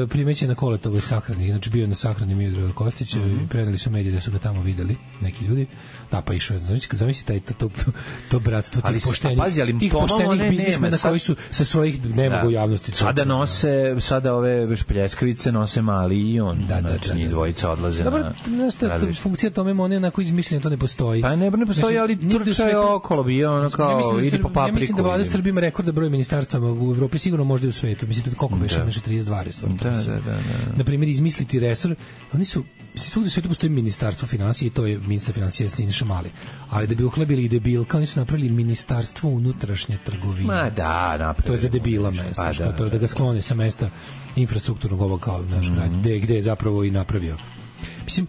primećen na Koletovoj sahrani. Znači bio na sahrani Miodraga Kostića mm-hmm. i preneli su medije da su ga tamo videli neki ljudi. Da, pa išao je. Zamisli taj to, to, to, to bratstvo tih poštenih, pazi, ali tih poštenih biznismena koji su sa svojih ne mogu javnosti. Sada nose, sada ove špljeskavice nose mali i on. Da, da, znači, njih dvojica odlaze Dobar, na... Znaš, ta funkcija tome one onako izmišljena, to ne postoji. Pa ne, ne postoji, ali trča je okolo bio, ono kao, idi po papriku. Ja mislim da vlada Srbije ima rekorda broj ministarstava u Evropi, sigurno možda i u svetu. Mislim, koliko beše, nešto trideset dva resora. Da, da, da. Na primjer, izmisliti resor, oni su, svugde u svetu postoji ministarstvo finansija i to je ministar finansija Siniša Mali. Ali da bi uhlebili i debilka, oni su napravili ministarstvo unutrašnje trgovine. Ma da, napravili. To je za debila mesto, pa, da, to je da ga sklone sa mesta infrastrukturnog ovog kao naš mm-hmm. grad, gde, gde je zapravo i napravio. Mislim,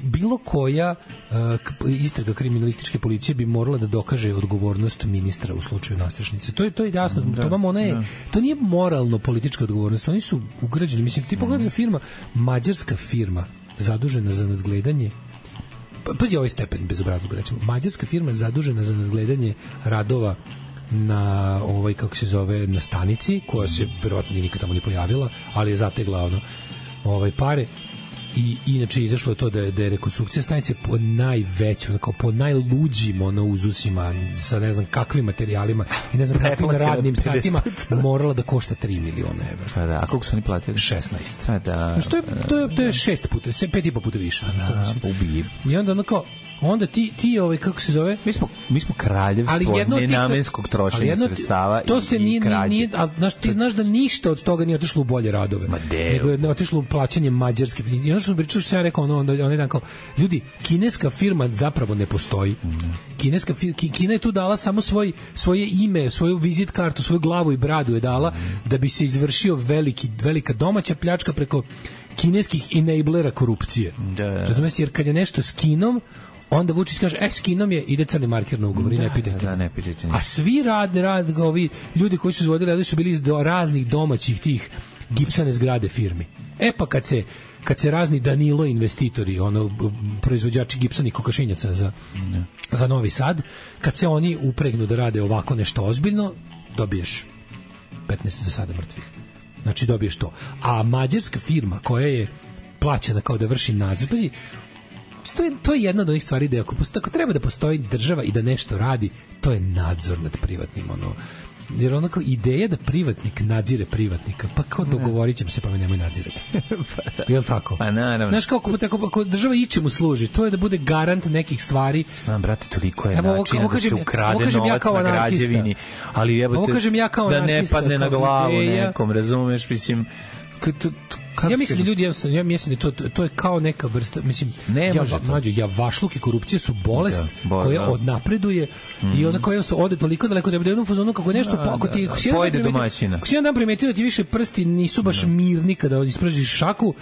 bilo koja uh, istraga kriminalističke policije bi morala da dokaže odgovornost ministra u slučaju nastrešnice. To je to je jasno. Da, to vam ona je, da. To nije moralno politička odgovornost. Oni su ugrađeni. Mislim, ti pogledaj firma, mađarska firma zadužena za nadgledanje. Pazi ovaj stepen bezobraznog, recimo. Mađarska firma zadužena za nadgledanje radova na ovaj kako se zove na stanici, koja se verovatno nikad tamo ne pojavila, ali je zategla ono ovaj pare. I inače izašlo je to da je, da je rekonstrukcija stanice po najvećem, kao po najluđim ono uzusima sa ne znam kakvim materijalima i ne znam kakvim radnim satima morala da košta tri miliona evra. Pa da, a koliko su oni platili? šesnaest. Pa da. Što je to je to je šest puta, se pet i po puta više, što pa ubije. I onda onako onda ti ti ovaj kako se zove? Mi smo mi smo kraljevstvo nenamenskog trošenja sredstava to se nije nije, al znaš ti znaš da ništa od toga nije otišlo u bolje radove. Nego je otišlo u plaćanje mađarske. I ono što pričao što ja rekao ono onda onaj dan kao ljudi, kineska firma zapravo ne postoji. Kineska Kina je tu dala samo svoj svoje ime, svoju vizit kartu, svoju glavu i bradu je dala da bi se izvršio veliki velika domaća pljačka preko kineskih enablera korupcije. Da. Razumeš, jer kad je nešto s Kinom onda Vučić kaže, e, s Kinom je, ide crni marker na ugovor i ne pitajte. Da, ne pitajte. A svi rad, rad, ovi ljudi koji su izvodili, ali su bili iz do raznih domaćih tih gipsane zgrade firmi. E pa kad se, kad se razni Danilo investitori, ono, proizvođači gipsanih kokašinjaca za, ne. za Novi Sad, kad se oni upregnu da rade ovako nešto ozbiljno, dobiješ petnaest za sada mrtvih. Znači dobiješ to. A mađarska firma koja je plaćena kao da vrši nadzor, pazi, to je, to je jedna od onih stvari da ako, ako treba da postoji država i da nešto radi, to je nadzor nad privatnim, ono, jer onako ideja da privatnik nadzire privatnika, pa kao dogovorit ćemo se, pa me nemoj nadzirati. Pa da. Jel' tako? Pa naravno. Znaš, kao ako, ako, ako država ičemu služi, to je da bude garant nekih stvari. Znam, brate, toliko je evo, načina da se ukrade novac ja na građevini, ali jebote, ja da ne padne na glavu ideja. Nekom, razumeš, mislim... Ja mislim da ljudi jednostavno, ja mislim da to, to, to je kao neka vrsta, mislim, ne ja, može ja vašluk i korupcija su bolest da, bo, koja da. odnapreduje mm. i ona koja jednostavno ode toliko daleko da je u jednom fazonu kako nešto, da, ako ti, da, ako si pojede jedan domaćina. Ako si jedan dan primetio da ti više prsti nisu baš da. mirni kada ispražiš šaku,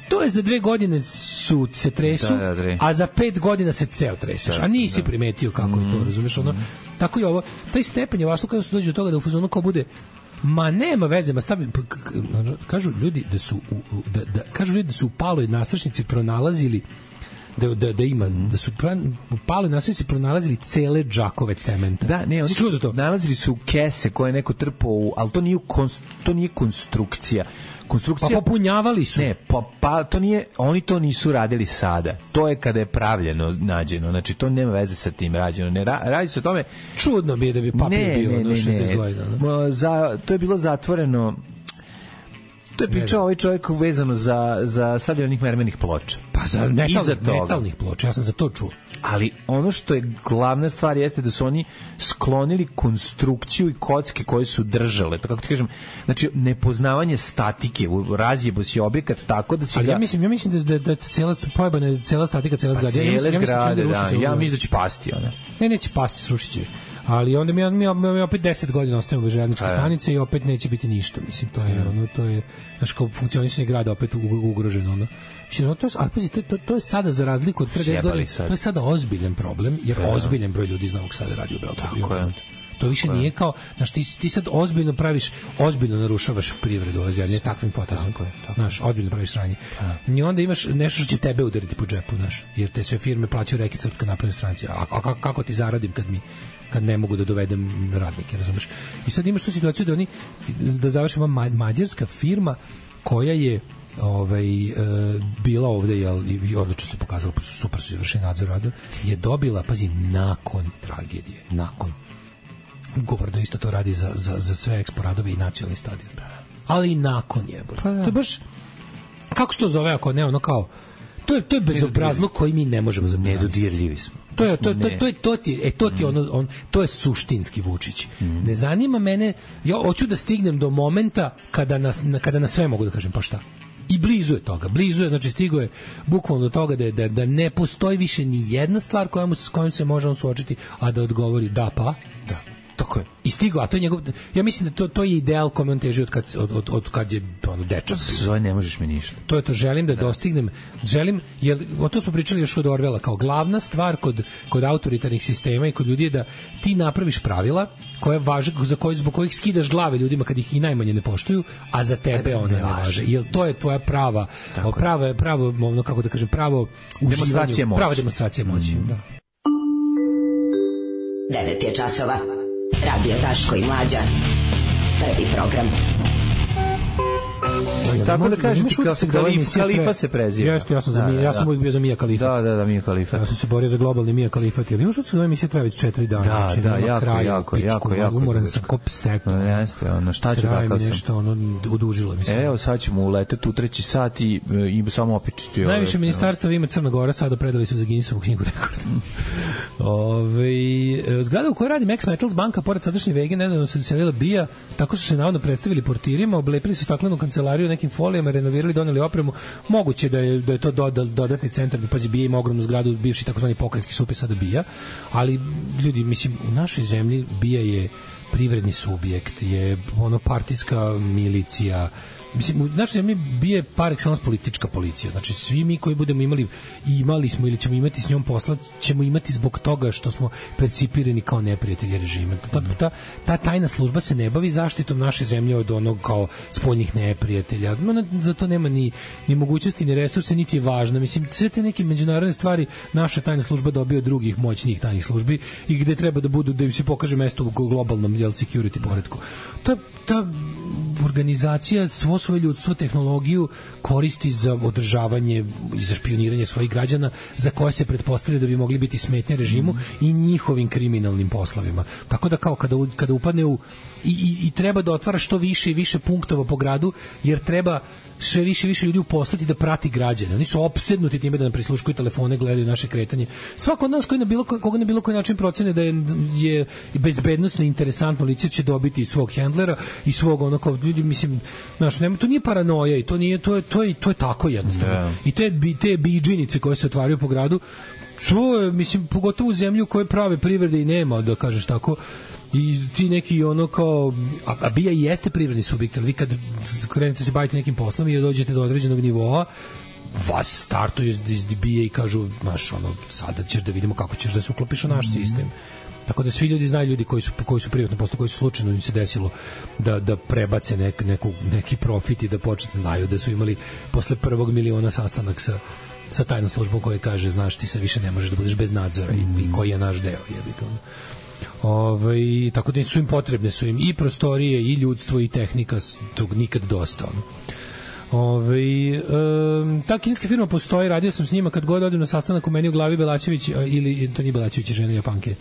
to je za dve godine su se tresu, da, da, a za pet godina se ceo treseš, a nisi da. primetio kako mm. to, razumeš, ono, tako i ovo, taj stepen je vašluk kada se dođe do toga da u fazonu kao bude ma nema veze, ma stavim, kažu ljudi da su da, da, kažu ljudi da su u paloj nastrešnici pronalazili da, da, da ima, da su u paloj nastrešnici pronalazili cele džakove cementa. Da, ne, oni su to? nalazili su kese koje neko trpao u, ali to nije, to nije konstrukcija. Konstrukcija, pa popunjavali su. Ne, pa, pa to nije, oni to nisu radili sada. To je kada je pravljeno, nađeno. Znači, to nema veze sa tim rađeno. Ne, ra, radi se o tome... Čudno bi je da bi papir ne, bio ne, ono šezdeset godina. Ne. Za, to je bilo zatvoreno... To je pričao ovaj čovjek vezano za, za stavljanje onih mermenih ploča. Pa za metalnih, metalnih ploča, ja sam za to čuo. Ali ono što je glavna stvar jeste da su oni sklonili konstrukciju i kocke koje su držale. Tako ti kažem, znači nepoznavanje statike, razjebo si objekat tako da si ali ga... ja mislim, ja mislim da, da, da cela pojebana, cela statika, cela zgrada. Pa cijele ja zgrade, ja da, ja mislim da će pasti ona. Ne, neće pasti, srušit će. Ali onda mi, mi, mi opet deset godina ostajemo bez željezničke stanice i opet neće biti ništa, mislim, to je ono, to je, znaš, kao funkcionisanje grada opet ugroženo, ono. Mislim, to je, ali pazi, to, to, to je sada za razliku od pre deset godina, to je sada ozbiljan problem, jer ja. ozbiljan broj ljudi iz Novog Sada radi u Beogradu. To više nije kao, znaš, ti, ti sad ozbiljno praviš, ozbiljno narušavaš privredu ove zemlje takvim potezom. Znaš, ozbiljno praviš sranje. I onda imaš nešto što će tebe udariti po džepu, znaš, jer te sve firme plaćaju reket Srpska napredna stranci. A, a kako ti zaradim kad mi kad ne mogu da dovedem radnike, razumeš? I sad imaš tu situaciju da oni, da završimo, mađarska firma koja je ovaj, e, bila ovde, jel, i odlično se pokazalo, pošto super su završili nadzor rada, je dobila, pazi, nakon tragedije, nakon ugovor da isto to radi za, za, za sve Expo radove i nacionalni stadion. Ali i nakon jebote. Pa, to je baš, kako se to zove ako ne, ono kao, to je, to je bezobrazluk koji mi ne možemo zabraniti. Nedodirljivi smo. To je to to to je to ti e to ti ono on to je suštinski Vučić. Mm. Ne zanima mene, ja hoću da stignem do momenta kada nas kada na sve mogu da kažem pa šta. I blizu je toga, blizu je, znači stigo je bukvalno do toga da, da, da ne postoji više ni jedna stvar koja mu, s kojom se može on suočiti, a da odgovori da pa, da. Tako je. I stigao, a to je njegov, ja mislim da to, to je ideal kome on teži od kad, od, od, od kad je ono, dečak. Zove, ne možeš mi ništa. To je to, želim da, da. dostignem, želim, jer o to smo pričali još od Orvela, kao glavna stvar kod, kod autoritarnih sistema i kod ljudi je da ti napraviš pravila koje važe, za koje, zbog kojih skidaš glave ljudima kad ih i najmanje ne poštuju, a za tebe one ne važe. Jer to je tvoja prava, prava, pravo, ono, kako da kažem, pravo demonstracija moći. Prava demonstracija moći, mm. da. devet je časova. Radio Daško i Mlađa. Prvi program. I tako da kažem ti kao se Kalif, Kalifa se preziva. Jeste, ja sam, da, za, ja sam uvijek bio za Mija Kalifat. Da, da, da, Mija Kalifat. Ja sam se borio za globalni Mija Kalifat. Ili još od se emisija traje već četiri dana. Da, znači, da, jako, kraju, jako, pičku, jako, jako. Umoran sam ko psek. No, jeste, ono, šta ću, kakav sam. Kraj mi nešto, ono, udužilo mi se. Evo, sad ćemo uleteti u treći sat i, i samo opičiti. Najviše ministarstva ima Crna Gora, sada predali su za Guinnessovu knjigu rekorda. Ove, zgrada u kojoj radi Max Metals banka, pored sadašnje Vege, nedavno se doselila Bija, tako su se navodno predstavili portirima, oblepili su staklenu kancelariju nekim folijama, renovirali, doneli opremu. Moguće da je da je to dodatni centar, pazi, Bija ima ogromnu zgradu, bivši takozvani pokrajinski sup je sada Bija, ali ljudi, mislim, u našoj zemlji Bija je privredni subjekt, je ono partijska milicija. Mislim, u našoj zemlji bije par excellence politička policija. Znači, svi mi koji budemo imali, imali smo ili ćemo imati s njom posla, ćemo imati zbog toga što smo percipirani kao neprijatelji režima. Ta, ta, ta tajna služba se ne bavi zaštitom naše zemlje od onog kao spoljnih neprijatelja. Za to nema ni, ni mogućnosti, ni resurse, niti je važno. Mislim, sve te neke međunarodne stvari naša tajna služba dobije od drugih moćnih tajnih službi i gde treba da budu, da im se pokaže mesto u globalnom jel, security poretku. Ta, ta organizacija svo svoje ljudstvo, tehnologiju koristi za održavanje i za špijuniranje svojih građana za koje se pretpostavlja da bi mogli biti smetnje režimu mm. i njihovim kriminalnim poslovima. Tako da kao kada, kada upadne u i, i, i treba da otvara što više i više punktova po gradu, jer treba sve više i više ljudi uposlati da prati građane. Oni su opsednuti time da nam prisluškuju telefone, gledaju naše kretanje. Svako od nas koji na bilo koji, koga na bilo koji način procene da je, je bezbednosno interesantno lice će dobiti i svog hendlera i svog ono kao ljudi, mislim, znaš, nema, to nije paranoja i to nije, to je, to je, to je tako jednostavno. Yeah. I te, te biđinice koje se otvaraju po gradu, to je, mislim, pogotovo u zemlju koje prave privrede i nema, da kažeš tako, i ti neki ono kao a, a bija i jeste privredni subjekt, ali vi kad krenete se baviti nekim poslom i dođete do određenog nivoa, vas startuju iz, iz bija i kažu, znaš, ono, sada ćeš da vidimo kako ćeš da se uklopiš u naš sistem. Tako da svi ljudi znaju, ljudi koji su koji su privatno posle, koji su slučajno im se desilo da da prebace nek, neku, neki profit i da počnu, znaju da su imali posle prvog miliona sastanak sa sa tajnom službom koja kaže, znaš, ti se više ne možeš da budeš bez nadzora i, i koji je naš deo, jebika. Ovaj, tako da su im potrebne su im i prostorije i ljudstvo i tehnika, tog nikad dosta ono. Ovaj, um, ta kineska firma postoji, radio sam s njima kad god odem na sastanak, u meni u glavi Belačević, ili to nije Belačević, žena Japanke,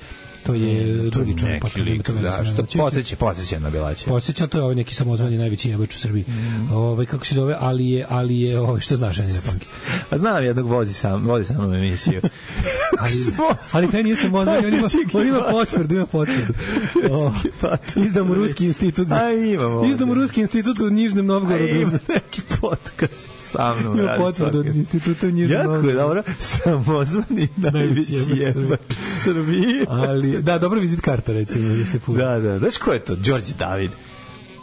to je mm, drugi čovjek, pa lik, da, što podsjeća, podsjeća na Belačevića. Podsjeća, to je ovaj neki samozvani najveći jebač u Srbiji. Mm. Ovaj, kako se zove, ali je, ali je, ovaj, što znaš žena Japanke? A znam jednog vozi sam, vodi sa mnom emisiju. ali, ali taj nije samozvani, on ima, on ima potvrdu, ima potvrdu. Oh, izdam u Ruski institut za, izdam u Ruski institut u Nižnem Novgorodu. A ima neki podcast sa mnom. Ima potvrdu od instituta u Nižnem Novgorodu. Jako je dobro, samozvani najveći jebač u Srbiji. Ali da, dobra vizit karta, recimo, da se puno. Da, da, znaš ko je to? Đorđe David.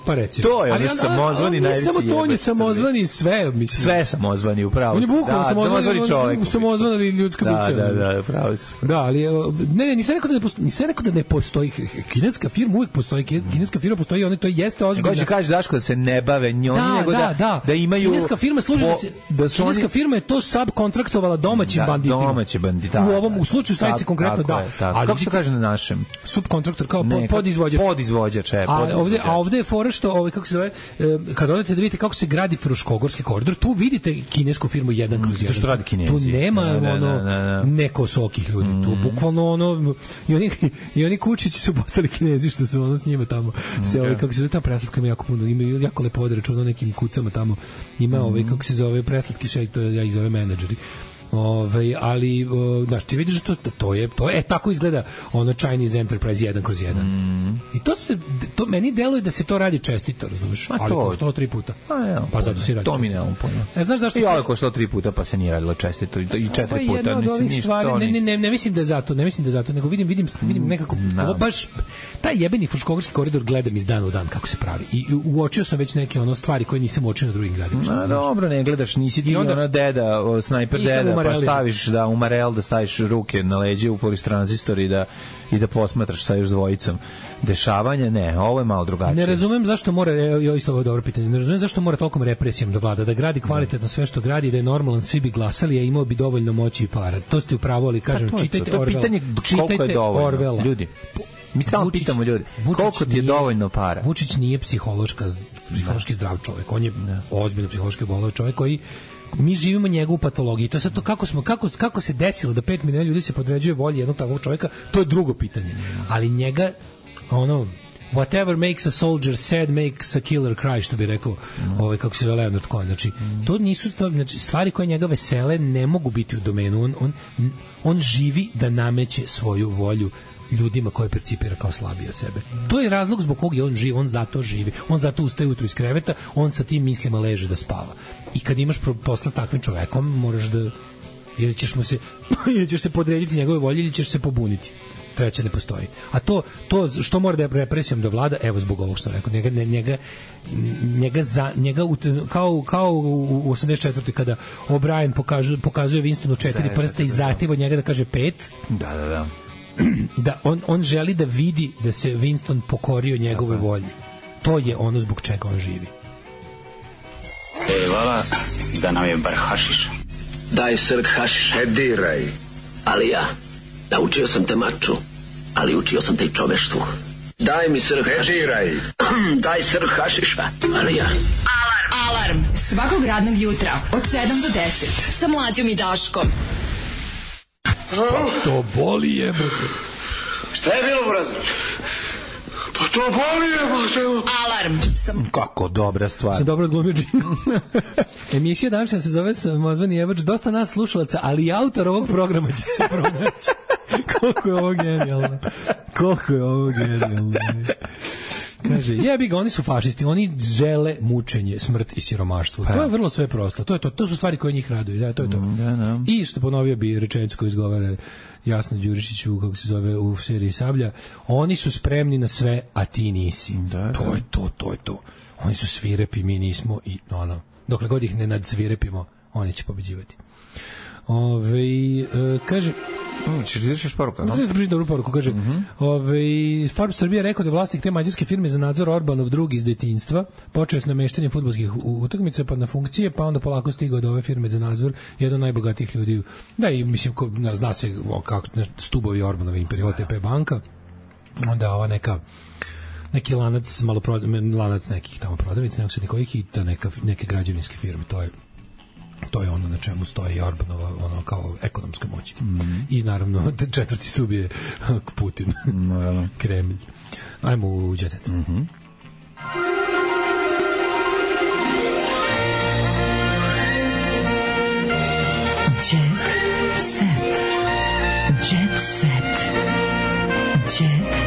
Pa recimo. To je, on je samozvani najveći jebač. Samo to, on je samozvani sve, mislim. Sve samozvani, upravo. On je bukvalno samozvani čovjek. Samozvani ali ljudska bića. Da, da, da, upravo su. Da, ali, ne, ne, nisam rekao da ne postoji, nisam rekao da ne postoji. Kineska firma uvijek postoji, kineska firma postoji, ona to jeste ozbiljna. Hoće kažeš Daško da se ne bave njoni, da, nego da, da, da, da imaju... Kineska firma služi da se... Da kineska oni... firma je to subkontraktovala domaćim da, banditima. Domaće bandita. U ovom, u slučaju Stajice konkretno, da. Ali kako se kaže na našem? Subkontraktor, kao podizvođač. Podizvođač, je. A ovde, a ovde je fora što, ovaj, kako se zove, kad odete da vidite kako se gradi Fruškogorski koridor, tu vidite kinesku firmu jedan kroz jedan. Što radi Kinezi? Tu nema ne, ne, ono ne, ne. nekosokih ljudi, mm. tu bukvalno ono i oni i oni kučići su postali Kinezi što su ono s njima tamo. Se okay. ovaj kako se zove ta preslatka ima jako puno, ima jako lepo odrečeno nekim kucama tamo. Ima mm. ovaj kako se zove preslatki šejk, to ja ih zove menadžeri. Ovaj, ali znaš, ti vidiš da to, to je to je e, tako izgleda ono Chinese Enterprise jedan kroz jedan. Mm. I to se to meni deluje da se to radi čestito, razumeš? Ali to koštalo tri puta. A, ja, pa zato si radi. To mi ne umem pojma. E, znaš zašto? I ovo koštalo tri puta pa se nije radilo čestito i četiri puta, ne mislim ništa. Ne, ne, ne, ne mislim da je zato, ne mislim da je zato, nego vidim vidim vidim nekako no. Ovo baš taj jebeni Fruškogorski koridor gledam iz dana u dan kako se pravi. I uočio sam već neke ono stvari koje nisam uočio na drugim gradilištima. Ma dobro, ne gledaš, nisi ti ona deda, snajper deda. Pa staviš da u Marel da staviš ruke na leđe, uporiš tranzistor i da i da posmatraš sa još dvojicom dešavanja, ne, ovo je malo drugačije. Ne razumem zašto mora, ja isto ovo je dobro pitanje, ne razumem zašto mora tolikom represijom da vlada, da gradi kvalitetno sve što gradi, da je normalan, svi bi glasali, a imao bi dovoljno moći i para. To ste upravo, ali kažem, pa čitajte to, to Orwella. Pitanje koliko je dovoljno, Orwella. Ljudi. Mi samo Vučić, pitamo ljudi, Vučić koliko ti je nije, dovoljno para? Vučić nije psihološka, psihološki zdrav čovjek, on je ne. ozbiljno psihološki bolao čovjek koji mi živimo njegovu patologiju. To je sad to kako smo kako kako se desilo da pet miliona ljudi se podređuje volji jednog takvog čovjeka, to je drugo pitanje. Ali njega ono whatever makes a soldier sad makes a killer cry, što bi rekao mm. ovaj kako se zove Leonard Cohen. Znači mm. to nisu to, znači stvari koje njega vesele ne mogu biti u domenu. On on on živi da nameće svoju volju ljudima koje percipira kao slabiji od sebe. To je razlog zbog kog je on živ, on zato živi. On zato ustaje ujutro iz kreveta, on sa tim mislima leže da spava. I kad imaš posla s takvim čovekom, moraš da ili ćeš mu se ili ćeš se podrediti njegove volji ili ćeš se pobuniti. Treće ne postoji. A to to što mora da je represijom da vlada, evo zbog ovog što rekao, njega njega njega za njega kao kao u osamdeset četvrtoj kada O'Brien pokaže pokazuje Winstonu četiri da, prsta i zahteva od njega da kaže pet. Da, da, da. Da on, on želi da vidi da se Winston pokorio njegove volji. To je ono zbog čega on živi. E, vala, da nam je bar hašiš. Daj srk hašiš. E, diraj. Ali ja, naučio sam te maču, ali učio sam te i čoveštvu. Daj mi srk hašiš. E, diraj. Daj srh hašiša, ali ja. Alarm. Alarm. Svakog radnog jutra od sedam do deset sa Mlađom i Daškom. To boli jebote. Šta je bilo, Brazović? Pa to boli jebote. Alarm. Sam... Kako dobra stvar. Sam dobro odglumio džingl. Emisija današnja se zove Samozvani jebač. Dosta nas slušalaca, ali i autor ovog programa će se pronaći. Koliko je ovo genijalno. Koliko je ovo genijalno. Kaže, jebi ga, oni su fašisti, oni žele mučenje, smrt i siromaštvo. To je vrlo sve prosto. To je to, to su stvari koje njih raduju, da, to je to. Da, da. I što ponovio bi rečenicu koju izgovara Jasno Đurišiću, kako se zove u seriji Sablja, oni su spremni na sve, a ti nisi. Da, to je to, to je to. Oni su svirepi, mi nismo i ono, dokle god ih ne nadsvirepimo, oni će pobeđivati. Ove, e, kaže Mm, ćeš izvršiš poruka, no? Ne znam, dobru poruku, kaže uh -huh. Ove, Forbes Srbija rekao da je vlasnik te mađarske firme za nadzor Orbanov drugi iz detinjstva, počeo s nameštanjem fudbalskih utakmica pa na funkcije, pa onda polako stigao do ove firme za nadzor, jedan od najbogatijih ljudi. Da, i mislim, ko, zna se kako stubovi Orbanove imperije, O T P banka, onda ova neka neki lanac, malo prodav, lanac nekih tamo prodavnica, nekog sad nikojih i ta neka, neke građevinske firme, to je to je ono na čemu stoji Orbanova ono kao ekonomska moć. Mm -hmm. I naravno četvrti stub je Putin. Naravno. Kremlj. Ajmo u Jet Set. Mhm. Mm Jet Set. Jet Set. Jet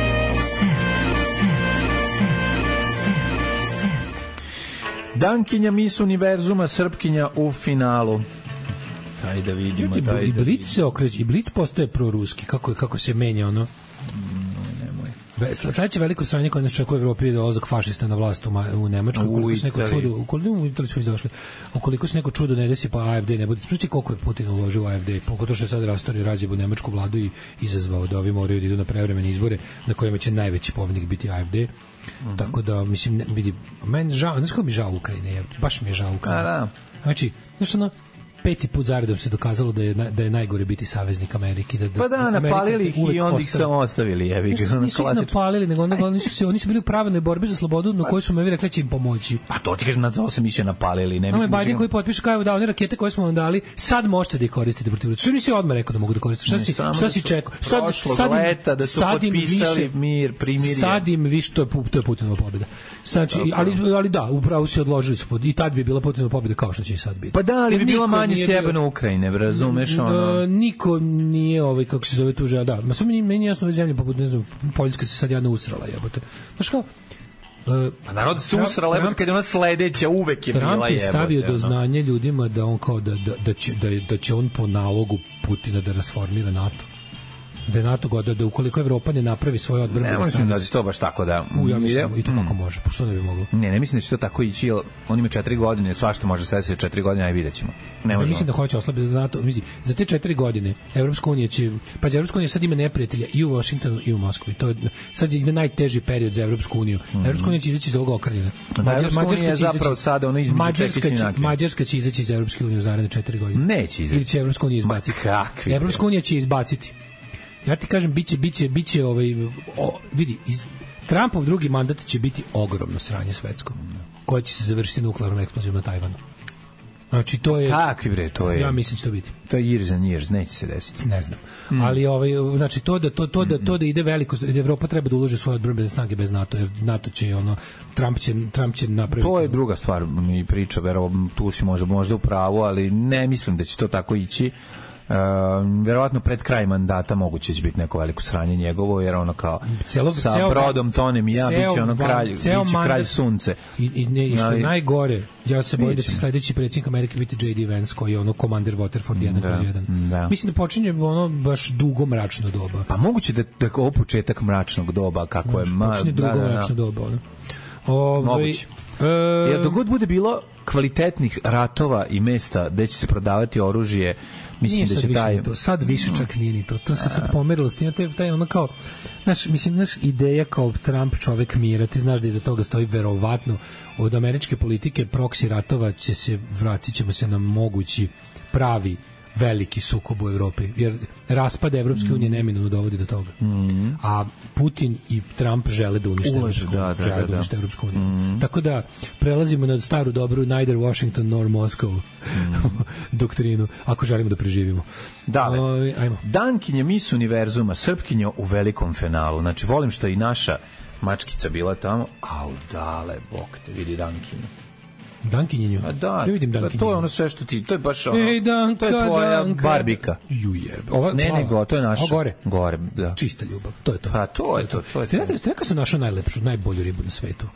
Dankinja Miss Univerzuma, Srpkinja u finalu. Hajde da vidimo. I, daj, i da Blic se okreće, i Blic postaje proruski, kako, kako se menja ono. Nemoj. Sledeće veliko sranje koje nas čekuje u Evropi je dolazak fašista na vlast u, u Nemačkoj. Ukoliko se neko čudo, ukoliko u Italiji su izašli, ukoliko se neko čudo ne desi, pa A F D ne bude. Spriči koliko je Putin uložio u A F D, pogotovo što je sad rastorio razjebu nemačku vladu i izazvao da ovi moraju da idu na prevremene izbore na kojima će najveći pobednik biti A F D. Mm -hmm. Tako da, mislim, ne, vidi, meni žao, znaš kako mi žao Ukrajine, baš mi je žao Ukrajine. Da. Znači, znaš ono, peti put zaredom se dokazalo da je, da je najgore biti saveznik Amerike. Da, da, pa da, napalili ih i onda ih samo ostavili. Jebi, nisu nisu ih napalili, nego onda, oni, su se, oni su bili u pravilnoj borbi za slobodu na kojoj su me vi rekli će im pomoći. Pa to ti kažem, na to se mi se napalili. Ne mislim, Biden koji potpiše kao da one rakete koje smo vam dali, sad možete da ih koristite protiv Rusije. Što nisi odmah rekao da mogu da koristite? Šta si, šta si čekao? Sad, sad, leta, da su sad potpisali mir, primirje. Sad im više, to je, to je Putinova pobjeda. Znači, ali, ali da, upravo se odložili su, i tad bi bila Putinova pobjeda kao što će i sad biti. Pa da, ali bi bila manje sjebana u Ukrajine, razumeš ono. Uh, niko nije ovaj kako se zove tu žena, da. Ma su meni meni jasno zemlje poput ne znam Poljska se sad jadno usrala, jebote. Znaš kao Uh, pa narod se usrala, jebote, kad je ona sledeća uvek je bila jebote. Trump je stavio do znanja ljudima da on kao da da da će da, da će on po nalogu Putina da rasformira NATO. Da je NATO god, da ukoliko Evropa ne napravi svoj odbranu, ne mislim da će to baš tako da u ja mislim i to kako može, pa što ne bi moglo. Ne, ne mislim da će to tako ići, jer on ima četiri godine, svašta može se desiti četiri godine, aj videćemo. Ne može. Mislim da hoće oslabiti NATO, mislim, za te četiri godine Evropska unija će, pa Evropska unija sad ima neprijatelja i u Washingtonu i u Moskvi. To je sad je najteži period za Evropsku uniju. Mm. Evropska unija će izaći iz ovog okrenja. Mađarska je zapravo sada ona između Mađarska će, Mađarska će izaći iz Evropske unije za naredne četiri godine. Neće izaći. Ili će Evropska unija izbaciti. Evropska unija će izbaciti. Ja ti kažem, biće, biće, biće ovaj, o, vidi, iz, Trumpov drugi mandat će biti ogromno sranje svetsko, koje će se završiti nuklearnom eksplozijom na Tajvanu. Znači, to je... Kakvi bre, to je... Ja mislim će to biti. To je years and years, neće se desiti. Ne znam. Mm. Ali, ovaj, znači, to da, to, to, da, to da ide veliko... Evropa treba da uloži svoje odbrambene snage bez NATO, jer NATO će, ono, Trump će, Trump će napraviti... To je druga stvar, mi priča, verovatno, tu si možda, možda u pravu, ali ne mislim da će to tako ići. Uh, verovatno pred kraj mandata moguće će biti neko veliko sranje njegovo, jer ono kao celo, sa ceo, brodom tonem i ja bit će ono kralj, biće kralj sunce. I, i, ne, i što ali, najgore, ja se bojim da će sledeći predsjednik Amerike biti J D Vance, koji je ono Commander Waterford jedan kroz jedan. Da. Mislim da počinje ono baš dugo mračno doba. Pa moguće da, da ovo početak mračnog doba, kako Znaš, je... Ma, počinje drugo da, da, da. mračno doba. Ono. Ove, moguće. E, jer dok god bude bilo kvalitetnih ratova i mesta gde će se prodavati oružje, mislim da će taj to sad više čak nije ni to. To se sad pomerilo s tim, taj, taj ono kao naš mislim naš ideja kao Trump čovek mira, ti znaš da iza toga stoji verovatno od američke politike proksi ratova će se vratit ćemo se na mogući pravi veliki sukob u Evropi, jer raspad Evropske unije neminovno dovodi do toga. Mm. A Putin i Trump žele da unište Evropsku uniju. Da, da, žele da, da unište Evropsku uniju. Mm. Tako da prelazimo na staru dobru neither Washington nor Moscow mm. doktrinu, ako želimo da preživimo. Dale, o, ajmo. Dankinja Miss Univerzuma, Srpkinja u velikom finalu. Znači, volim što i naša mačkica bila tamo. Au, dale, bok te, vidi Dankinju. Dankinjenju. A da, ja vidim Dankinjenju. To je ono sve što ti, to je baš ono. Ej, Danka, to je tvoja Danka. barbika. Juje. Ova, ne, nego, to je naša. A gore? Gore, da. Čista ljubav, to je to. Pa to je to. to je ste rekli, ste rekli sam našao najlepšu, najbolju ribu na svetu?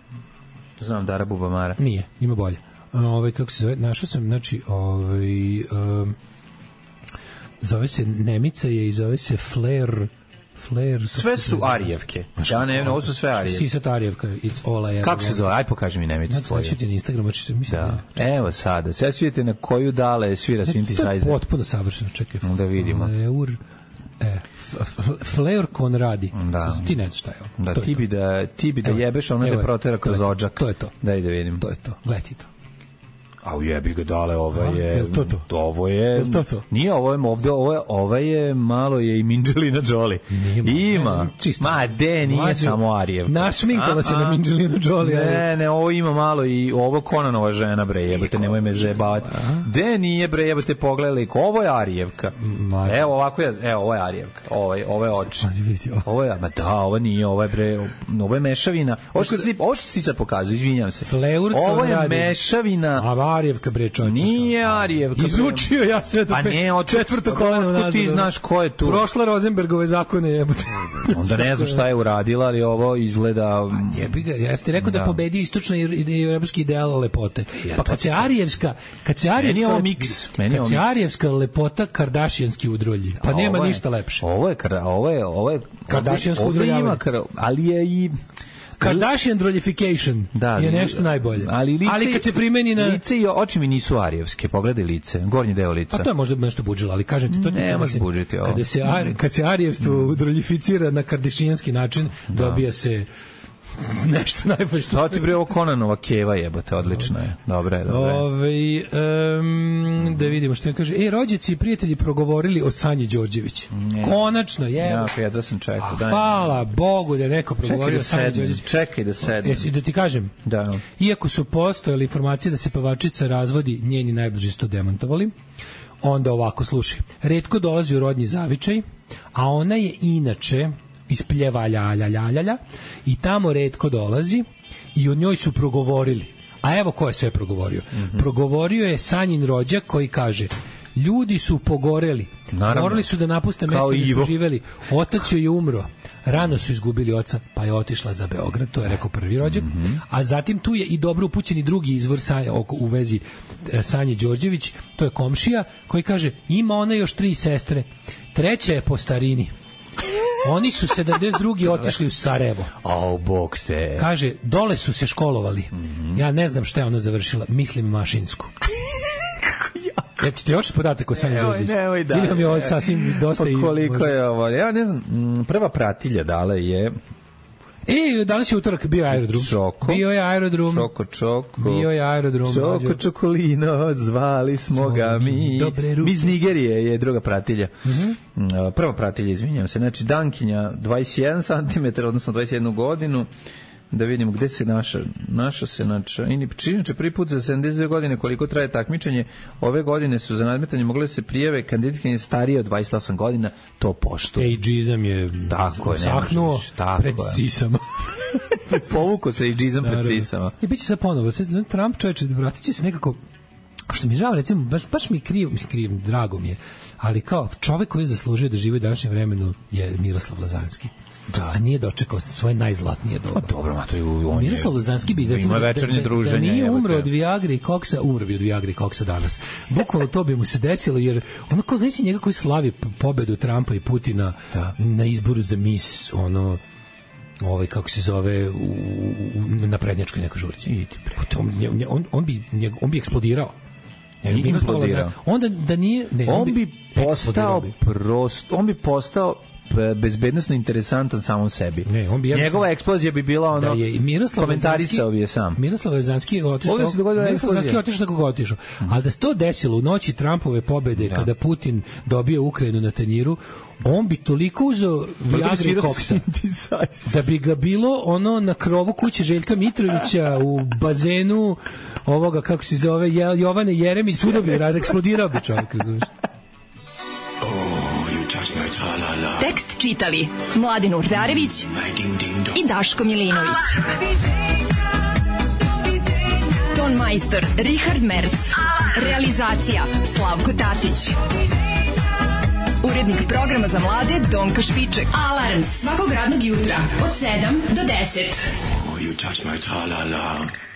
Znam, Dara Bubamara. Nije, ima bolje. Ovaj, kako se zove, našao sam, znači, ovaj, um, zove se Nemica je i zove se Flair. Flair, sve su Arijevke. Ja ne, ovo su sve Arijevke. Sisat Arijevka, it's all I ever. Kako se zove? Aj pokaži mi Nemicu tvoju. Znači ti na Instagramu, znači mislim. Da. Evo sada, sve vidite na koju dale svira synthesizer. To je potpuno savršeno, čekaj. Da vidimo. Flair, e, Flair Conradi. Da. Ti ne znaš šta je ovo. Da, ti bi da, ti bi da jebeš ono da protera kroz odžak. To je to. Daj da vidim. To je to. Gledaj to. A ujebi ga dale, ovo je... Je to to? Ovo je... Je to to? Nije, ovo je ovde, ovo je, ovo je malo je i Angelina Jolie. Nije, ima. Ne, čisto. Ma, de, nije Mlađu, samo Arijevka. Našminkala se na Angelina Jolie. Ne, ne, ovo ima malo i ovo Konanova žena, bre, jebate, nemoj me zajebavati. De, nije, bre, jebate, pogledaj, ovo je Arijevka. Mlađu. Evo, ovako je, evo, ovo je Arijevka. Ovo je, ovo je oči. Ovo je, ma da, ovo nije, ovo je, bre, ovo je mešavina. Ovo što ti, ovo što ti sad pokazuju, izvinjam se. Ovo je mešavina. A Arijevka, bre, čovječ. Nije Arijevka. Izučio ja sve do četvrto koleno nazad. Ti znaš ko je tu. Prošla Rosenbergove zakone, jebote. Onda ne znam šta je uradila, ali ovo izgleda... Jebi ga, ja ste rekao da, da pobedi istočno i evropski ideal lepote. Ja, pa kad se Arijevska, kad se Arijevska... Meni je miks. Kad se Arijevska lepota Kardashijanski udrolji. Pa nema ništa lepše. Ovo je, ovo je, ovo je... Kardashijansko udroljavanje. Ali je i... Kardashian drollification da, je nešto najbolje. Ali, lice, ali kad se primeni na... Lice i oči mi nisu arijevske, pogledaj lice, gornji deo lica. A to je možda nešto budžilo, ali kažem ti, to ne može budžiti ovo. Kada se, ar, kad se arijevstvo drollificira na kardashijanski način, da. Dobija se nešto najbolje. Što ti bre ovo Konanova keva jebote, odlično je. Dobro je, dobro je. Ove, um, da vidimo što mi kaže. E, rođaci i prijatelji progovorili o Sanji Đorđević. Ne. Konačno, je. Ja, jedva sam čekao. A, hvala Bogu da je neko progovorio da o Sanji Đorđević. Čekaj da sedem. Jesi da ti kažem? Da. Iako su postojale informacije da se pevačica razvodi, njeni najbliži su to demantovali. Onda ovako, slušaj. Retko dolazi u rodnji zavičaj, a ona je inače iz Pljevalja, lja, i tamo retko dolazi i o njoj su progovorili. A evo ko je sve progovorio. Mm-hmm. Progovorio je Sanjin rođak koji kaže: ljudi su pogoreli, naravno, morali su da napuste mesto gde su živeli, otac joj je umro, rano su izgubili oca, pa je otišla za Beograd, to je rekao prvi rođak, mm-hmm. a zatim tu je i dobro upućeni drugi izvor Sanja, u vezi Sanje Đorđević, to je komšija, koji kaže: ima ona još tri sestre, treća je po starini. Oni su sedamdeset druge otišli u Sarajevo. Au, bog te. Kaže, dole su se školovali. Mm-hmm. Ja ne znam šta je ona završila, mislim mašinsku. Ja ćete još podatak o Sanji Đorđević. Nemoj da. Ili mi je ovo sasvim dosta pa i... koliko je ovo? Ja ne znam, prva pratilja dala je... E, danas je utorak, bio je aerodrom. Čoko. Bio je aerodrom. Čoko, čoko. Bio je aerodrom. Čoko, čokolino, zvali smo ga mi. Mi iz Nigerije je druga pratilja. Mm-hmm. Prva pratilja, izvinjam se. Znači, Dankinja, dvadeset jedan centimetar, odnosno dvadeset jednu godinu. Da vidimo gde se naša, naša se naša, inače prvi put za sedamdeset dve godine koliko traje takmičenje, ove godine su za nadmetanje mogle se prijave kandidatkinje starije od dvadeset osam godina, to poštuje. Ageizam je tako sahnuo pred sisama. Povuko se ageizam pred sisama. I biće sad ponovo, sad Trump čovječe, vratit će se nekako, što mi žao, recimo, baš, baš mi kriv, mislim kriv, drago mi je, ali kao čovek koji je zaslužio da živi u današnjem vremenu je Miroslav Lazanski. Da. A nije dočekao svoje najzlatnije doba. Pa dobro, ma to je on. Miroslav Lazanski bi recimo da, da, da nije umro od Viagre i koksa, umro bi od Viagre i koksa danas. Bukvalno to bi mu se desilo, jer ono kao znači njega koji slavi pobedu Trumpa i Putina da. Na izboru za mis, ono ovaj kako se zove u, u, na prednjačkoj nekoj žurci. On, on, on bi on bi eksplodirao. Eksplodirao. Onda da nije ne, on, on bi postao prost, on bi postao bezbednosno interesantan samom sebi. Ne, on bi njegova eksplozija bi bila ono da je Miroslav komentarisao bi je sam. Miroslav Lazanski je otišao. Miroslav Lazanski je otišao kako otišao. Mm. Ali da se to desilo u noći Trumpove pobede da. Kada Putin dobio Ukrajinu na tanjiru, on bi toliko uzeo Viagra i koksa da bi ga bilo ono na krovu kuće Željka Mitrovića u bazenu ovoga kako se zove Jovane Jeremić, svuda bi rad eksplodirao bi čovjek, razumiješ? Tekst čitali Mladin Urdarević i Daško Milinović. Ton majstor Richard Merc. Realizacija Slavko Tatić. Urednik programa za mlade Donka Špiček. Alarms svakog radnog jutra od sedam do deset. Oh, you touch my tra-la-la.